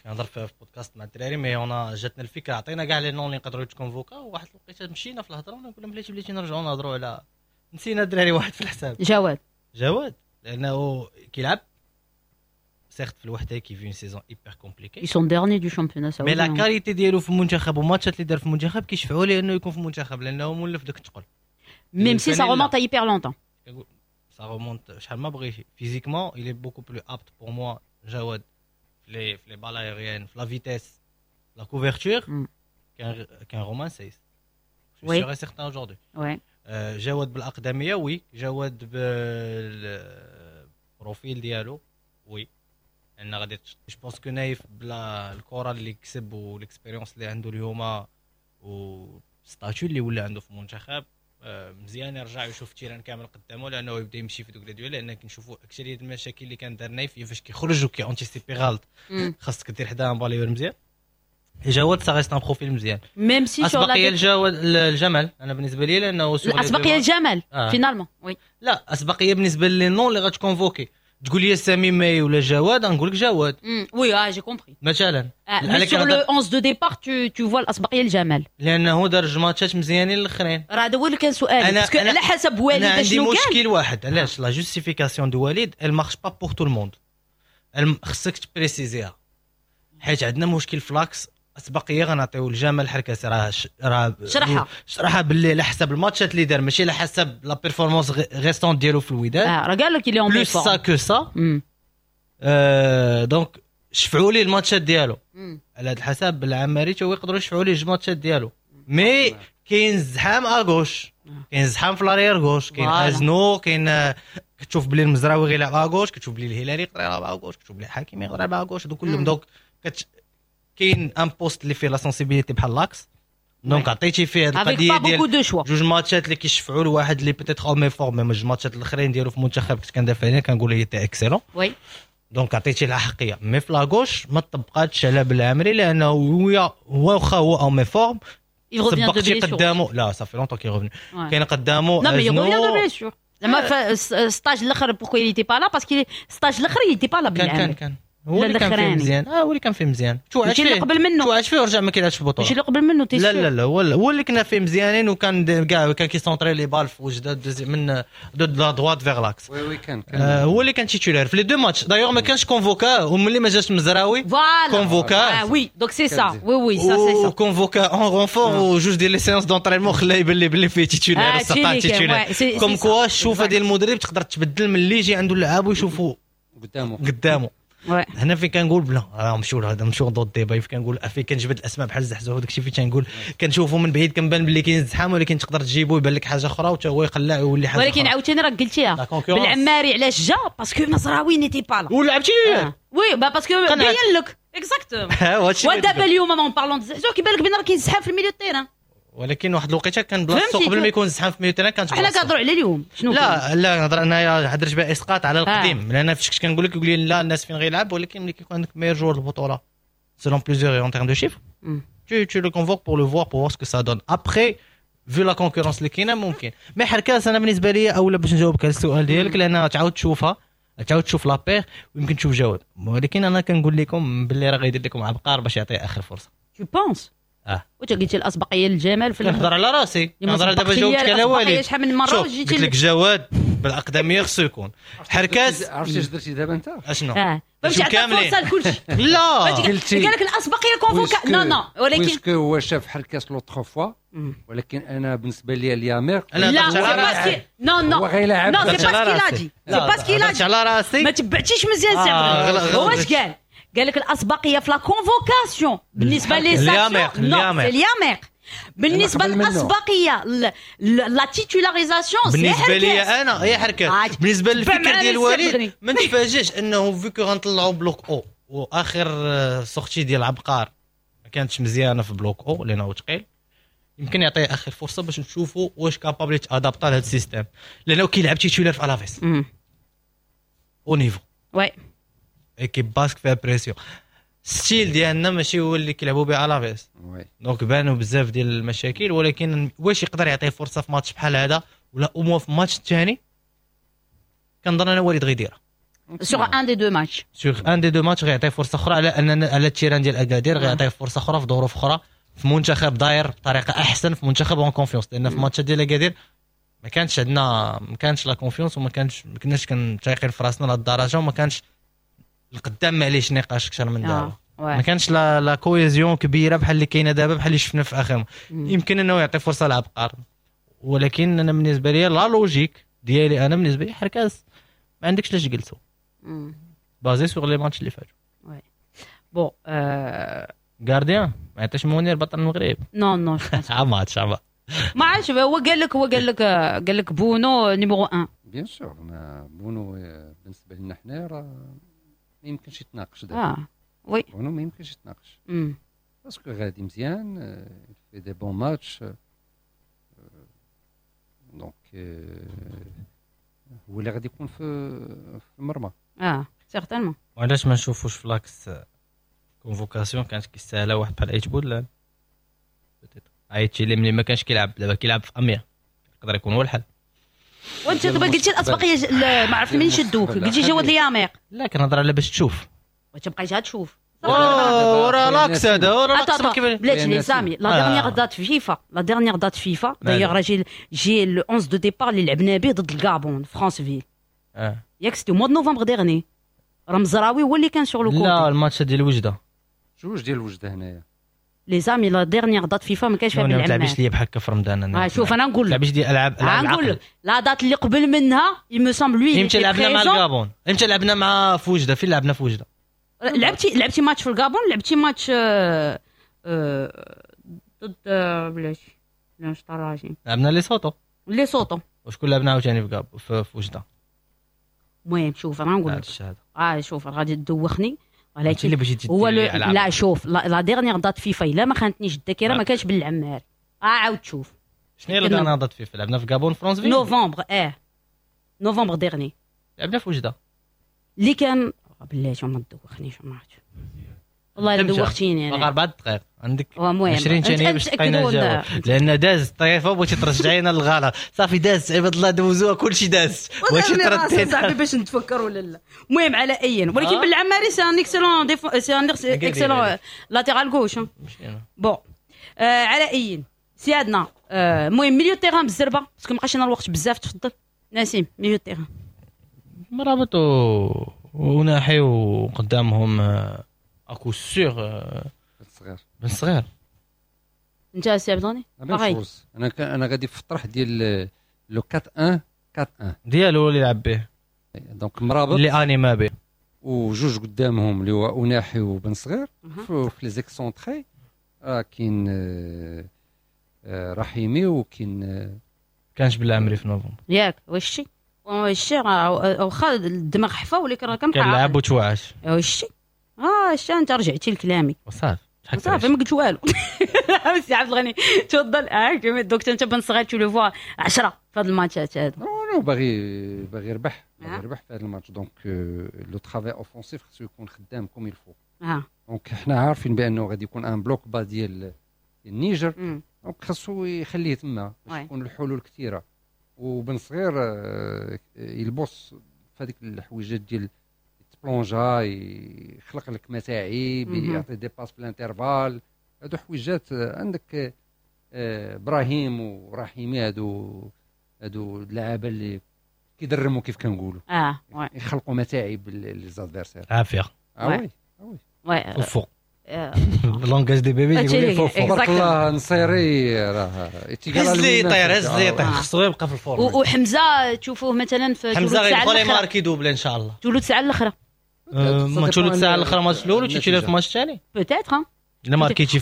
كنهضر في بودكاست مع الدراري mais انا جاتنا الفكرة، عطينا كاع les noms اللي نقدروا يتكونفوكا، وواحد الوقيته مشينا في الهضرة ونقول لهم بلاتي بلاتي نرجعوا نهضروا على نسينا الدراري واحد في الحساب جواد. جواد لانه كيلعب certes في الوحدة qui vit une saison hyper compliquée، ils sont derniers du championnat، mais la qualité ديالو في المنتخب وماتشات اللي دار في المنتخب كيشفعوا ليه انه يكون في المنتخب لانه مولف داك الثقل، même si ça remonte hyper longtemps. ça remonte شحال ما بغيتي. physiquement il est beaucoup plus apte pour moi جواد في les balles aériennes، في la vitesse، la couverture qu'un qu'un Romain Saïss. Je suis sûr et certain aujourd'hui. Ouais. آه، جواد بالاقدميه oui، جواد بال profil ديالو oui، لان غادي je pense que نايف بلا الكره اللي كسب وال expérience اللي عنده اليوم و statut اللي ولا عنده في المنتخب، آه، مزيان يرجع يشوف terrain كامل قدامه، لانه يبدا يمشي في دوك les duels، لان كنشوفوا اكثرية المشاكل اللي كان دار نايف فاش كيخرج وكي anticiper غلط. خاصك دير حدا balayeur مزيان. جواد ça reste un profil مزيان. même si اسبقيه الجواد الجمل انا بالنسبة لي، لانه الاسبقيه الجمل finalement oui. لا، اسبقيه بالنسبة les noms اللي غت convoquer، تقول لي سامي ماي ولا جواد، نقول لك جواد. oui اه j'ai compris. مثلا mais sur le onze de départ tu tu vois الاسبقيه الجمال. لانه دار جوج ماتشات مزيانين الاخرين. راه هذا هو اللي كان سؤالي، parce que على حسب وليد شنو عندي مشكل واحد، علاش la justification de وليد elle marche pas pour tout le monde، خصك ت préciser ها، حيت عندنا مشكل ف l'axe. اسبقيه غنعطيو الجمال حركاس، راه راه شرحها شرحها باللي على حسب الماتشات اللي دار، ماشي على حسب la performance récente ديالو في الوداد. اه راه قال لك اللي plus ça que ça، donc شفعوا لي الماتشات ديالو على هذا الحسب. العماري تا هو يقدروا يشفعوا ليه جوج ماتشات ديالو، mais كاين زحام à gauche، كاين زحام في l'arrière gauche، كاين ازنو، كاين كتشوف بلي المزراوي غيلعب à gauche، كتشوف بلي الهلالي يقدر يلعب à gauche، كتشوف بلي الحكيمي يقدر يلعب à gauche، هادو كلهم. donc كت كاين un poste اللي فيه la sensibilité بحال l'axe، donc عطيتي فيه هذه القضية ديال جوج ماتشات اللي كيشفعوا لواحد اللي peut-être en méforme، mais جوج ماتشات الاخرين ديالو في المنتخب كنت كندافع عليه كنقول il était excellent. oui donc عطيتي الحقيه، mais في la gauche ما طبقاتش على بالعمري، لانه هو هو واخا هو en méforme سبقتي قدامه، لا ça fait longtemps qu'il est revenu، كاين قدامه. لا mais revient de blessure زعما stage الاخر، pourquoi il était pas là؟ parce que stage الاخر il était pas là. كان كان كان هو اللي كان فيه مزيان، اه هو اللي كان فيه مزيان. ماشي اللي قبل منه. توعد فيه ورجع ما كيلعبش في البطوله. ماشي اللي قبل منه. لا لا لا، هو هو اللي كنا فيه مزيانين، وكان كاع كان كي centrer les balles في وجده من de la droite vers l'axe. oui oui كان كان آه هو اللي كان titulaire في les deux matchs. d'ailleurs ما كانش convoqué، وملي ما جاش مزراوي convoqué. اه oui donc c'est ça، oui oui ça c'est ça. convoqué en renfort، وجوج ديال les séances d'entraînement خلاه يبان لي باللي فيه titulaire، سطا titulaire. comme quoi الشوفه ديال المدرب تقدر تبدل من اللي يجي عنده اللعاب ويشوفوا قدامه قدامه. هنا فين كنقول بلا راه مشيو هذا مشيو d'autres débats، فين كنقول فين كنجبد الاسماء بحال الزحزوح وداك الشيء، فين تنقول كنشوفوا من بعيد كنبان باللي كاين زحام، ولكن تقدر تجيبو يبان لك حاجة اخرى وتا هو يقلع ويولي حاجة. ولكن عاوتاني راك قلتيها بالعماري علاش جا؟ parce que مزراوي n'était pas là. ولعبتي oui bah parce que بين لك exactement. ودابا اليوم en parlant زحزوح كيبان لك بان راه كاين زحام في ال milieu terrain. ولكن واحد الوقيته كان بلاصتو قبل ما يكون زحام في milieu terrain كانت حنا كنهضروا على اليوم شنو؟ لا لا، نهضر انايا هضرت بها اسقاط على القديم، لان فاش كنت كنقول لك يقول لي لا الناس فين غيلعب، ولكن ملي كيكون عندك meilleur joueur البطولة selon plusieurs en termes de chiffres، tu tu le convoques pour le voir، pour voir ce que ça donne après، vu la concurrence اللي كاينه ممكن. mais حركاس انا بالنسبة لي اولا باش نجاوبك على السؤال ديالك، لان تعاود تشوفها، تعاود تشوف la paire ويمكن تشوف جواد، ولكن انا كنقول لكم باللي راه غيدير لكم عبقار باش يعطيه اخر فرصة. tu penses؟ اه وانت قلتي الاسبقيه للجمال في نهضر على راسي، نهضر دابا جاوبتك على وليد شحال من مرة وجيتي قلت لك جواد بالاقدميه خصو يكون حركاس. عرفتي اش درتي دابا انت؟ اشنو؟ اه فهمتي، عطا فرصة لكلشي. لا قال لك الاسبقيه convoqué non non ولكن puisque هو شاف حركاس l'autre fois، ولكن انا بالنسبة لي اليامير لا c'est parce que non non non c'est pas ce qu'il a dit، c'est pas ce qu'il a dit. على راسي ما تبعتيش مزيان سي عبد. هو اش قال؟ قال لك الاسبقيه في la convocation بالنسبة les sanctions non c'est اليامير، بالنسبة للاسبقيه la titularisation بالنسبة لي انا هي حركات. بالنسبة للفكر ديال وليد ما نتفاجئش انه vu que غنطلعوا bloc haut، واخر sortie ديال عبقار ما كانتش مزيانه في bloc haut لانه ثقيل، يمكن يعطيه اخر فرصة باش نشوفوا واش capable يت adapta لهذا ال système، لانه كيلعب titulaire في الافيس haut niveau oui équipe basque فيها pression، style ديالنا ماشي هو اللي كيلعبوا به الافيس، donc بانوا بزاف ديال المشاكل. ولكن واش يقدر يعطيه فرصة في ماتش بحال هذا ولا au moins في الماتش الثاني؟ كنظن انا وليد غيديرها sur un des deux matchs، sur un des deux matchs غيعطيه فرصة اخرى على ان على ال terrain ديال اكادير، غيعطيه فرصة اخرى في ظروف اخرى، في منتخب داير بطريقة احسن، في منتخب en confiance، لان في ماتش ديال اكادير ما كانش عندنا، ما كانش la confiance، وما كانش ما كناش كنتايقين في راسنا لهاد الدرجة، وما كانش القدام معليش نقاش اكثر من دابا، ما كانش la la cohésion كبيرة بحال اللي كاينه دابا، بحال اللي شفنا في اخر. يمكن انه يعطي فرصة لعبقار، ولكن انا بالنسبة لي la logique ديالي، انا بالنسبة لي حركاس ما عندكش لاش تجلسوا basé sur les matchs اللي فاتوا. oui bon gardien ما عطاش منير بطل المغرب. non non عا ماتش عا ما عرفتش، هو قال لك هو قال لك قال لك بونو numéro واحد. bien sûr، بونو بالنسبة لنا حنا راه ما يمكنش يتناقش دابا. اه oui، بونو ما يمكنش يتناقش parce que غادي مزيان في des bons matchs، donc هو اللي غادي يكون في في المرمى. اه certainement. وعلاش ما نشوفوش ف l'axe convocation كانت كيستاهلها واحد بحال ايت بودلال، عيطتي اللي ملي ما كانش كيلعب دابا كيلعب في اميا، يقدر يكون هو الحل. وانت دابا قلتي الاسبقيه ما عرفت منين شدوك، قلتي جواد الياميق. لا كنهضر على باش تشوف، وتبقى غير تشوف ورا l'axe هذا ورا l'axe بلاتي les amis. la dernière date FIFA، la dernière date FIFA d'ailleurs راه j'ai j'ai le onze de départ اللي لعبنا به ضد الكابون فرانسفيل، ياك c'était mois de novembre dernier، راه مزراوي هو اللي كان sur le côté. لا الماتش ديال وجده، جوج ديال وجده هنايا les amis، la dernière date FIFA ما كانش فيها بالعمال. ما تلعبيش ليا بحال هكا في رمضان. انا شوف انا نقول لك تلعبيش ديال العاب العاب، نقول لك la date اللي قبل منها il me semble lui. امتى لعبنا مع الكابون؟ امتى لعبنا مع فوجده؟ فين لعبنا فوجده؟ لعبتي لعبتي ماتش في الكابون، لعبتي ماتش آه آه ضد بلاتي لا شطراجي، لعبنا لي سوتو لي سوتو. وشكون لعبنا عاوتاني في كاب في وجده؟ المهم شوف انا نقول لك اه شوف غادي تدوخني، ولكن هو لا شوف la dernière date FIFA الا ما خانتنيش الذاكرة ما كانش بالعمار. اه عاود تشوف شنو هي la dernière date FIFA؟ لعبنا في غابون فرانسفيل نوفمبر، اه novembre dernier لعبنا في وجده اللي كان بلاتي ما تدوخنيش ما عرفتش والله الا دوختيني انا. باقي اربع دقائق عندك عشرين ثانية باش تلقينا الجواب، لان داز الطريفة وبغيتي ترجعينا للغلط. صافي داز عباد الله دوزوها كلشي داز، بغيتي تردي صاحبي باش نتفكر ولا لا. المهم على اي، ولكن بالعماري c'est un excellent c'est un excellent latéral gauche. bon على اي سيادنا. المهم milieu terrain بالزربه parce que ما بقاش لنا الوقت بزاف. تفضل نسيم milieu terrain. مرابط وناحي وقدامهم à coup sûr صغير بن صغير. انت سي عبد الغني؟ انا انا غادي في الطرح ديال le أربعة واحد أربعة واحد ديالو اللي لعب به، donc مرابط اللي انيما به وجوج قدامهم اللي هو اوناحي وبن صغير. في les excentrés راه كاين رحيمي وكاين كانش بالعمري في نوفمبر ياك. واش شي واش شي واخا الدماغ حفا ولكن راه كان كنلعب وتوعش. واش شي اه شتا انت رجعتي لكلامي وصافي صافي ما قلت والو. سي عبد الغني تفضل. اه donc انت بن صغير tu le vois عشرة في هاد الماتشات هادو. non باغي باغي يربح، باغي يربح في هاد الماتش، donc le travail offensif خصو يكون خدام comme il faut. اه donc حنا عارفين بانه غادي يكون un bloc bas ديال النيجر، donc خصو يخليه تما باش يكون الحلول كثيرة. وبن صغير يلبس في هذيك الحويجات ديال بلونجا، يخلق لك متاعب، يعطي des passes في l'intervalle. هادو حويجات عندك ابراهيم ورحيمي، هادو هادو اللعابه اللي كيدرموا كيف كنقولوا، اه يخلقوا متاعب les adversaires. عافية اه oui oui فوق langage des bébés يقول فوق. تبارك الله نصيري راه هز لي يطير، هز لي يطير، خصو يبقى في ال forme. وحمزة تشوفوه مثلا في حمزة غيدخل يماركي doublé ان شاء الله. ثلث ساعة الاخرى ما ثلث ساعة الاخرى ماتش الاول وتمشي في الماتش الثاني peut-être.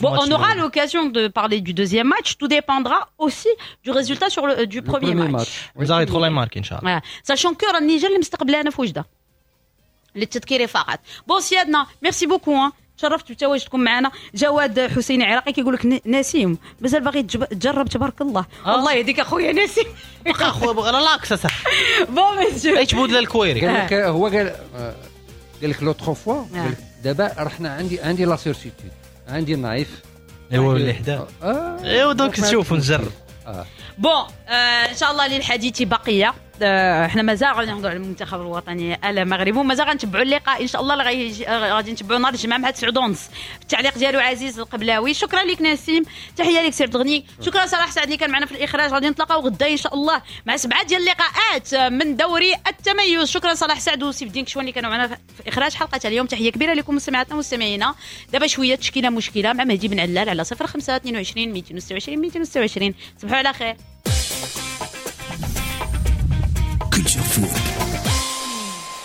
Bon, on aura l'occasion de parler du deuxième match. Tout dépendra aussi du résultat sur le, du premier, premier match. Vous allez trop les marquer, Inch'Allah. Sachant que النيجر اللي مستقبلانا في وجده. للتذكير فقط. Bon سيادنا، merci beaucoup. تشرفت بتواجدكم معنا. جواد حسيني عراقي كيقول لك نسيم مازال باغي تجرب تبارك الله. آه. الله يهديك اخويا نسيم. بقى اخويا بغى l'axe اصاحبي. bon monsieur ايش بودلا الكويري. قال لك هو قال قال لك l'autre fois، قال لك دابا رحنا عندي عندي la certitude، عندي نايف ايوا اللي حدا ايوا donc نشوف ونجرب. bon ان شاء الله للحديث بقية. احنا مازال غادي نهضروا على المنتخب الوطني المغربي ومازال غنتبعوا اللقاء ان شاء الله اللي غادي نتبعوا نهار الجمعة مع تسعة ونص التعليق ديالو عزيز القبلاوي. شكرا لك نسيم، تحية لك سي عبد الغني، شكرا صلاح سعد اللي كان معنا في الاخراج. غادي نتلاقاو غدا ان شاء الله مع سبعة ديال اللقاءات من دوري التميز. شكرا صلاح سعد وسيف الدين كشوان اللي كانوا معنا في اخراج حلقة اليوم. تحية كبيرة لكم مستمعاتنا ومستمعينا. دابا شوية تشكيله مشكلة مع مهدي بن علال على صفر خمسة اثنين وعشرين مئتين وستة وعشرين مئتين وستة وعشرين. صبحوا على خير. Culture Foot.